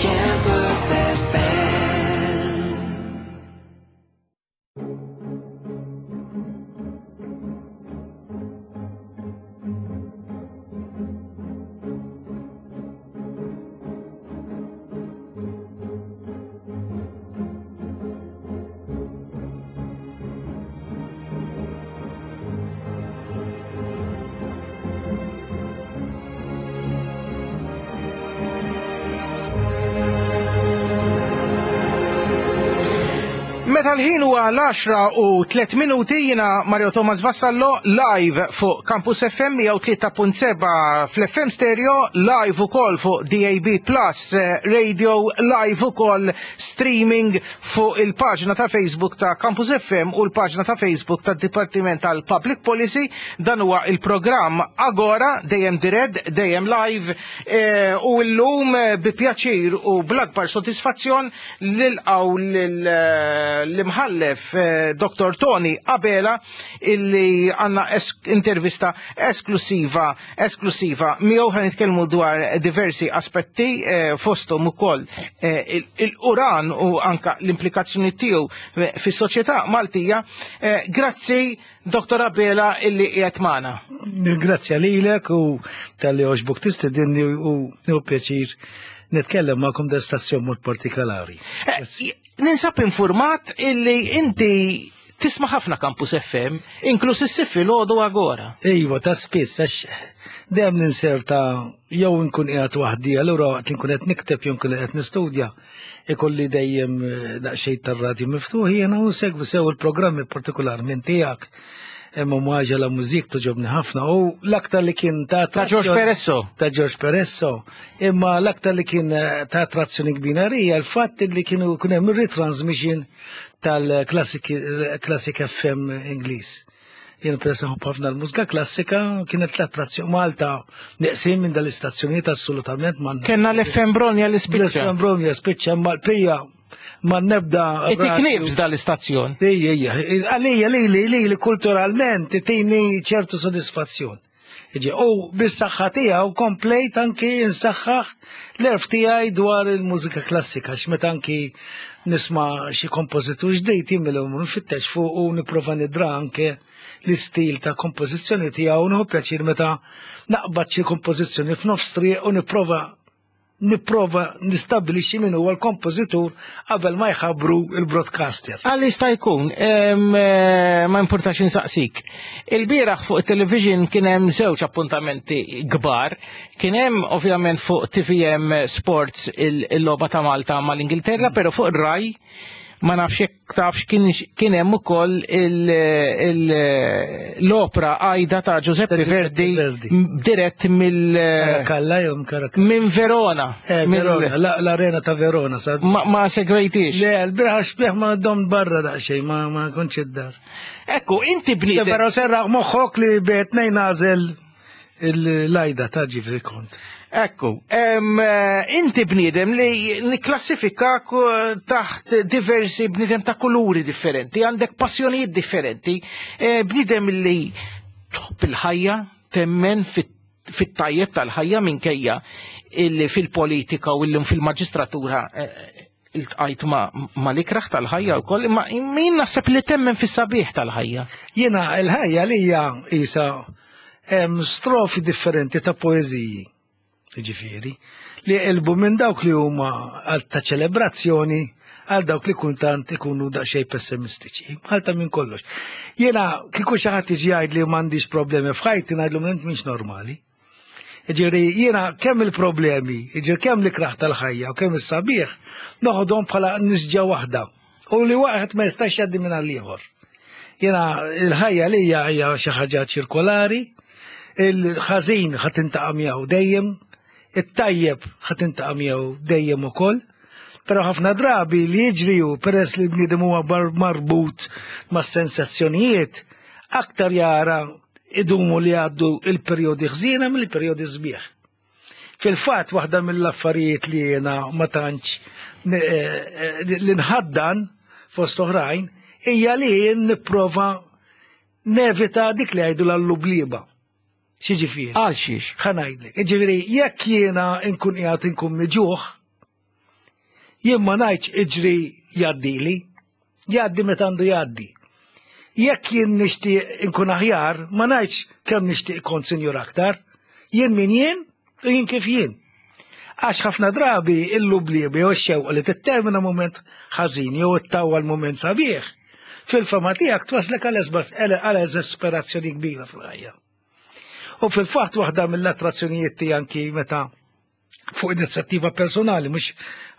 Campus F M. Meta l-ħin huwa l-għaxra u tliet minuti, jiena Mario Thomas Vassallo live fuq Campus F M mija u tlieta punt seba' fl-F M Stereo, live ukoll fuq D A B Plus eh, Radio, live ukoll streaming fuq il-paġna ta' Facebook ta' Campus F M u l-paġna ta' Facebook ta' Dipartiment tal-Public Policy. Dan huwa il-programm Agora, dejjem dirett, dejjem live, eh, u llum eh, bi pjaċir u bl-akbar sodisfazzjon nilqgħu l-imħallef eh, Doktor Tony Abela, illi għandna es intervista esklusiva esklusiva miegħu. Ħa nitkellmu dwar diversi aspetti, eh, fosthom ukoll eh, il-Uran u anka l-implikazzjoni tiegħu fis-soċjetà Maltija. Eh, grazzi Doktor Abela illi qiegħed magħna. Grazzi lilek u talli għoġbok tistedinni u nieħu pjaċir nitkellem magħkom da stazzjon mod partikolari. Eh, Ninsab informat illi inti tisma' ħafna Campus F M, inkluż is-Sibt filgħodu Agora. Iva, ta' spiss, għax dejjem ninserta jew nkun qiegħed waħdi, allura waqt li nkun qed nikteb jew nkun qed nistudja, ikolli dejjem eh, daqsxejn tar-radju miftuħ jiena u nsegwi sew il-programmi, partikolarment tiegħek. Imma Hommage à la Musique togħġobni ħafna u l-aktar li kien ta' Ta' George Peresso. Ta' George Peresso. Imma l-aktar li kien eh, ta' attrazzjoni kbira hija l-fatt li kienu kien hemm retransmission tal-Classic Classic F M Ingliż. Jien peress nħobb ħafna l-mużika klassika, kienet l-attrazzjoni. Malta neqsin minn dal-istazzjonijiet assolutament ma. Kenna l-F M Bronja li spiċċa. L-F M Bronja spiċċa, imma l-pija ma nebda. Inti knifs dal-istazzjon. Ija, ija, għalija li li li li kulturalment tini ċertu sodisfazzjon. Iġi, u bis-saħħa tiegħu komplejt anki nsaħħaħ l-għerf tiegħi dwar il-mużika klassika, għax meta anki nisma' xi kompożitur ġdid jien nfittex fuq u nipprova nidra anke l-istil ta' kompożizzjoni tiegħu, u nieħu pjaċir meta naqbad xi kompożizzjoni f'nofs triq u nipprova nipprova nistabbilixxi min huwa l-kompożitur qabel ma jħabbru il-broadcaster. Għal jista' jkun, em, eh, ma importax insaqsik. Il-bieraħ fuq television kien hemm żewġ appuntamenti kbar. Kien hemm ovvjament fuq T V M Sports il- il-logħba ta' Malta mal-Ingilterra, però fuq ir-Rai ma nafx jekk tafx kien kien hemm ukoll il- il- l-opera Aida ta' Giuseppe Verdi dirett mill Karakalla jew Karakalla. Minn Verona. Eh, Mill- Verona, la- l-arena ta' Verona. Sab. Ma, ma segwejtix? Le, l-bieraħ xbieħ ma dom barra daqsxejn, ma, ma kontx id-dar. Ekku, inti bniedem. Però serraħ moħħok li bejtnej nażel l-Aida ta' ġifri kont. Ekku, em, eh, inti bniedem li niklassifikak eh, taħt diversi bniedem ta' kuluri differenti, għandek passjonijiet differenti, eh, bniedem li tħobb il-ħajja, temmen fit- fit-tajjeb tal-ħajja minkejja illi fil-politika u illum fil-maġistratura eh, iltqajt ma, ma l-ikraħ tal-ħajja u koll, imma min naħseb li temmen fis-sabiħ tal-ħajja. Jiena il-ħajja li hija isa hemm strofi differenti ta' poeżiji, ġifieri, li jqilbu minn dawk li huma għal ta' ċelebrazzjoni għal dawk li kultant ikunu daqsxejn pessimistiċi. Għal ta' minn kollox. Jiena kieku xi ħadd jiġi jgħid li m'għandix problemi f'ħajti, ngħidlu int mhix normali. Ġifieri, jiena kemm il-problemi, ġifieri kemm l-ikraħ tal-ħajja u kemm is-sabiħ, noħodhom bħala nisġa waħda. U li waħed ma jistax jgħaddi minn għall-ieħor. Jiena il-ħajja li hija hija xi ħaġa ċirkolari, il-ħażin ħa tiltaqa' miegħu dejjem, it-tajjeb ħa tiltaqa' miegħu dejjem ukoll. Però ħafna drabi li jiġri hu peress li l-bniedem huwa bar- marbut ma' sensazzjonijiet, aktar jara idumu li għaddu il-perjodi ħżiena mill-perjodi sbieħ. Fil-fatt, waħda mill-affarijiet li jiena ma tantx eh, eh, li nħaddan fost oħrajn hija li jien nipprova nevita dik li jgħidu l-lubliba. X'jiġifieri? Għal xiex? Ħa ngħidlek. Ġifieri, jekk jiena nkun qiegħed inkun miġuħ, jien ma ngħidx iġri jgħaddili, jgħaddi meta għandu jgħaddi. Jekk jien nixtieq inkun aħjar, ma ngħidx kemm nixtieq ikun sinjur aktar. Jien min jien u jien kif jien. Għax ħafna drabi il-lublibi u x-xewqa li tittermina moment ħażin jew ittawwa l-moment sabiħ, fil-fama tiegħek twaslek għal eżasperazzjoni kbira fil-ħajja. U fil-fatt waħda mill-attrazzjonijiet tiegħi anki meta fuq inizjattiva personali, mhux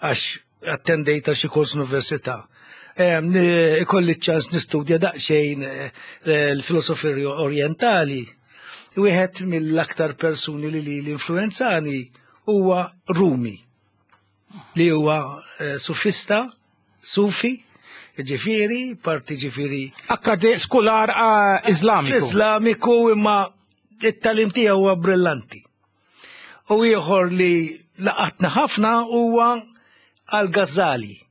għax attendejt għal xi kors università, Em, ni- Ikolli ċans nistudja daqsxejn eh, l-filosofija orientali. Wieħed mill-aktar persuni li li l-influenzani huwa Rumi, li huwa eh, sufista, sufi, ġifieri, parti ġifieri. Akkade skular ah, Iżlamiku. Islamiku, imma it-tagħlim tiegħu huwa brillanti. U ieħor li laqatna ħafna huwa Al-Ghazali.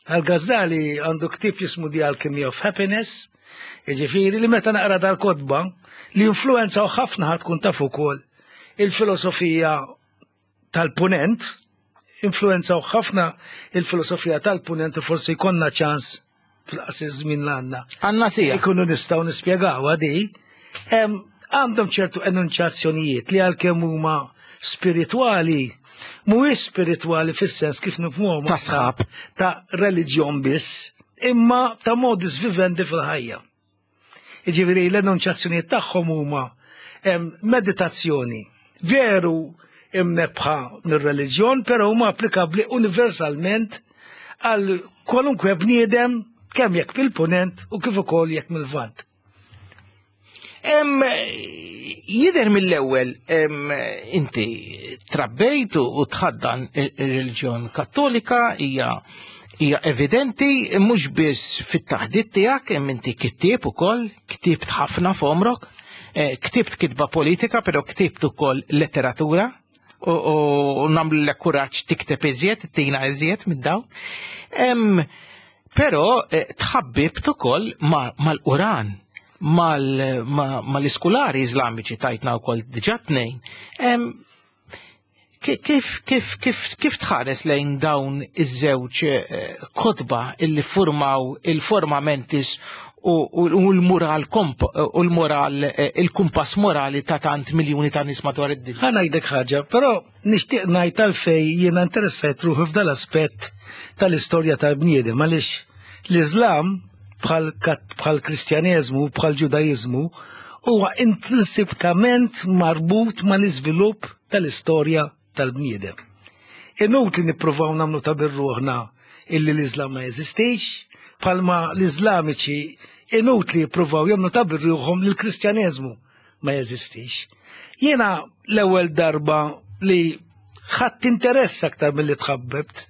Al-Ghazali għandu ktieb jismu The Alchemy of Happiness, jiġifieri li meta naqra dal-kotba li influenzaw ħafna, ħa tkun taf ukoll il-filosofija tal-punent, influenzaw ħafna il-filosofija tal-punent u forsi jkollna ċans fil-qasir żmien l għandna. Għandna sija. Ikunu nistgħu nispjegaw għadi. Em, Għandhom ċertu enunċazzjonijiet li għalkemm huma spiritwali mhuwiex spiritwali fis-sens kif nifhmuhom Ta' sħab. Ta' reliġjon biss, imma ta' modus vivendi fil-ħajja. Jiġifieri l-enunċjazzjonijiet tagħhom huma em, meditazzjoni veru imnebħa mir-reliġjon, però huma applikabbli universalment għal kwalunkwe bniedem kemm jekk mill-punent u kif ukoll jekk mill-lvant. Em, Jidher mill-ewwel em, inti trabbejt u u tħaddan ir-reliġjon Kattolika, hija hija evidenti mhux biss fit-taħdit tiegħek, hemm inti kittieb ukoll, ktibt ħafna f'għomrok, eh, ktibt kitba politika, però ktibt ukoll letteratura u, u, u nagħmlu l kuraġġ tikteb iżjed, tina iżjed mid-dawn. Em, Però eh, tħabbibt ukoll ma- mal-Quran, mal- ma- mal-iskulari Iżlamiċi, tajtna wkoll diġà tnejn. Em, ki- Kif, kif, kif, kif tħares lejn dawn iż-żewġ eh, kotba illi formaw il-forma mentis u, u, u l-moral komp, u l-moral, eh, il-kumpass morali ta' tant miljuni ta' nies madwar id-dinja? Ħa ngħidlek ħaġa, però nixtieq ngħid għalfejn jiena interessajt ruħi f'dal-aspett tal-istorja tal-bniedem, għaliex l-Iżlam bħal kat- bħal Kristjaneżmu, bħal Ġudajiżmu, huwa intrinsikament marbut mal-iżvilupp tal-istorja tal-bniedem. Inutli nippruvaw nagħmlu ta' birruħna illi l-Iżlam ma jeżistix, bħalma l-Iżlamiċi inutli jippruvaw jagħmlu ta' birruħhom li l-Kristjaneżmu ma jeżistix. Jiena l-ewwel darba li ħadd interess aktar milli tħabbebt,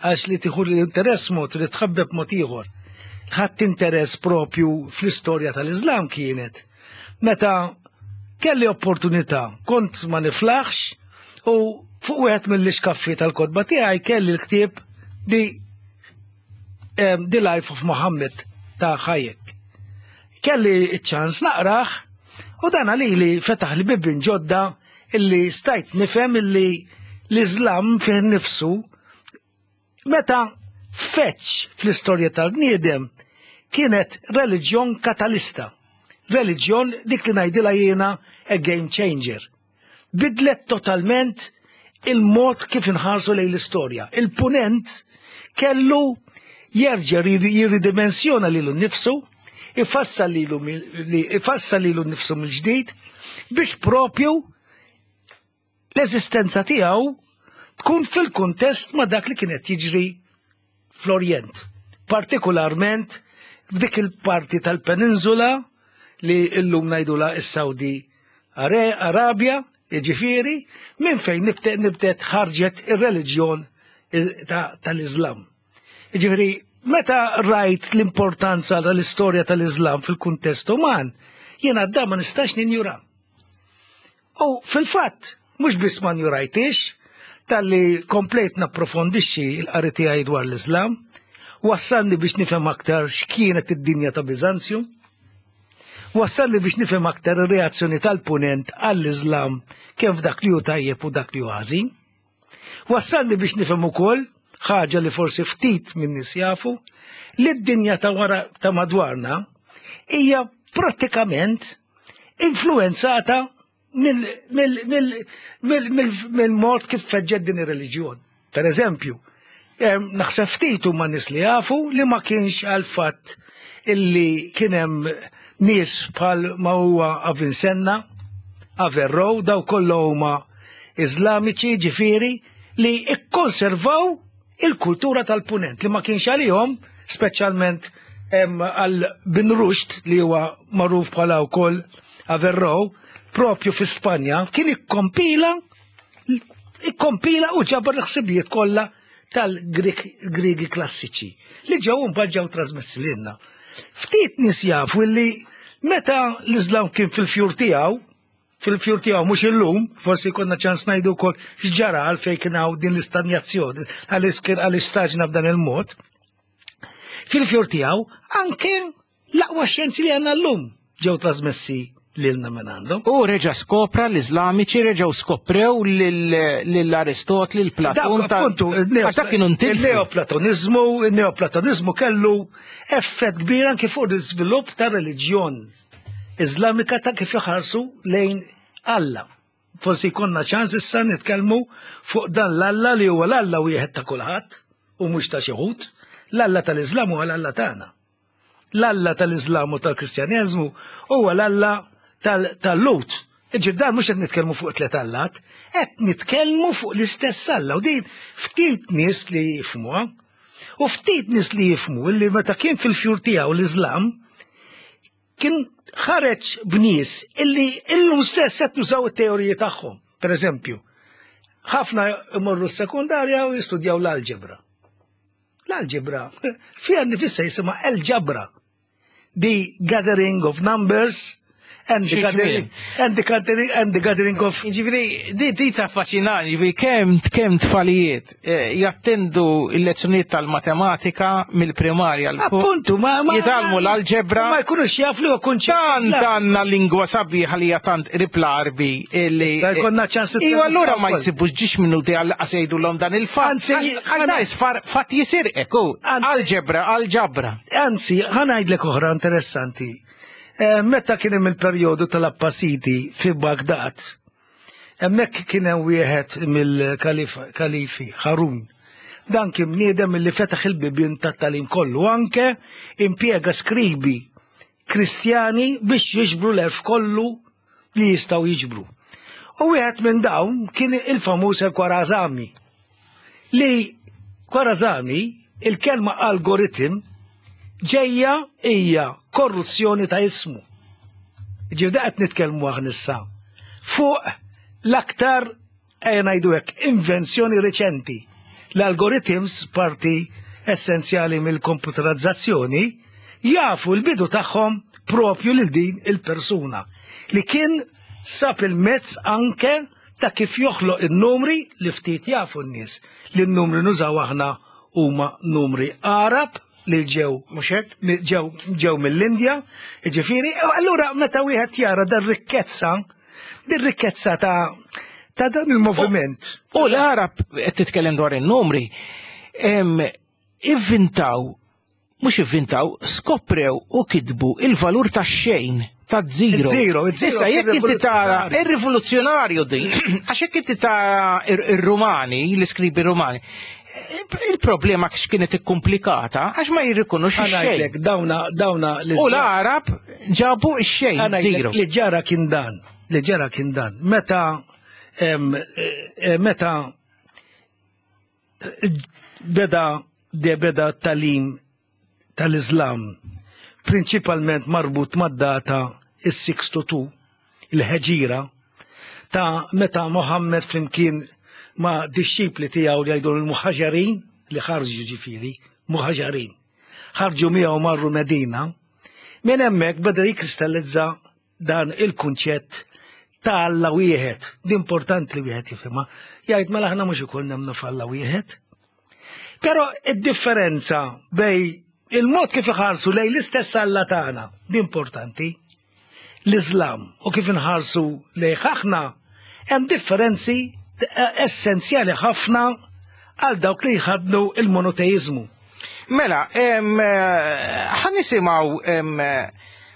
għax li tieħu l-interess mod li tħabbeb mod ieħor. Ħadd interess propju fl-istorja tal-Iżlam kienet meta kelli opportunità, kont ma niflaħx u fuq wieħed mill-iskaffi tal-kotba tiegħi kelli l-ktieb The, um, The Life of Muhammad ta' Hayek. Kelli ċ-ċans naqrah u dan għalili fetaħ li bibien ġodda illi stajt nifhem illi l-Iżlam fih nifsu meta feċ fl-istorja tal-bniedem kienet reliġjon katalista. Reliġjon dik li ngħidilha jiena a game changer. Bidlet totalment il-mod kif inħarsu lejn l-istorja. Il-punent kellu jerġa' jirridimensjona lilu nnifsu, ifassal lilu li- ifassal lilu nnifsu mill-ġdid biex propju l-eżistenza tiegħu tkun fil-kuntest ma' dak li kienet jiġri fl-Orjent. Partikolarment f'dik il-parti tal-peninsula li illum ngħidula is-Saudi Are- Arabja, jiġifieri, minn fejn nibtet nibtet ħarġet ir-reliġjon ta- tal-Iżlam. Jiġifieri, meta rajt l-importanza tal-istorja tal-Iżlam fil-kuntest uman, jiena da ma nistax ninjura. U fil-fatt, mhux biss ma njurajtix, talli komplejt napprofondixxi il-qari tiegħi dwar l-Iżlam, wassalni biex nifhem aktar x'kienet id-dinja ta' Biżanzju, wassalni biex nifhem aktar ir-reazzjoni tal-punent għall-Iżlam kemm f'dak li hu tajjeb u dak li hu ħażin. Wassalni biex nifhem ukoll ħaġa li forsi ftit minn nies jafu, li d-dinja ta' wara ta' madwarna hija prattikament influenzata mill-mod kif feġġet din ir-reliġjon. Per eżempju, em, naħseb ftit huma nies li jafu li ma kienx għal fatt illi kien hemm nies bħal ma huwa Avicenna, Averroe, daw kollha huma Iżlamiċi, ġifieri, li ikkonservaw il-kultura tal-punent li ma kienx għalihom, speċjalment em, għal Bin Rushd li huwa magħruf bħala wkoll Averroe, propju fi Spanja, kien ikkompila ikkompila u ġabar l-ħsibijiet kollha tal-Grigi klassiċi li ġew mbagħad ġew trasmessi lilna. Ftit nies jafu li meta l-Iżlam kien fil-fjur tiegħu, fil-fjur tiegħu mhux illum, forsi konna ċans ngħidu wkoll x'ġara għalfejn kien hawn din l-istanjazzjoni, għaliex kien għaliex staġna b'dan il-mod. Fil-fjur tiegħu anke l-aqwa xjenzi li għandna llum ġew trasmessi lilna minn għandhom. U reġa skopra l-Iżlamiċi reġgħu skoprew lill-Aristotli, l-Platun. Dak, appuntu, Għax dak kienu ntilfu. Il-neoplatonizmu, il-neoplatonizmu kellu effett kbir anke fuq l-iżvilupp ta' reliġjon Iżlamika ta' kif iħarsu lejn Alla. Forsi jkollna ċans issa nitkellmu fuq dan l-Alla li huwa l-Alla wieħed ta' kulħadd u mhux ta' xi wħud. L-Alla tal-Iżlam huwa l-Alla tagħna. L-Alla tal-Iżlam u tal-Kristjaneżmu huwa l-Alla tal-Lut. Ġifieri dan mhux qed nitkellmu fuq tliet allat, qed nitkellmu fuq l-istess Alla u din ftit nies li jifhmuha. U ftit nies li jifhmu li meta kien fil-fjur tiegħu l-Iżlam kien ħareġ b'nies illi illum stess qed nużaw it-teoriji tagħhom. Per eżempju, ħafna imorru s-sekundarja u jistudjaw l-alġebra. L-alġebra fiha nifisha jisimha el-ġabra. The gathering of numbers and the gathering, and the gathering, and the gathering of. Ġifieri, di, di ta' affaxxinani, ġifieri, kemm kemm tfalijiet eh, jattendu il-lezzjonijiet tal-matematika mill-primarja l Appuntu, ma, ma jitgħallmu l-alġebra. Ma jkunux jaf li huwa kunċett. Tant għandna lingwa sabiħa li hija tant qrib l-Għarbi illi. Issa jkollna ċans Iwa allura ma jsibux ġiex minuti għal jgħidu l dan il-fatt. Anzi, Għal isfar fatt jisirqek, u alġebra, alġabra. Anzi, ħa ngħidlek oħra interessanti. Eh, Meta kien hemm il-perjodu tal-Abbasidi fi Baghdad, hemmhekk kien hemm wieħed mill-kalifi Harun. Dan kien bniedem li fetaħ il-bibien tat-tagħlim kollu, anke impjega skribi Kristjani biex jiġbru l-għerf kollu li jistgħu jiġbru. U wieħed minn dawn kien il-famuż il-Kwarazami li Kwarazami il-kelma algoritm ġejja hija korruzzjoni ta' ismu. Ġifieri qed nitkellmu aħna issa fuq l-aktar ejja ngħidu hekk invenzjoni reċenti. L-algorithms parti essenzjali mill-komputerizzazzjoni jafu l-bidu tagħhom propju lil din il-persuna li kien sab il-mezz anke ta' kif joħloq il-numri li ftit jafu n-nies. Li n-numri nużaw aħna huma numri Arab li ġew Mhux hekk? ġew ġew mill-Indja, ġifieri, u allura meta wieħed jara dar rikkezza, din rikkezza ta' ta' dan il-moviment. U l-Arab qed titkellem dwar in-numri, em, ivvintaw, mhux ivvintaw, skoprew u kitbu il-valur ta' xejn ta' zero. Il-zero, il-zero Issa kien jekk inti tara rivoluzzjonarju. ir-rivoluzzjonarju din, għax jekk inti tara ir-Rumani, l-iskribi Rumani, il-problema kienet ikkomplikata għax ma jirrikonoxxu xejn. Ħa ngħidlek, dawna dawna U l-Arab ġabu x-xejn, Ħa ngħidlek zero. Li ġara kien dan, li ġara kien dan. Meta em, eh, meta beda de beda tagħlim tal-Islam prinċipalment marbut mad-data is-six to two il-ħeġira ta' meta Mohammed flimkien ma' disċipli tiegħu li jgħidu l-muħaġarin li ħarġu, ġifieri muħaġarin ħarġu miegħu marru Medina, minn hemmhekk beda jikkristallizza dan il-kunċett ta' Alla wieħed. Di importanti li wieħed jifhimha. Jgħid mela aħna mhux ukoll nemmnu f'Alla wieħed. Però id-differenza bejn il-mod kif iħarsu lejn l-istess Alla tagħna, di importanti, l-Islam u kif inħarsu lejn aħna, hemm differenzi essenzjali ħafna għal dawk li jħadnu il-monoteizmu. Mela, em, eh, ħa nisimgħu em, eh,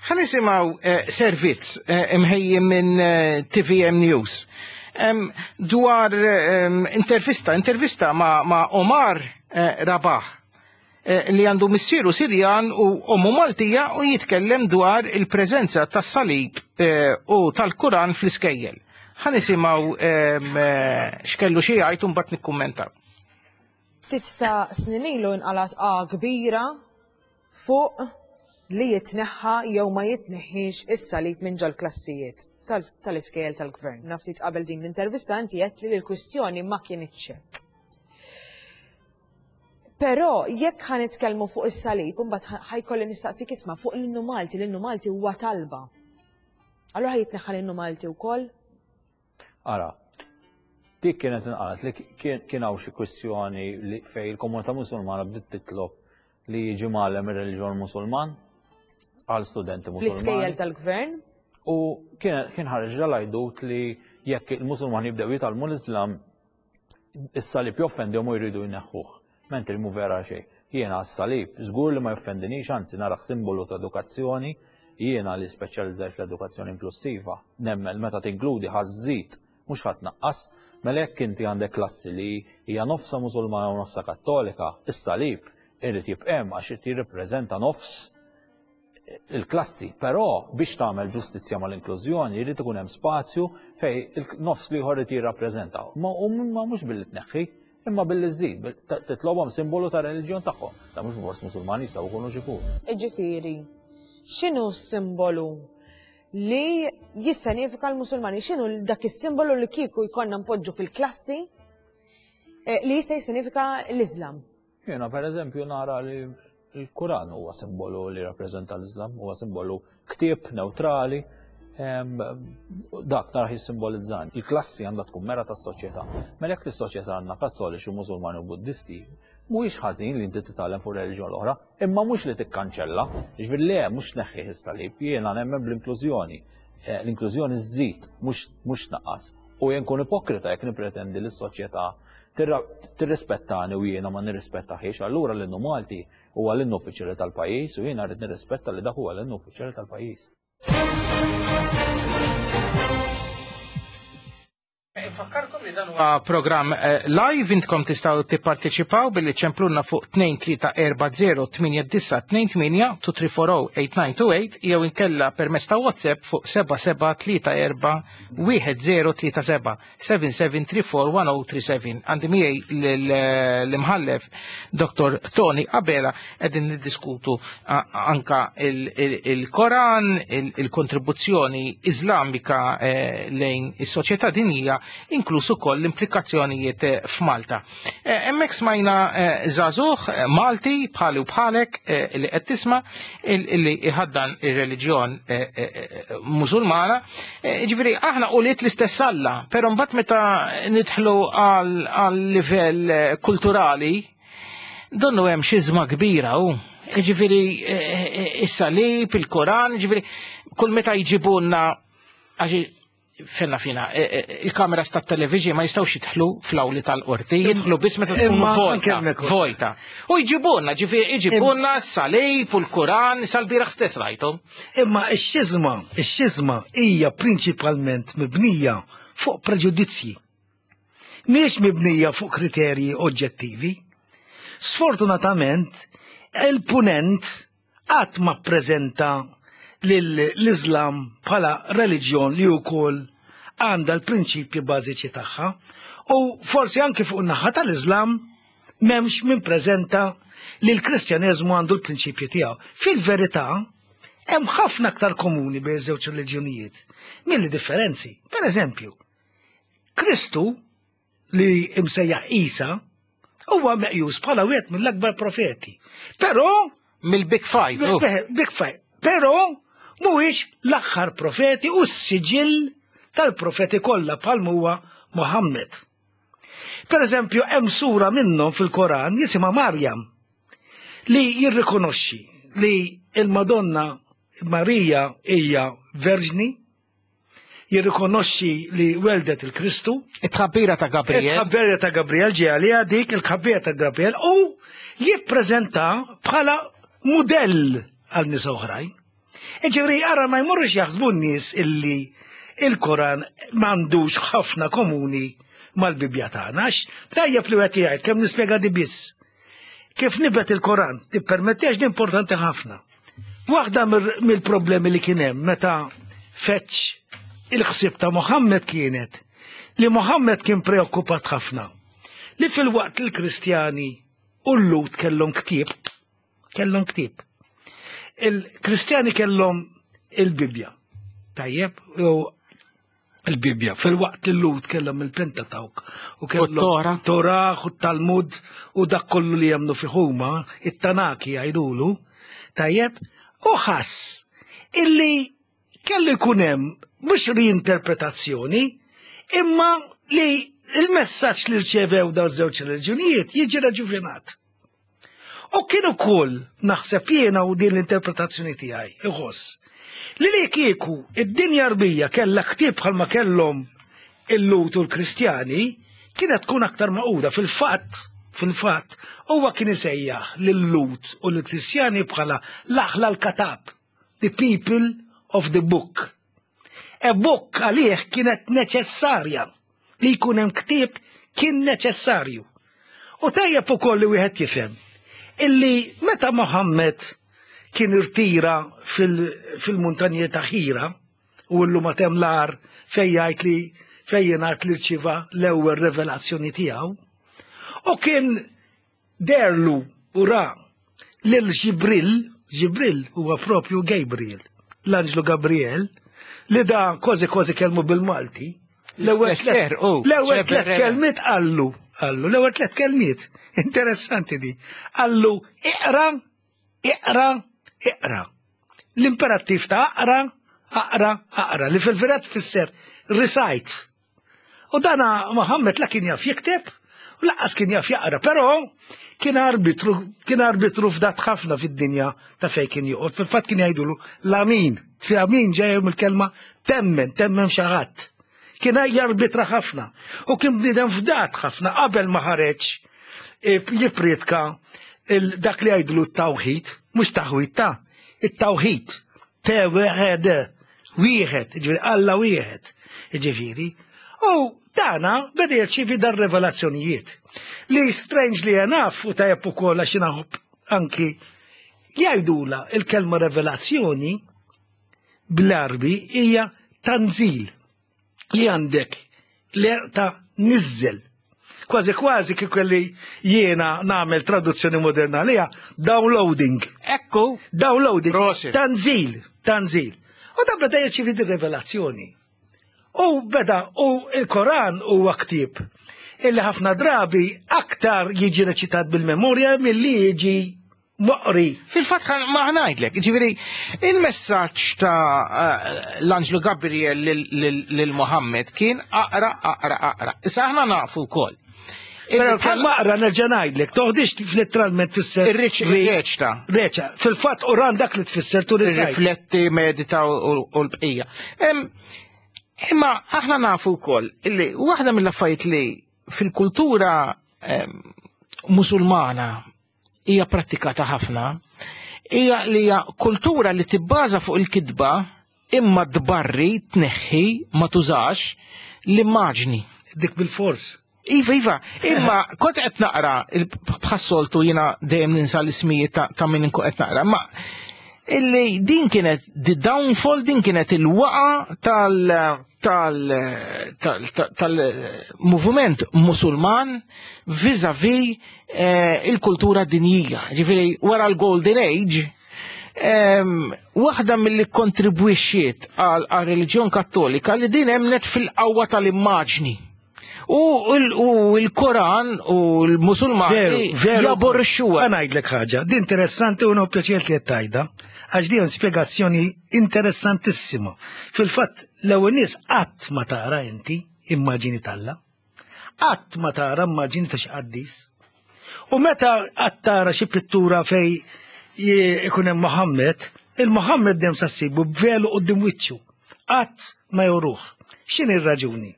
ħa nisimgħu eh, servizz eh, imħejji minn eh, T V M News Em, dwar em, intervista, intervista ma, ma Omar eh, Rabah eh, li għandu missieru Sirjan u ommu Maltija u jitkellem dwar il-preżenza tas-salib eh, u tal-Kuran fl-iskejjel. Ħa nisimgħu em, eh, x'kellu xi jgħid u mbagħad nikkummentaw. Ftit ta' snin ilu nqalat A kbira fuq li jitneħħa jew ma jitneħħiex is-salib minn ġol-klassijiet tal- tal-iskejjel tal-gvern. Naftit qabel din l-intervista inti għedt li l-kwistjoni ma kienitx hekk. Però jekk ħa nitkellmu fuq is-salib, imbagħad ħa jkolli nistaqsik, isma', fuq l-innu Malti, l-innu Malti huwa talba. Allura ħa jitneħħa l-innu Malti wkoll? Ara, dik kienet inqalat li kien kien hawn xi kwistjoni li fej il-komunità Musulmana bdiet titlob li jiġi mgħallem ir-reliġjon Musulman għal studenti Fl-iskejjel Musulmani. tal-gvern? U kien kien ħareġ dal-għajdut li jekk il-Musulmani jibdew jitgħallmu l-Islam, is-salib joffendihom u jridu jneħħuh. Mentri mhu vera xejn. Jiena s-salib żgur li ma joffendinix, anzi narah simbolu ta' edukazzjoni. Jiena li speċjalizzajt fl-edukazzjoni inklusiva. Nemmen meta tinkludi ħa żżid mhux ħadd naqqas. Mela jekk inti għandek klassi li hija nofsa Musulmana u nofsa Kattolika, is-salib irid jibqa' hemm għax irid jirrappreżenta nofs il-klassi, però biex tagħmel ġustizzja mal-inklużjoni jrid ikun hemm spazju fejn il-nofs l-ieħor irid jirrappreżenta. Ma u ma mhux billi tneħħi, imma billi żżid, titlobhom simbolu ta' reliġjon tagħhom. Da mhux bors Musulmani jistgħu jkunu x'ikunu. Ġifieri, x'inhu s-simbolu li jissanifika l-Musulmani? X'inhu dak is-simbolu li kieku jkollna npoġġu fil-klassi eh, li jista' jissanifika l-Islam? Jiena pereżempju nara li il-Kuran huwa simbolu li rappreżenta l-Islam, huwa simbolu ktieb neutrali, em, dak narah jissimbolizzan. Il-klassi għandha tkun mera tas-soċjetà. Mela jekk fis-soċjetà għandna Kattoliċi, Musulmani u Buddisti, mhuwiex ħażin li inti titgħallem fuq reliġjon l-oħra, imma mhux li tikkanċella, jiġifieri le mhux tneħħih is-salib, jiena nemmen bl-inklużjoni. Eh, L-inklużjoni żżid, mhux mhux tnaqqas. U jien nkun ipokrita jekk nippretendi li s-soċjetà tirrispettani u jiena ma nirrispettaħiex, allura l-innu Malti huwa l-innu uffiċjali tal-pajjiż u jiena rrid nirrispetta li dak huwa l-innu uffiċjali tal-pajjiż. Infakkarkom li dan huwa programm eh, live intkom tistgħu tipparteċipaw billi ċemplunna fuq tnejn tlieta erba' zero tmienja disa' tnejn tmienja two three four oh eight nine two eight jew inkella permezz ta' WhatsApp fuq seba' seba' tlieta erba' wieħed zero tlieta seba' seven seven three four one oh three seven. Għandi miegħi l-imħallef Doktor Tony Abela qegħdin niddiskutu a-, anka il-, il-, il-Koran, il-, il-kontribuzzjoni Iżlamika, eh, lejn is-soċjetà dinjija, inkluż ukoll l-implikazzjonijiet, eh, f'Malta. Eh, hemmhekk smajna, eh, żagħżugħ, eh, Malti bħali u bħalek, eh, li qed tisma' il-, illi iħaddan ir-reliġjon, eh, eh, eh, Musulmana. Eh, jiġifieri aħna ulied l-istess Alla, però mbagħad meta nidħlu għal, għal livell, eh, kulturali, donnu hemm xiżma kbira hu. Jiġifieri, eh, eh, is-salib, il-Koran, jiġifieri kull meta jġibunna għax fenna fina, e, e, il-kameras tat television ma jistgħux jidħlu fl-awli tal-qorti, jidħlu biss meta tkun Imma vojta, anke hemmhekk ukoll. vojta. U jġibunna, ġifieri jġibunna s-salib u l-Kuran, sal-bieraħ stess rajthom. Imma x-xiżma, x-xiżma hija prinċipalment mibnija fuq preġudizzji. Mhijiex mibnija fuq kriterji oġġettivi. Sfortunatament, il-punent qatt ma ppreżenta lill-Islam bħala reliġjon li wkoll għandha l-prinċipji bażiċi tagħha, u forsi anki fuq in-naħa tal-Islam m'hemmx min preżenta li l-Kristjaneżmu għandu l-prinċipji tiegħu. Fil-verità, hemm ħafna aktar komuni bejn iż-żewġ reliġjonijiet milli differenzi. Per eżempju, Kristu li imsejjaħ Isa huwa meqjus bħala wieħed mill-akbar profeti. Però mill-Big Five, oh. Big Five. Però mhuwiex l-aħħar profeti u s-siġill tal-profeti kollha bħal huwa Muhammad. Per eżempju, hemm sura minnhom fil-Koran jisimha Marjam li jirrikonoxxi li il-Madonna Marija hija verġni, jirrikonoxxi li weldet il-Kristu. It-tħabbira ta' Gabriel. It-tħabbira ta' Gabriel ġie għaliha dik il-tħabbira ta' Gabriel u jippreżenta bħala mudell għal nisa oħrajn. Ġifieri ara ma jmorrux jaħsbu n-nies illi il-Koran m'għandux ħafna komuni mal-Bibja tagħna, għax tajjeb li wieħed jgħid kemm nispjega di biss. Kif nibet il-Koran, tippermettiex di importanti ħafna. Waħda mir-, mill-problemi li kien hemm meta feċ il-ħsieb ta' Muhammad kienet li Muhammad kien preokkupat ħafna li fil-waqt il-Kristjani u l-Lut kellhom ktieb, kellhom ktieb. Il-Kristjani kellhom il-Bibja. Tajjeb, u il-Bibja, fil-waqt li l-Lut kellhom il-Pentatawk u kellhom U t-Tora. Torah u t-Talmud u dak kollu li jemnu fih huma, it-Tanaki jgħidulu. Tajjeb, u ħass illi kellu jkun hemm mhux reinterpretazzjoni, imma li il-messaġġ li rċevew dawn iż-żewġ reliġjonijiet jiġi raġuvinat. U kien ukoll naħseb jiena u din l-interpretazzjoni tiegħi, iħoss li li kieku id-dinja Arbija kellha ktieb bħalma kellhom il-Lut u l-Kristjani, kienet tkun aktar maquda. Fil-fatt, fil-fatt, huwa kien isejjaħ lil-Lut u l-Kristjani bħala l-aħla l-katab, the people of the book. A book għalih kienet neċessarja. Li jkun hemm ktieb kien neċessarju. U tajjeb ukoll li wieħed jifhem illi meta Mohammed kien irtira fil-muntanji ta' Ħira u llum għad hemm l-għar fejn jgħid li fejn jingħad li rċieva l-ewwel revelazzjoni tiegħu u kien deherlu u ra lil Ġibril, Ġibril huwa propju Gabriel, l-anġlu Gabriel, li da kważi kważi kelmu bil-Malti. L-ewwel tliet kelmiet qallu, qallu, l-ewwel tliet kelmiet, interessanti di, qallu iqra, iqra, iqra. L-imperattiv ta' aqra, aqra, aqra, li fil-verità tfisser recite. U dana Muhammad la kien jaf jikteb, u lanqas kien jaf jaqra, però kien arbitru, kien arbitru fdat ħafna fid-dinja ta' fejn kien joqgħod. Fil-fatt kien jgħidulu l-amin, fi amin ġej mill-kelma temmen, temmen xi ħadd. Kien jarbitra ħafna u kien bniedem fdat ħafna qabel ma ħareġ jippriedka dak li jgħidulu t-tawħid, mhux taħwid ta' it-tawħid, te wieħed, wieħed, ġifieri Alla wieħed, ġifieri. U dana beda jirċievi dar revelazzjonijiet li strangely enough u tajjeb ukoll għax naħobb anki jgħidula il-kelma revelazzjoni bl-Arbi hija tanzil li għandek li ta' nizzel. Kważi kważi kieku li jiena nagħmel traduzzjoni moderna li downloading. Ekku. Downloading. Tanzil, tanzil. U da beda jirċievi di revelazzjoni. U beda, u il-Koran huwa ktieb illi ħafna drabi aktar jiġi reċitat bil-memorja milli jiġi moqri. Fil-fatt ma ngħidlek, ġifieri il-messaġġ ta' l-Anġlu Gabriel lil Muhammad kien aqra, aqra, aqra. Issa aħna nafu wkoll. Però l-kelma aqra nerġa' ngħidlek, toħdix letteralment tfisser. Ir-reċta. Reċa. Fil-fatt Quran dak li tfisser tu Rifletti, medita u l-bqija. Imma aħna nafu wkoll illi waħda mill-affarijiet li fil-kultura musulmana hija prattikata ħafna, hija li hija kultura li tibbaża fuq il-kitba imma tbarri tneħħi ma tużax l-immaġni. Dik bil-fors. Iva, iva, imma kont qed naqra bħas-soltu jiena dejjem ninsa l-ismijiet ta' min inkun qed naqra, ma illi din kienet the downfall, din kienet il-waqa tal tal tal-moviment musulman vis-a-vis il-kultura dinjija. Ġifieri wara l-Golden Age, waħda mill-li kontribwixxiet għal reliġjon kattolika li din emnet fil-qawwa tal-immaġni. U l-Koran u l-Musulmani jaborrixxuha. Ħa ngħidlek ħaġa, di interessanti u pjaċir li qed tgħidha, għax di spjegazzjoni interessantissima. Fil-fatt, l-ewwel nies qatt ma tara inti immaġini t'Alla, qatt ma tara immaġini ta' xi qaddis. U meta qatt tara xi pittura fej ikun hemm Muhammad, il-Muhammad dejjem sa ssibu b'velu quddiem wiċċu. Qatt ma juruh. X'inhi r-raġuni?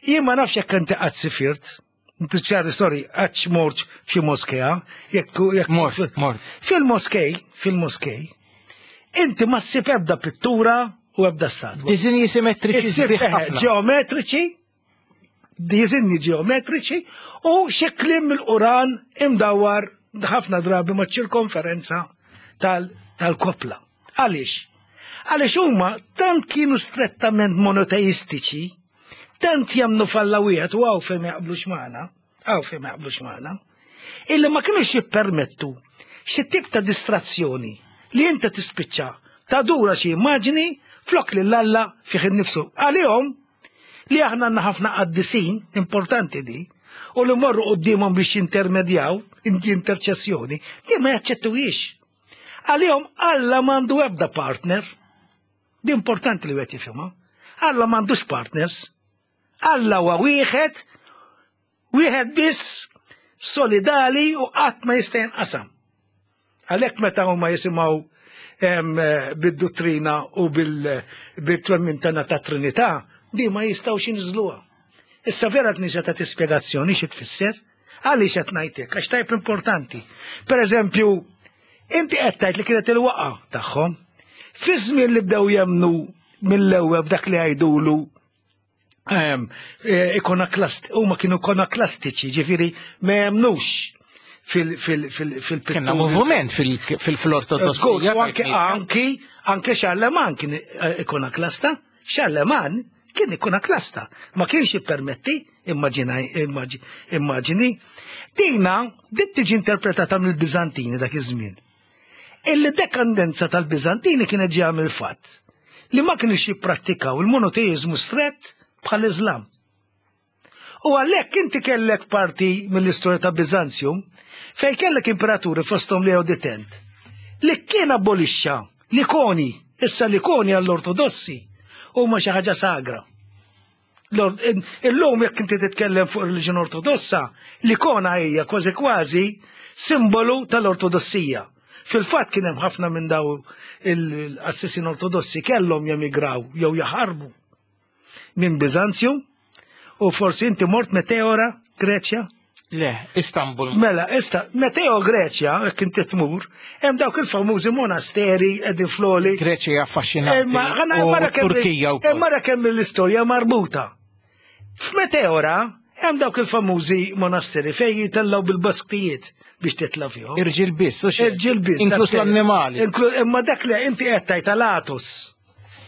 Jien ma nafx jekk inti qatt sifirt, inti ċari, sorry, qatt mort f'xi moskea, jekk jekk mort, mort. Fil-moskej, fil-moskej, inti ma ssib ebda pittura u ebda statwa. Disinji simmetriċi Issib sbieħ eh, ħafna. ġeometriċi, disinji ġeometriċi u xi kliem mill-Quran imdawwar ħafna drabi ma' ċirkonferenza tal-kopla. Għaliex? Għaliex huma tant kienu strettament monoteistiċi, tant jemmnu f'Alla wieħed u hawn fejn ma jaqblux magħna, hawn fejn ma jaqblux magħna, illi ma kienux jippermettu xi tip ta' distrazzjoni li inti tispiċċa tadura xi immaġini flok lil Alla fih innifsu. Għalihom li aħna għandna ħafna qaddisin, importanti di, u li morru quddiemhom biex jintermedjaw, interċessjoni, di ma jaċċettuhiex. Għalihom Alla m'għandu ebda partner. Di importanti li wieħed jifhimha. Alla m'għandux partners. Alla huwa wieħed, wieħed biss solidali u qatt ma jista' jinqasam. Għalhekk meta huma jisimgħu bid-dottrina u bil-twemmin tagħna ta' Trinità, di ma jistgħux jinżluha. Issa vera l-Knisja ta' spjegazzjoni xi tfisser? Għaliex qed ngħidlek, għax tajb importanti. Per eżempju, inti qed tgħid li kienet il-waqa tagħhom. Fi żmien li bdew jemnu mill-ewwel f'dak li jgħidulu Ehm, eh, ikonoklast, huma kienu ikonoklastiċi, ġifieri ma jemnux fil-pittura. Kenna moviment fil-ortodossija. Anke anki anke Charlemagne kien eh, ikonoklasta, Charlemagne kien ikonoklasta, ma kienx jippermetti, immaġini. Dina, dit tiġi interpretata mill-Biżantini dak iż-żmien. Il-dekandenza tal-Biżantini kienet ġejja mill-fatt li ma kienux jipprattikaw il-monoteizmu strett bħal Islam. U għalhekk inti kellek parti mill-istorja ta' Biżanzjum fejn kellek imperaturi fosthom Leo the Tenth li kien abolixxa l-ikoni, issa l-ikoni għall-ortodossi huma xi ħaġa sagra. Illum jekk inti titkellem fuq reliġjon ortodossa, l-ikona hija kważi kważi simbolu tal-ortodossija. Fil-fatt kien hemm ħafna minn daw il-qassisin ortodossi kellhom jemigraw jew jaħarbu minn Biżanzju u forsi inti mort Meteora, Greċja? Le, Istanbul. Mela, ista, Meteo Greċja, jekk inti tmur, hemm dawk il-famużi monasteri qegħdin floli. Greċja affaxxinanti. U Turkija wkoll. Imma kemm l-istorja marbuta. F'Meteora hemm dawk il-famużi monasteri fejn jitellgħu bil-basktijiet biex titla' fihom. Irġiel biss, u Irġiel biss. Inklus l-annimali. Imma dak li inti qed tgħid tal-Atos.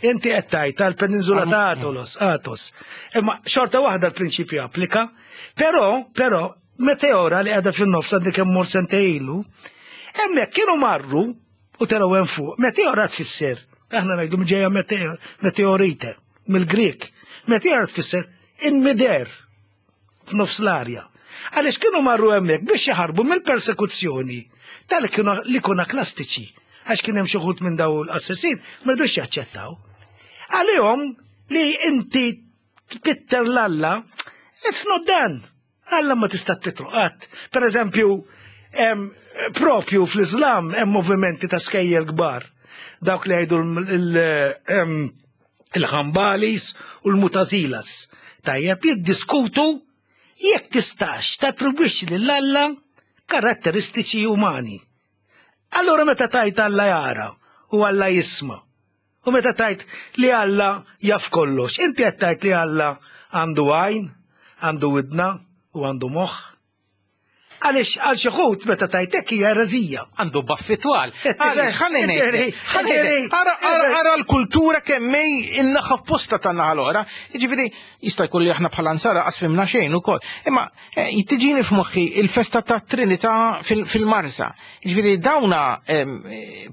Inti qed tgħid tal-Peninsula ta' Atos, Atos. Imma xorta waħda l-prinċipju applika, però, però, Meteora li qiegħda fin-nofs għandi kemm mort sentejn ilu, hemmhekk kienu marru u telgħu hemm fuq. Meteora tfisser, aħna ngħidu ġejja meteorite, mill-Grek. Meteora tfisser in mid-air, f'nofs l-arja. Għaliex kienu marru hemmhekk biex jaħarbu mill-persekuzzjoni tal-ikonoklastiċi. Għax kien hemm xi wħud minn daw l-qassisin ma ridux jaċċettaw. Għalihom li inti tpitter l-Alla, it's not done. Alla ma tista' tpittru qatt. Per eżempju, propju fl-Islam hemm movimenti ta' skejjel kbar. Dawk li jgħidu il-Ħambalis u l-Mutazilas. Tajjeb jiddiskutu jekk tistax tattribwixxi lil Alla karatteristiċi umani. Allora meta tgħid Alla jara u Alla jisma' u meta tgħid li Alla jaf kollox, inti qed tgħid li Alla għandu għajn, għandu widna u għandu moħħ. Għaliex għal xi ħut meta tgħid hekk hija ereżija. Għandu baffi twal. Għaliex ħalli ngħid. Ara l-kultura kemm hi in-naħa opposta tan-naħa l-oħra. Jiġifieri jista' jkun li aħna bħala nsara qas fhimna xejn ukoll. Imma tiġini f'moħħi il-festa ta' Trinità fil-Marsa. Jiġifieri dawna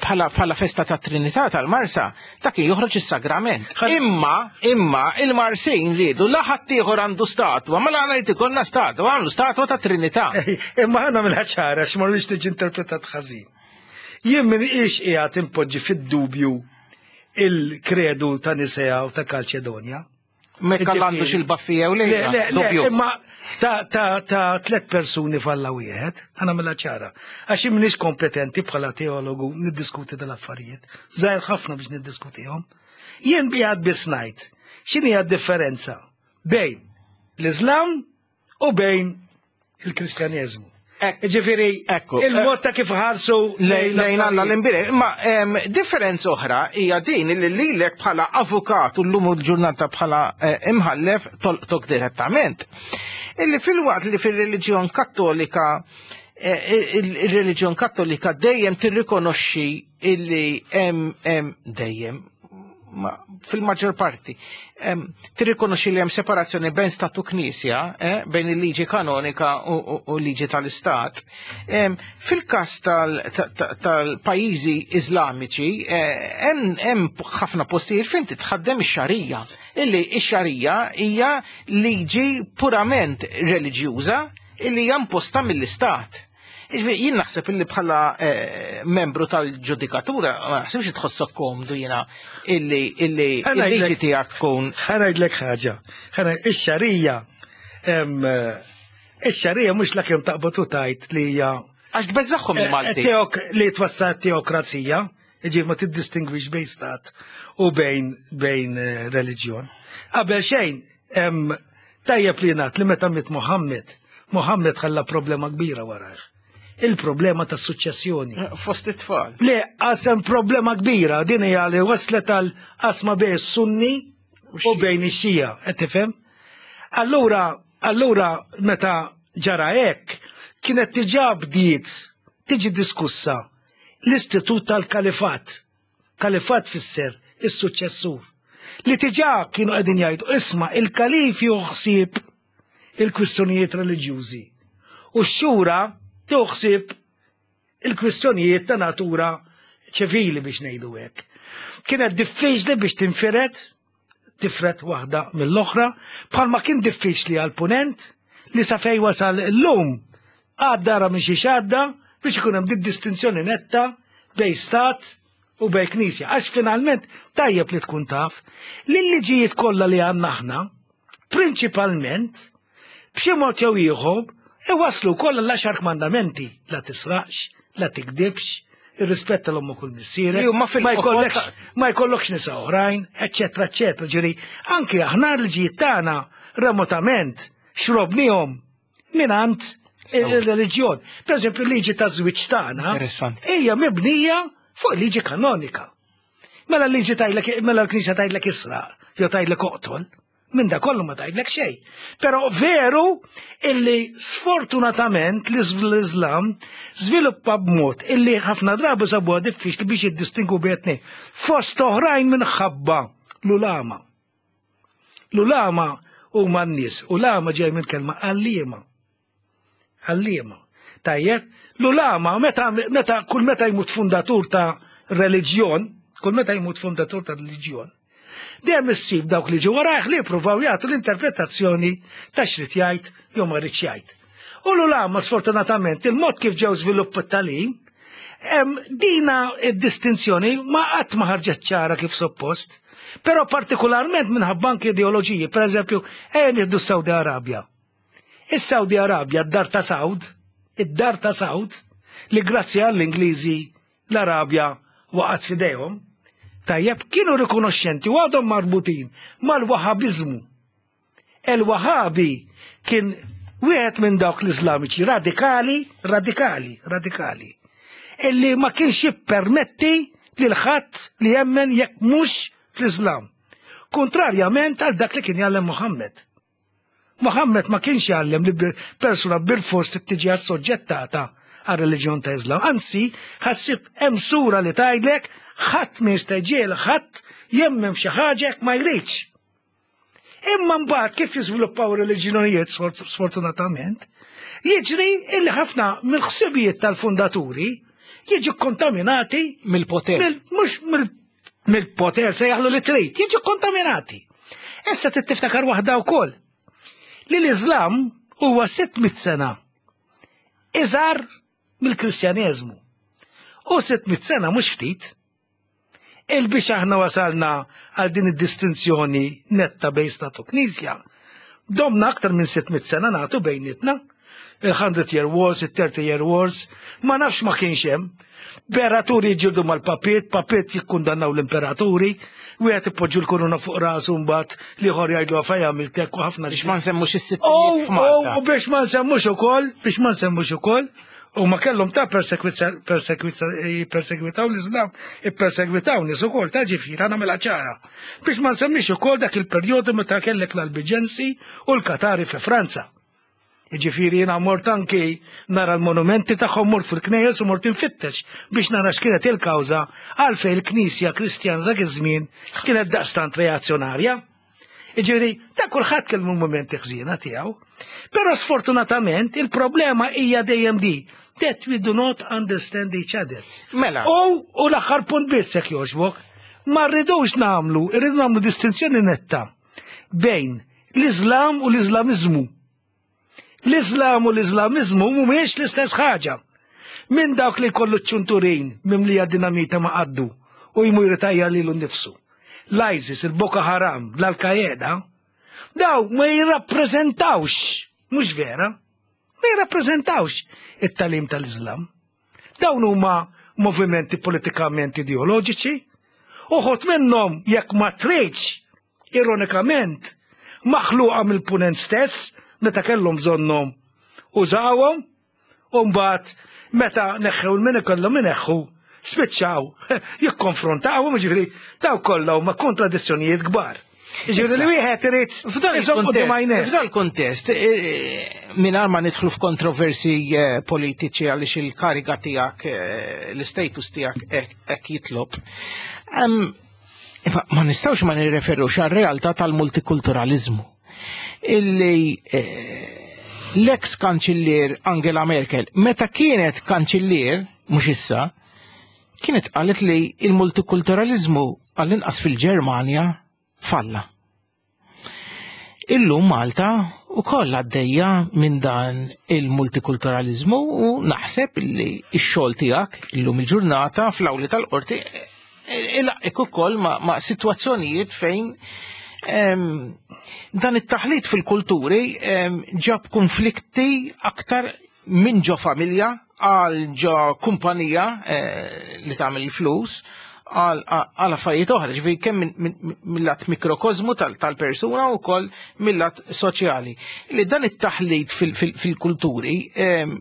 bħala festa ta' Trinità tal-Marsa dak joħroġ is-sagrament. Imma imma il-Marsin riedu la ħadd ieħor għandu statwa, mela aħna jrid ikollna statwa, għamlu statwa ta' Trinità. Imma ħana mill-ħaċara, x'ma rridx tiġi interpretat ħażin. Jien min ix qiegħed impoġġi fid-dubju il-kredu ta' Nisea u ta' Kalċedonja. Mekka għandu xil-baffi jew le? Le, le, imma ta' ta' ta' tlet persuni f'Alla wieħed, ħana mill ċara. Għax minix kompetenti bħala teologu niddiskuti dal-affarijiet. Żgħir ħafna biex niddiskutihom. Jien qiegħed biss ngħid x'inhi differenza bejn l-Islam u bejn il-Kristjaneżmu. Ġifieri, il-mod ta' kif ħarsu lejn Alla l-imbierek. Imma differenza oħra hija din li lilek bħala avukat u llum il-ġurnata bħala imħallef tolqtok direttament. Illi fil-waqt li fil-reliġjon kattolika il-reliġjon kattolika dejjem tirrikonoxxi illi hemm dejjem fil-maġġor parti tirrikonoxxi li hemm separazzjoni bejn stat u knisja, bejn il-liġi kanonika u l-liġi tal-istat. Fil-każ tal-pajjiżi Iżlamiċi hemm ħafna postijiet fejn titħaddem ix-xarija. Illi ix-xarija hija liġi purament reliġjuża illi hija imposta mill-istat. Jien naħseb illi bħala membru tal-ġudikatura, ma naħsibx tħossok komdu jiena illi illi il-liġi tiegħek tkun. Ħa ngħidlek ħaġa. Ix-xarija ix-xarija mhux la kemm taqbad u tgħid li hija. Għax tbeżżagħhom il-Malti. Li twassal teokrazija, jiġifieri ma tiddistingwix bejn stat u bejn bejn reliġjon. Qabel xejn, tajjeb li ngħid li meta miet Muhammad, Muhammad ħalla problema kbira warajh. Il-problema ta' suċċessjoni. Fost it-tfal. Le, qasem problema kbira, din hija li waslet għal qasma bejn sunni u bejn ix-xija, qed tifhem? Allura, allura meta ġara hekk, kienet diġà bdiet tiġi diskussa l-istitut tal-kalifat. Kalifat fisser is-suċċessur. Li diġà kienu qegħdin jgħidu isma' il-kalif juħsib il-kwistjonijiet reliġjużi. U x-xura tuħsib il-kwistjonijiet ta' natura ċivili biex ngħidu hekk. Kienet diffiċli biex tinfired, tifred waħda mill-oħra, bħalma kien diffiċli għal-punent li sa fej wasal l-lum għadda ra minn xi għadda biex ikun hemm distinzjoni netta bejn stat u bejn knisja. Għax finalment tajjeb li tkun taf li l-liġijiet kollha li għandna aħna, prinċipalment, b'xi mod jew ieħor, iwaslu kollha l-għaxar kmandamenti, la tisraqx, la tikdibx, irrispetta l-ommok u l-missierek, Li huma fil- ma jkollokx ma jkollokx nisa oħrajn, eċċetera, eċċetera. Ġifieri, anki aħna l-liġijiet tagħna remotament xrobnihom mingħand il-reliġjon. Per eżempju, l-liġi ta' żwieġ tagħna hija mibnija fuq liġi kanonika. Mela l-liġi tgħidlek, mela l-Knisja tgħidlek israq, jew tgħidlek oqtol, minn da kollu ma tgħidlek xejn. Però veru illi sfortunatament l-Islam żviluppa b'mod illi ħafna drabi sabuha diffiċli biex jiddistingu bejn tnejn. Fost oħrajn minħabba l-ulama. L-ulama huma n-nies, ulama ġej minn kelma għalliema. Għalliema. Tajjeb, l-ulama meta, meta kull meta jmut fundatur ta' reliġjon, kull meta jmut fundatur ta' reliġjon, dejjem issib dawk li ġew warajh li jippruvaw jagħtu l-interpretazzjoni ta' xrid jgħid jew ma rridx jgħid. U l-ulama sfortunatament il-mod kif ġew żvilupp it-tagħlim, dina id-distinzjoni ma qatt ma ħarġet ċara kif suppost, però partikolarment minħabba anke ideoloġiji, per eżempju, ejja nieħdu s-Saudi Arabja. Is-Saudi Arabja, d-dar ta' Saud, id-dar ta' Saud, li grazzi għall-Ingliżi l-Arabja waqgħet f'idejhom, tajjeb, kienu rikonoxxenti u għadhom marbutin mal-Wahabizmu. El-Wahabi kien wieħed minn dawk l-Iżlamiċi radikali, radikali, radikali, illi ma kienx jippermetti lil ħadd li jemmen jekk mhux fl-Islam. Kontrarjament għal dak li kien jgħallem Muhammad. Muhammad ma kienx jgħallem li persuna bil-fors tiġi assoġġettata għal reliġjon ta' Islam. Anzi, ħassib hemm sura li tgħidlek ħadd ma jista' jġiegħel ħadd jemmen f'xi ħaġa jekk ma jridx. Imma mbagħad kif jiżviluppaw reliġjonijiet sfortunatament, jiġri illi ħafna mill-ħsibijiet tal-fundaturi jiġu kontaminati mill-poter. Mhux mill-poter se jaħlu li trid, jiġu kontaminati. Issa tiftakar waħda wkoll li l-Islam huwa sitt mitt sena iżgħar mill-Kristjaneżmu. U sitt mitt sena mhux ftit. Il-biex aħna wasalna għal din id-distinzjoni netta bejn stat u knisja, domna aktar minn sitt mitt sena nagħtu bejnietna. Il-Hundred Year Wars, il-Thirty Year Wars, ma nafx ma kienx hemm. Imperaturi jġildu mal-papiet, papiet jikkundannaw l-imperaturi, wieħed ipoġġu l-korona fuq rasu mbagħad l-ieħor jgħidlu għafaj għamiltek u ħafna. Biex ma nsemmux is-sittinijiet f'Malta. U biex ma nsemmux ukoll, biex ma nsemmux ukoll, u ma kellhom ta' persegwitaw l-Islam, ippersegwitaw nies ukoll ta' ġifieri nagħmilha ċara. Biex ma nsemmix ukoll dak il-perjodu meta kellek l-Albiġensi u l-Katari fi Franza. Ġifieri jiena mort anki nara l-monumenti tagħhom, mort fil-knejjes u mort infittex biex nara x'kienet il-kawża għalfejn il-Knisja Kristjana dak iż-żmien kienet daqstant reazzjonarja. Ġifieri, ta' kulħadd kellu mumenti ħżiena tiegħu. Però sfortunatament il-problema hija dejjem di that we do not understand each other. Mela. U, u l-aħħar punt biss jekk jogħġbok, ma rridux nagħmlu, irridu nagħmlu distinzjoni netta bejn l-Islam u l-Islamiżmu. L-Islam u l-Islamiżmu mhumiex l-istess ħaġa. Minn dawk li jkollu ċ-ċunturin mimlija dinamita ma qaddu u jmur jritajja lilu nnifsu. L-ISIS, il-Boko Haram, l-Al-Qaeda, daw ma jirrappreżentawx, mhux vera, ma jirrappreżentawx it-talim tal-Islam. Dawn huma movimenti politikament ideoloġiċi, uħud minnhom jekk ma tridx, ironikament, maħluqa mill-punent stess, meta kellhom bżonnhom użawhom, u mbagħad meta neħħew il-min ikollhom ineħħu, spiċċaw jikkonfrontawhom, jiġifieri daw kollha huma kontradizzjonijiet kbar. Ġifieri li wieħed irid F'dan iżomm quddiem għajnejh. F'dan il-kontest, mingħajr ma nidħlu f'kontroversi eh, politiċi għaliex il-kariga tiegħek, eh, l-status tiegħek hekk jitlob. Em, imma Ma nistgħux ma nirreferux għar-realtà tal-multikulturalizmu. Illi eh, l-ex kanċillier Angela Merkel, meta kienet kanċillier, mhux issa, kienet qalet li il-multikulturalizmu għall-inqas fil-Ġermanja falla. Illum Malta u koll għaddejja minn dan il-multikulturalizmu u naħseb li x-xogħol tiegħek illum il-ġurnata fl-awli tal-qorti ilaqqik ukoll ma', ma sitwazzjonijiet fejn em, dan it-taħlit fil-kulturi em, ġab konflikti aktar minn ġo familja għal ġo kumpanija eh, li tagħmel il-flus għal għal affarijiet oħra, ġifieri kemm minn- minn- mill-lat mikrokozmu tal- tal-persuna u wkoll mill-lat soċjali. Li dan it-taħlit fil- fil- fil-kulturi em,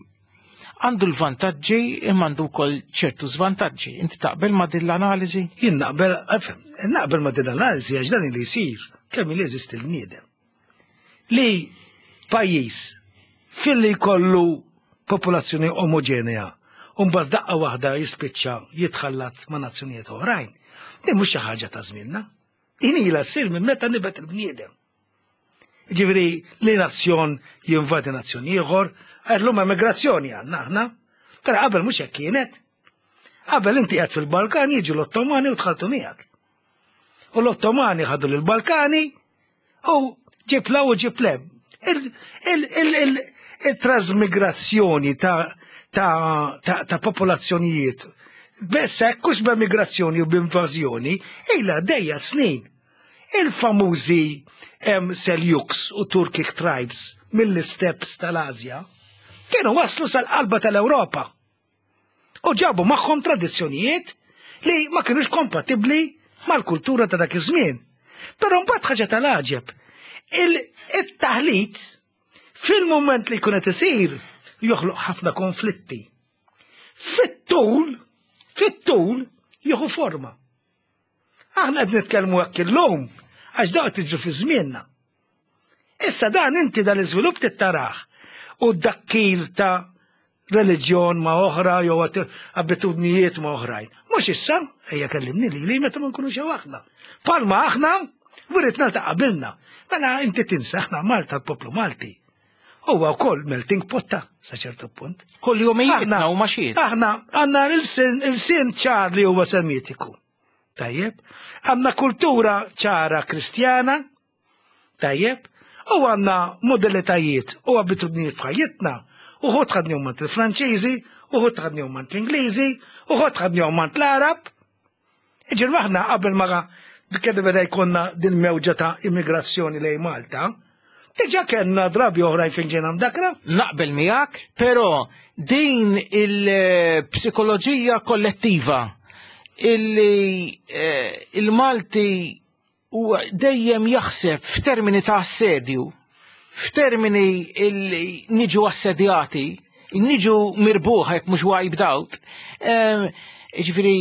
għandu l-vantaġġi imma għandu wkoll ċertu żvantaġġi. Inti taqbel ma' din l-analiżi? Jien naqbel, ifhem, naqbel ma din l-analiżi għax dan li jsir kemm li jeżisti l-bniedem. Li pajjiż filli jkollu popolazzjoni omogenea u mbagħad daqqa waħda jispiċċa jitħallat ma' nazzjonijiet oħrajn. Din mhux xi ħaġa ta' żmienna. Din ilha ssir minn meta nibet il-bniedem. Ġifieri li nazzjon jinvadi nazzjon ieħor, għallum emigrazzjoni għandna aħna. Però qabel mhux hekk kienet. Qabel inti qed fil-Balkani jiġu l-Ottomani u tħaltu miegħek. U l-Ottomani ħadu lill-Balkani u ġib 'l hawn u ġib 'l hemm. Il-trasmigrazzjoni ta' ta' ta' ta' popolazzjonijiet Bess hekk hux b'emigrazzjoni u b'invażjoni, ilha dejja snin. Il-famużi em Seljuks u Turkic tribes mill-steppes tal-Azja kienu waslu sal-qalba tal-Ewropa u ġabu magħhom tradizzjonijiet li ma kienux kompatibbli mal-kultura ta' dak iż-żmien. Però mbagħad ħaġa tal-għaġeb, il-taħlit fil-moment li jkun qed isir joħloq ħafna konflitti. Fit-tul, fit-tul jieħu forma. Aħna qed nitkellmu hekk illum għax daqt tiġu fi żmienna. Issa dan inti dan l-iżvilupp tittarah u d-dakkir ta' reliġjon ma' oħra jew abitudnijiet ma' oħrajn. Mhux issa, ejja kellimni li li meta ma nkunux hawn aħna. Palma aħna wiritna ta' qabilna. Mela inti tinsa aħna Malta l-poplu Malti. Huwa wkoll melting pot ta' sa ċertu punt. Kull jumijietna u maxiet. Aħna għandna il-sin ċar li huwa semitiku. Tajjeb, għandna kultura ċara kristjana, tajjeb, u għandna modalitajiet u abitudnijiet f'ħajjitna. Uħud ħadnihom mant il-Franċiżi, uħud ħadnihom mant l-Ingliżi, uħud ħadnihom mant l-Arab. Iġir aħna qabel ma kedda beda jkollna din mewġa ta' immigrazzjoni lejn Malta, diġà kellna drabi oħrajn fejn ġejna mdakra. Naqbel miegħek, però din il-psikoloġija kollettiva illi eh, il-Malti huwa dejjem jaħseb f'termini ta' assedju, f'termini illi niġu assedjati, niġu mirbuħa jekk mhux wiped out. Eh, Ġifieri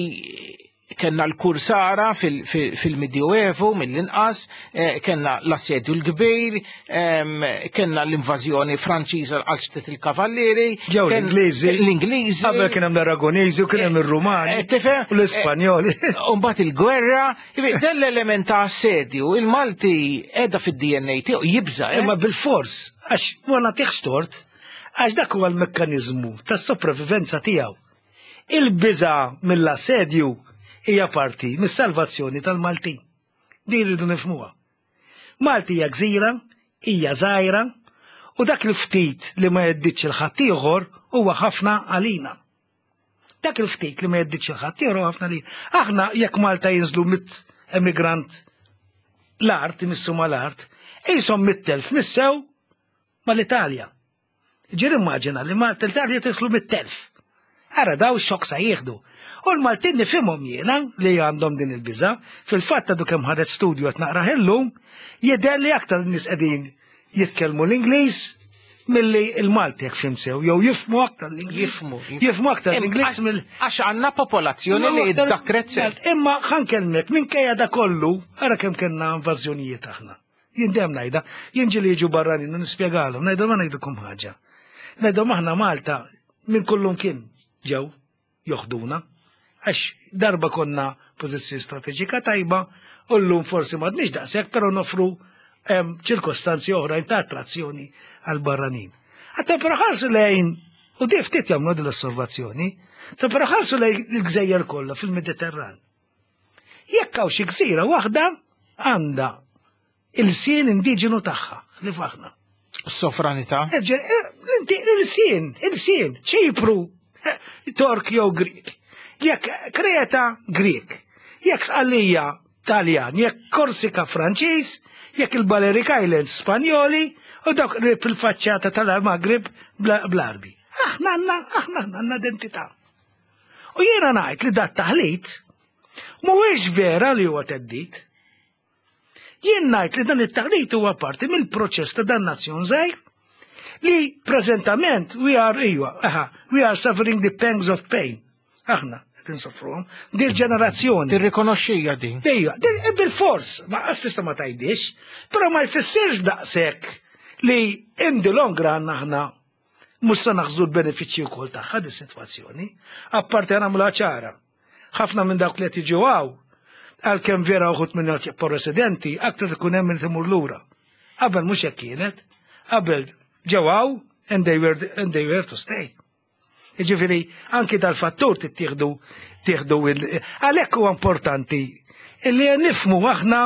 kellna l-kursara fil-Medioevu mill-inqas, eh, kellna l-assedju l-kbir, em, kellna l-invażjoni Franċiża għal ċtet il-Kavallieri. Ġew ken- l-Ingliżi. L-Ingliżi. Qabel kien hemm l-Aragoniżi u kien hemm ir-Rumani. Eh, tifhem? U l-Ispanjoli. U mbagħad il-gwerra, jiġifieri, dan l-element ta' assedju, il-Malti qiegħda fid-D N A tiegħu jibża'. eh? Imma bil-fors, għax ma nagħtihx tort, għax dak huwa l-mekkaniżmu tas-sopravivenza tiegħu. Il-biża mill-assedju hija parti mis-salvazzjoni tal-Maltin. Din rridu nifhmuha. Malti hija gżira, hija żgħira, u dak il-ftit li ma jeddiċ il-ħaddieħor huwa ħafna għalina. Dak il-ftit li ma jeddiċ il-ħaddieħor huwa ħafna għalina. Aħna jekk Malta jinżlu mitt emigrant l-art, imissu mal-art, jisom mitt elf missew mal-Italja. Ġir immaġina li Malta l-Italja tidħlu mitt elf. Ara daw xokk sa jieħdu. U l-Maltin nifhimhom jiena li għandhom din il-biża, fil-fatt għadu kemm ħareġ studju qed naqrah illum, jidher li aktar nies qegħdin jitkellmu l-Ingliż milli il-Malti jekk fhimt sew, jew jifhmu aktar l-Ingliż. Jifhmu. Jifhmu aktar l-Ingliż mill Għax għandna popolazzjoni li iddakret sew. Imma ħa nkellmek, minkejja da kollu, ara kemm kellna invażjonijiet aħna. Jien dejjem ngħidha, jien ġieli jiġu barranin u nispjegalhom, ngħidhom ma ngħidilkom ħaġa. Ngħidhom aħna Malta minn kullum kien ġew joħduna, għax darba konna pożizzjoni strateġika tajba, u llum forsi m'għadniex daqshekk, però nofru em, ċirkostanzi oħrajn ta' attrazzjoni għal barranin. Għatta però ħarsu lejn, u di ftit jagħmlu din l-osservazzjoni, ta' però ħarsu lejn il-gżejjer kollha fil-Mediterran. Jekk hawn xi gżira waħda għandha il-sien indiġenu tagħha li faħna. Sovranità. Inti il-sien, il-sien, Ċipru, eh, Tork jew Grik. Jekk Kreta, Grik. Jekk Sqallija, Taljan, jekk Korsika, Franċiż, jekk il-Balearic Islands, Spanjoli, u dawk qrib il-faċċata tal-Maghrib bl-Arbi. Aħna għandna, aħna għandna identità. U jiena ngħid li dat taħlit mhuwiex vera li huwa theddid. Jien ngħid li dan it-taħlit huwa parti mill-proċess ta' dan nazzjon żgħir li preżentament we are ijwa, aha, we are suffering the pangs of pain. Aħna qed insofruhom dil ġenerazzjoni. Tirrikonoxxija din. Ejja, din bil-fors, ma qas tista' ma tgħidix, però ma jfissirx daqshekk li in the long run aħna mhux se naħżlu l-benefiċċji wkoll tagħha di sitwazzjoni. Apparti nagħmluha ċara. Ħafna minn dawk li qed jiġu hawn, għalkemm vera uħud minn jibqgħu residenti, aktar ikun hemm min timur lura. Qabel mhux hekk kienet, qabel ġew hawn and they were and they were to stay. Jiġifieri anki dal-fattur tittieħdu tieħdu għalhekk huwa importanti illi nifhmu aħna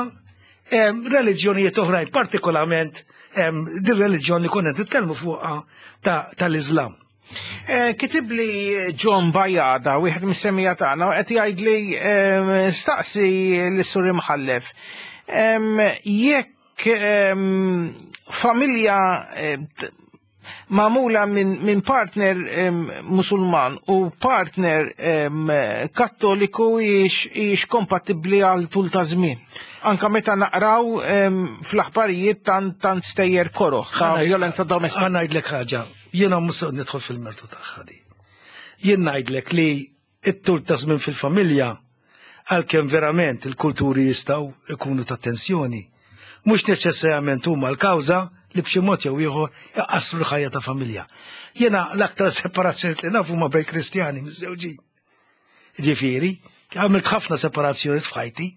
em, reliġjonijiet oħrajn, partikolarment em, din reliġjon li konna nitkellmu fuqha ta- tal-Iżlam. Eh, Kitib li John Bajada, wieħed mis-semmiegħa tagħna, u qed jgħid li em, staqsi lis-sur Imħallef. Em, Jekk em, familja em, t- magħmula minn min partner em, musulman u partner em, kattoliku hijiex hijiex kompatibbli għal tul ta' żmien. Anka meta naqraw em, fl-aħbarijiet tant tant stejjer koroħ ta' violenza domestika. Ħa ngħidlek ħaġa, jiena mhux se nidħol fil-mertu tagħha di. Jien ngħidlek li it-tul ta' żmien fil-familja għalkemm verament il-kulturi jistgħu ikunu ta' tensjoni. Mhux neċessarjament huma l-kawża li b'xi mod jew ieħor iqassru l-ħajja ta' familja. Jiena l-aktar separazzjoni li naf huma bejn Kristjani miżżewġin. Ġifieri, għamilt ħafna separazzjoni f'ħajti.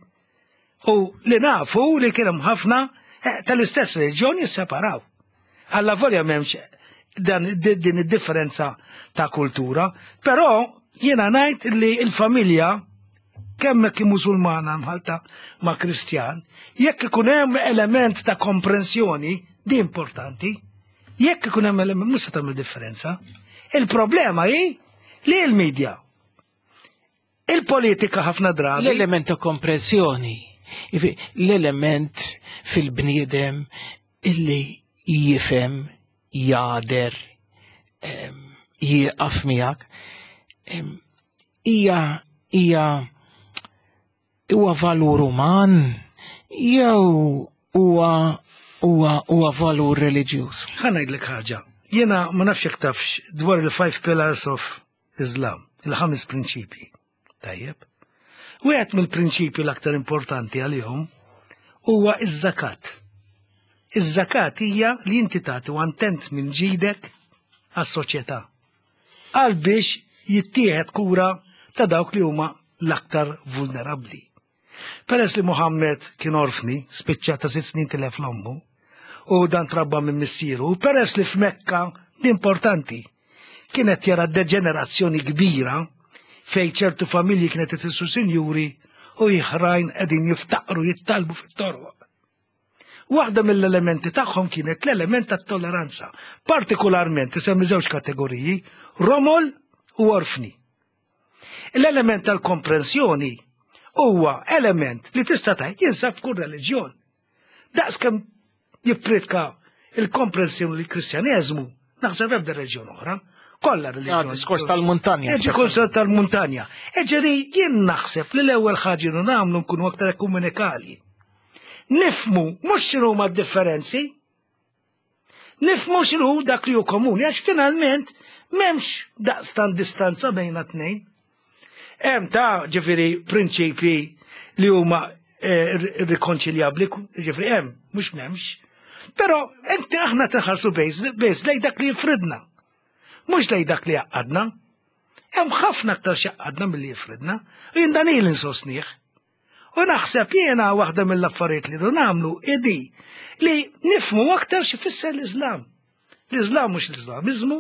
U li nafu li kien hemm ħafna eh, tal-istess reliġjon jisseparaw. Alla volja m'hemmx dan din id-differenza ta' kultura, però jiena ngħid li l-familja kemm hekk musulmana mħalta ma' Kristjan, jekk ikun hemm element ta' komprensjoni, di importanti, jekk ikun hemm element mhux se tagħmel differenza. Il-problema hi li l-medja il-politika ħafna drabi. L-element ta' komprensjoni, ifi- l-element fil-bniedem illi jifhem, jagħder, em, jieqaf miegħek, em, hija hija huwa valur uman jew huwa huwa huwa valur reliġjuż. Ħa ngħidlek ħaġa. Jiena ma nafx jekk tafx dwar il-five pillars of Islam, il-ħames prinċipji. Tajjeb. Wieħed mill-prinċipji l-aktar importanti għalihom huwa iż-żakat. Iż-żakat hija li inti tagħti one tenth minn ġidek għas-soċjetà. Għal biex jittieħed kura ta' dawk li huma l-aktar vulnerabbli. Peress li Muhammed kien orfni, spiċċa ta' sitt snin tilef l-ommu, u dan trabba minn missieru, u peress li f'Mekka, l-importanti, kienet jara deġenerazzjoni kbira fej ċertu familji kienet isiru sinjuri u oħrajn qegħdin jiftaqru jittalbu fit-toroq. Waħda mill-elementi tagħhom kienet l-element tat-tolleranza, partikolarment isemmi żewġ kategoriji, romol u orfni. L-element tal-komprensjoni huwa element li tista' tgħid jinsab f'kull reliġjon. Daqs kemm jippritka il-komprensjoni l-Kristjaneżmu, naħseb ebda reliġjon oħra, kollha reliġjon. Ah, diskors tal-muntanja. Diskors tal-muntanja. Eġeri jien naħseb li l-ewwel ħaġa li nagħmlu nkunu aktar ekumenikali. Nifhmu mhux x'inhuma d-differenzi, Nifhmu x'inhu dak li hu komuni, għax finalment m'hemmx daqstan distanza bejna tnejn. Hemm ta' ġifieri prinċipji li huma eh, irrikonċiljabbli, ġifieri hemm, mhux m'hemmx. Però inti aħna tinħarsu biss lejn dak li jifridna. Mhux lejn dak li jgħaqqadna. Hemm ħafna aktar x'jgħaqqadna milli jifridna, u jien dan ili nsostnih. U naħseb jiena waħda mill-affarijiet li du nagħmlu idi li nifhmu aktar x'ifisser l-Iżlam. L-Iżlam mhux l-Iżlamiżmu,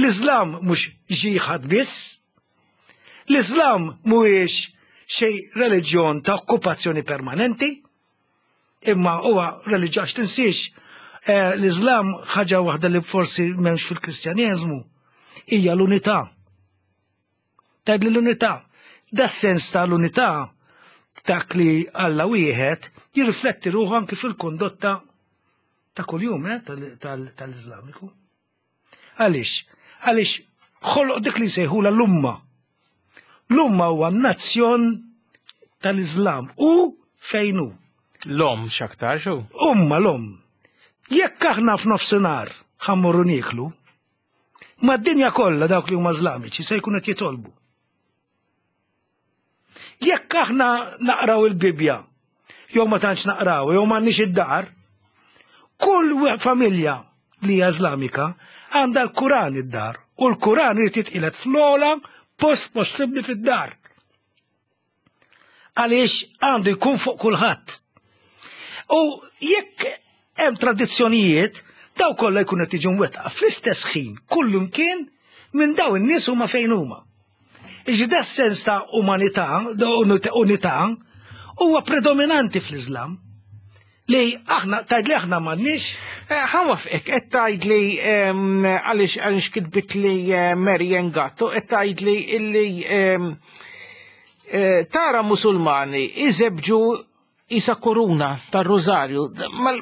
l-Iżlam mhux ġiħad biss, l-Iżlam mhuwiex xi reliġjon ta' okkupazzjoni permanenti, imma huwa reliġjon għax tinsiex eh, l-Iżlam ħaġa waħda li forsi m'hemmx fil-Kristjaneżmu hija l-unità. Tgħid li l-unità. Da sens ta' l-unità dak li Alla wieħed jirrifletti ruħu anki fil-kondotta ta' kuljum eh, tal-Iżlamiku. Għaliex? Għaliex ħoloq dik li jsejħula l-umma. L-umma huwa nazzjon tal-Iżlam u fejn hu. L-om x'aktar xu? Umma l-om. Jekk aħna f'nofsinhar ħa mmorru nieklu, mad-dinja kollha dawk li huma Iżlamiċi se jkunu qed jitolbu. Jekk aħna naqraw il-Bibja, jew ma tantx naqraw, jew m'għandniex id-dar, kull familja li hija Iżlamika għandha l-Kuran id-dar, u l-Kuran irid jitqiegħed fl-ogħla post possibbli fid-dar. Għaliex għandu jkun fuq kulħadd. U jekk hemm tradizzjonijiet, daw kollha jkunu qed jiġu mwettqa fl-istess ħin kullimkien minn daw in-nies huma fejn huma. Iġi da sens ta' umanità, unità, huwa predominanti fl-Iżlam. Li aħna, tgħid li aħna m'għandniex. Ħa nwaqqfek, qed tgħid li għaliex għaliex kitbit li Mary Gatto, qed tgħid li illi tara musulmani iżebġu isa koruna tar-rużarju,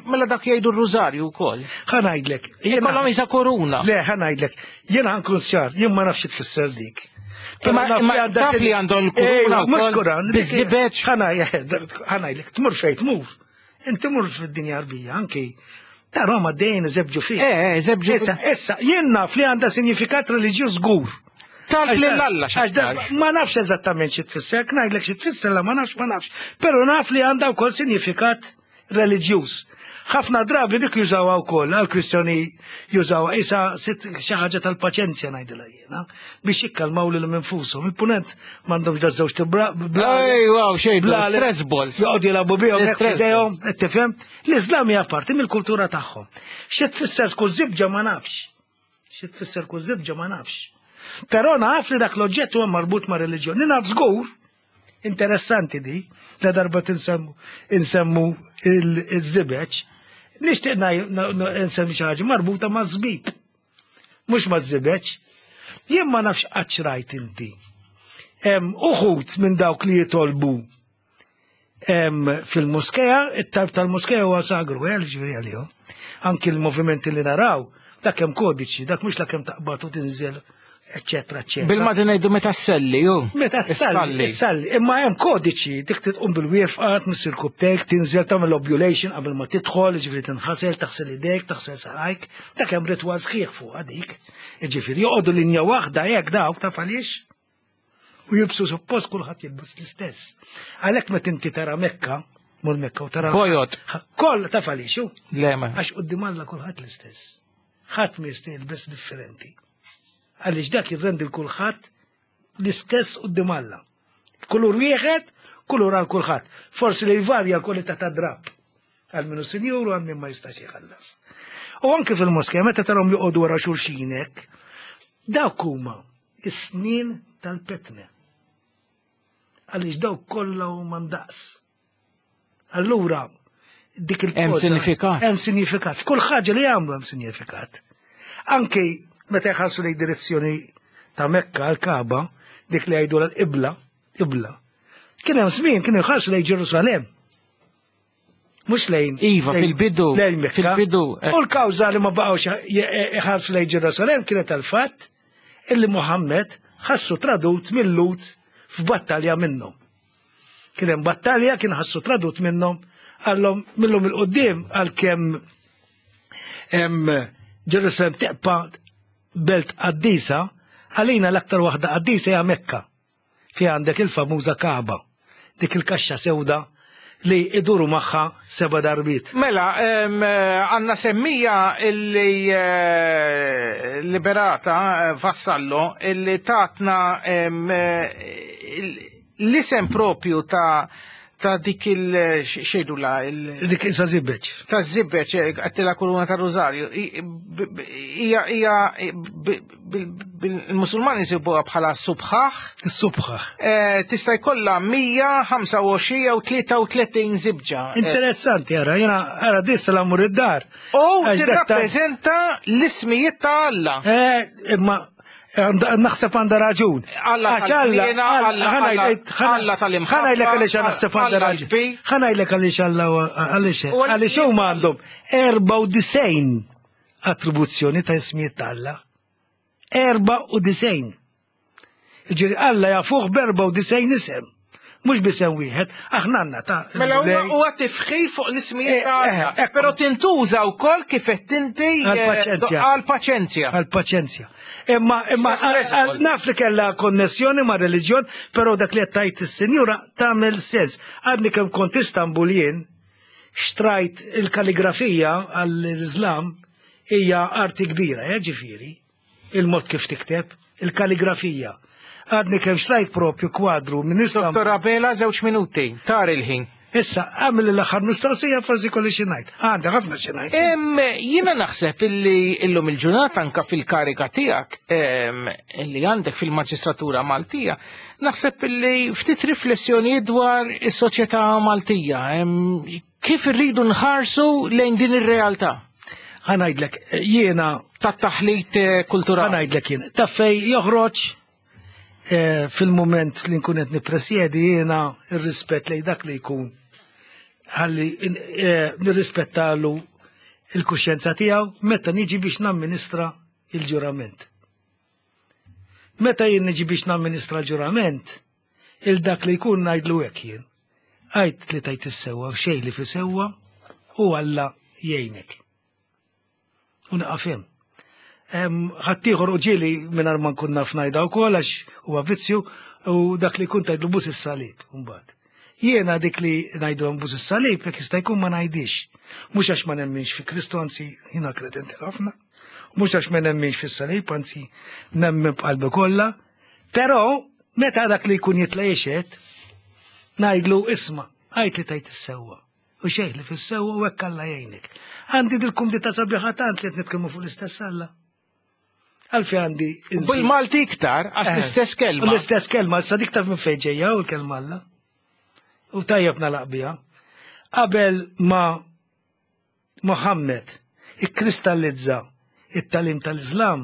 mela dak jgħidu r-rużarju wkoll. Ħa ngħidlek. Ikollhom isa koruna. Le, ħa ngħidlek, jiena ħa nkun ċar, jien ma nafx tfisser dik. Imma taf li għandhom il-kuruna Mhux Kuran. Biż-żibeġ. Ħa ngħidlek, tmur fejn tmur. Inti mur fid-dinja Arbija, anki ta' Roma dejjem iżebġu fih. Eh, iżebġu. Issa, issa, jien naf li għandha sinifikat reliġjuż żgur. Talb lil Alla x'aktar. Ma nafx eżattament xi tfisser, ngħidlek xi tfisser la ma nafx, ma nafx. Però naf li għandha wkoll sinifikat reliġjuż. Ħafna drabi dik jużawha wkoll għall-Kristjani jużawha isa xi ħaġa tal-paċenzja ngħidilha jiena biex jikkalmaw lil infushom. Il-punent m'għandhomx da żewġ bla. Ejwa, xejn, stress balls. Joqgħdu jilagħbu bihom hekk f'idejhom, qed tifhem? L-Iżlam hija parti mill-kultura tagħhom. Xi tfisser tkun żibġa ma nafx. Xi tfisser tkun żibġa ma nafx. Però naf li dak l-oġġett huwa marbut ma' reliġjoni. Naf żgur, interessanti di, la darba tinsemmu insemmu il-żibeġ, nixtieq nsemmi xi ħaġa marbuta ma' żbib. Mhux ma' żibeġ. Jien ma nafx qatt rajt inti. Uħud minn dawk li jitolbu fil-moskeja, it-talb tal-moskeja huwa sagru, eh, ġifieri għalihom. Anki l-movimenti li naraw, dak hemm kodiċi, dak mhux dak hemm taqbad u tinżel, eccetera, eccetera. Bil-Malti ngħidu meta sselli, ju. Meta ssalli, ssalli. Imma hemm kodiċi, dik titqum bil-wieqfa, tmiss irkupptejk, tinżel tagħmel ablution qabel ma tidħol, ġifieri tinħasel, taħsel idejk, taħsel saqajk, dak hemm ritwal sħiħ fuq dik. Ġifieri joqogħdu linja waħda hekk dawk taf għaliex? U jilbsu suppost kulħadd jilbes l-istess. Għalhekk meta inti tara Mekka, mur Mekka u tara. Bojod. Koll taf għaliex, ju? Le ma. Għax quddiem Alla kulħadd l-istess. Ħadd ma jista' jilbes differenti. Għaliex dak jirrendi l-kulħadd l-istess quddiem Alla. Kulur wieħed, kulur għal kulħadd. Forsi li jvarja l-kwalità ta' drab. Għal minnu sinjur u għal min ma jistax jħallas. U anke fil-moskea, meta tarahom joqogħdu wara xulxin hekk, dawk huma is-snin tal-petne. Għaliex dawk kollha huma ndaqs. Allura, dik il Hemm sinifikat. Hemm sinifikat. F'kull ħaġa li jagħmlu hemm sinifikat. Anke meta jħarsu lejn direzzjoni ta' Mekka għal-Kaba, dik li jgħidu l-qibla, qibla. Kien hemm żmien kienu jħarsu lejn Ġerusalem. Mhux lejn. Iva, lejn- fil-bidu, Lejn Mekka. fil-bidu, eh. U l-kawża li ma baqgħux jħarsu lejn Ġerusalem kienet tal-fatt illi Muhammed ħassu tradut mill-Lhud f'battalja minnhom. Kien hemm battalja kien ħassu tradut minnhom għallhom millhom il-qudiem għalkemm Em, Ġerusalem teqpa belt qaddisa, għalina l-aktar waħda qaddisa hija Mekka. Fi għandek il-famuża Kaaba, dik il-kaxxa sewda li iduru magħha seba darbiet. Mela, em, eh, għanna semmija illi eh, Liberata eh, Vassallo illi tatna em, eh, il- l-isem propju ta' ta' dik il-xejdu la il- Dik isa zibbeċ. Ta' zibbeċ, għattila kuruna ta' Rosario, i- b- b- hija hija b- b- b- il-Musulmani jsibuha bħala subħaħ. Is-subħaħ. Eh, Tista' jkollha mija u ħamsa u għoxrin jew tlieta u tletin zibġa. Eh, Interessanti, ara, jena, ara, dissa l-amur id-dar. U Għax dak ta' tirrappreżenta l-ismijiet ta' Alla. Eh, imma għanda- naħseb għandha raġun. Alla Għax tal-ħniena, Alla- Alla- Alla tal-imħabba, ħa ngħidlek għaliex naħseb għandha Alla raġun. l-kbir. Ħa ngħidlek għaliex Alla għaliex U għal- għaliex huma għandhom erbgħa u disgħin attribuzzjoni ta' ismijiet ta' Alla. Erbgħa u disgħin. Ġiri Alla jafuh b'erbgħa u disgħin isem. Mhux b'isem wieħed, aħna għandna ta' Mela huwa il-Mulej. huwa tifħir fuq l-ismijiet ta' Eh, Alla. eh, Però tintuża wkoll kif qed inti eh, Għal-paċenzja. Għal-paċenzja. Għal-paċenzja. Imma imma Sa stress għal- ukoll. naf li kellha konnessjoni ma' reliġjon, però dak li qed tgħid is-sinjura tagħmel sens. Għadni kemm kont Istanbul jien, xtrajt il-kalligrafija għall-Islam hija arti kbira, eh, ġifieri, il-mod kif tikteb, il-kalligrafija. Għadni kemm xtrajt propju kwadru minn Istanbul. Dottor Abela, żewġ minuti, tar il-ħin. Issa, għamil l-aħħar mistoqsija, forsi kolli xi ngħid. Għandha ħafna xi ngħid. Em, Jiena naħseb illi illum il-ġurnata anka fil-karika tiegħek em, illi għandek fil-Maġistratura Maltija, naħseb illi ftit riflessjoni dwar is-soċjetà Maltija, em, kif irridu nħarsu lejn din ir-realtà? Ħa ngħidlek, jiena tat-taħlit eh, kulturali. Ħa ngħidlek jien, ta' fej joħroġ eh, fil-moment li nkun qed nippresjedi jiena ir-rispett lejn dak li jkun ħalli eh, nirrispettalu il-kuxjenza tiegħu meta niġi biex namministra il-ġurament. Meta jien niġi biex namministra l-ġurament, il dak li jkun ngħidlu hekk jien. Għid li tgħid is-sewwa u xejn li fi sewwa u Alla jgħinek. U naqaf hemm. Ħaddieħor u ġieli mingħajr ma nkun naf ngħidha wkoll għax huwa vizzju u dak li kun tgħidlu bus is-salib mbagħad. Jiena dik li ngħidulhom bus is-salib jekk jista' jkun ma ngħidix. Mhux għax ma nemminx fi Kristu, anzi jiena kredenti ħafna. Mhux għax ma nemminx fis-salib, anzi nemmen b'qalbi kollha. Però meta dak li jkun jitla' jixhed, ngħidlu isma', għid li tgħid is-sewwa. U xejn li fis-sewwa u hekk Alla jgħinek. Għandi dil-kumdità sabiħa tant li qed nitkellmu fuq l-istess Alla. Għalfi għandi. Bil-Malti iktar, għax Eh, l-istess kelma. L-istess kelma, issa dik taf minn fejn ġejja u l-kelma Alla. U tajjeb nagħlaq biha. Qabel ma Mohammed ikkristallizza it-tagħlim tal-Islam,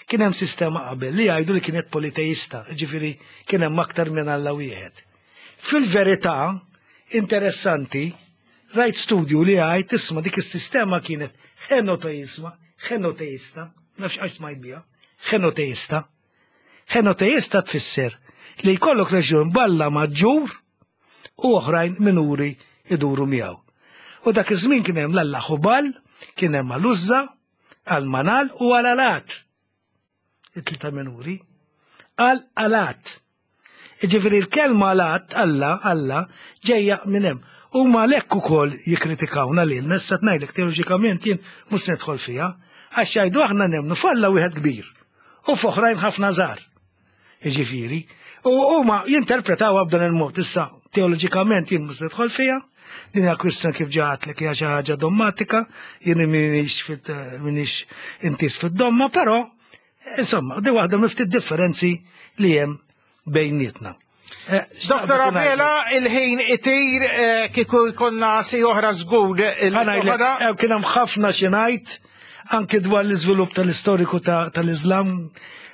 kien hemm sistema qabel li jgħidu li kienet politeista, ġifieri kien hemm aktar minn Alla wieħed. Fil-verità, interessanti, rajt studju li għajt isma' dik is-sistema kienet henoteisma, henoteista, nafx għax smajt biha, henoteista. Henoteista tfisser li jkollok reġjun b'Alla maġġur u oħrajn minuri iduru miegħu. U dak iż-żmien kien hemm l-Alla Ħubal, kien hemm għal-Uzza, għal-Manal u għal-Alat. It-tlieta minuri. Għal-Alat. Ġifieri l-kelma Alat, Alla, Alla, ġejja minn hemm. U ma lekk ukoll jikkritikawna lil issa ngħidlek teoloġikament jien mhux nidħol fiha, għax jgħidu aħna nemmnu f'Alla wieħed kbir u f'oħrajn ħafna żgħar. Ġifieri, u huma jinterpretawha b'dan il-mod issa teoloġikament jien mhux nidħol fiha, din hija kwistjoni kif ġatlek hija xi ħaġa dommatika, jien m'iniex fit m'iniex intis fid-domma, però insomma, di waħda miftit differenzi li hemm bejnietna. Eh, Dottor Abela, il-ħin itir eh, kieku jkollna si oħra żgur. Ħa ngħidlek, eh, kien hemm ħafna xi ngħid anke dwar l-iżvilupp tal-istoriku ta- tal-Islam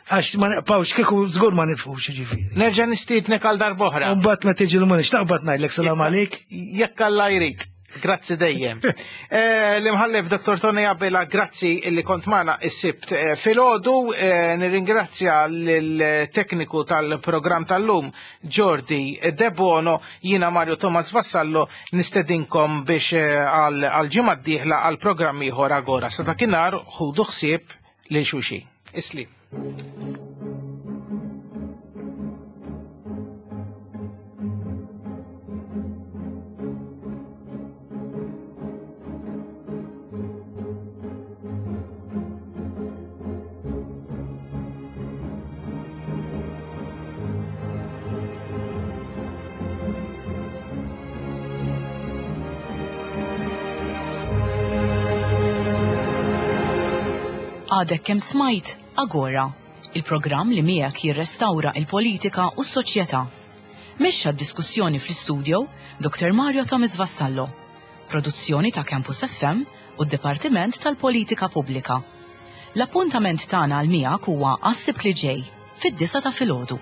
għax ma neqpawx kieku żgur ma nifhux ġifieri. Nerġa' nistiednek għal darb'oħra. Mbagħad ma tiġi l-munix taqbad ngħidlek salam għalik. Jekk Alla jrid. Grazzi dejjem. Eh, L-imħallef Dottor Tony Abela, grazzi illi kont magħna is-Sibt eh, filgħodu. Eh, nirringrazzja lill-tekniku tal-programm tal-lum Jordi Debono, jiena Mario Thomas Vassallo, nistedinkom biex għal ġimgħa d-dieħla għal programm ieħor Agora. Sa dakinhar ħudu ħsieb lil xulxin. Isli. Għadek kemm smajt Agora, il-programm li miegħek jirrestawra il-politika u s-soċjetà. Mexxa d-diskussjoni fl-istudio Dottor Mario Thomas Vassallo. Produzzjoni ta' Campus F M u d-Dipartiment tal-Politika Pubblika. L-appuntament tagħna għal miegħek huwa għas-Sibt li ġej fid-disgħa ta' filgħodu.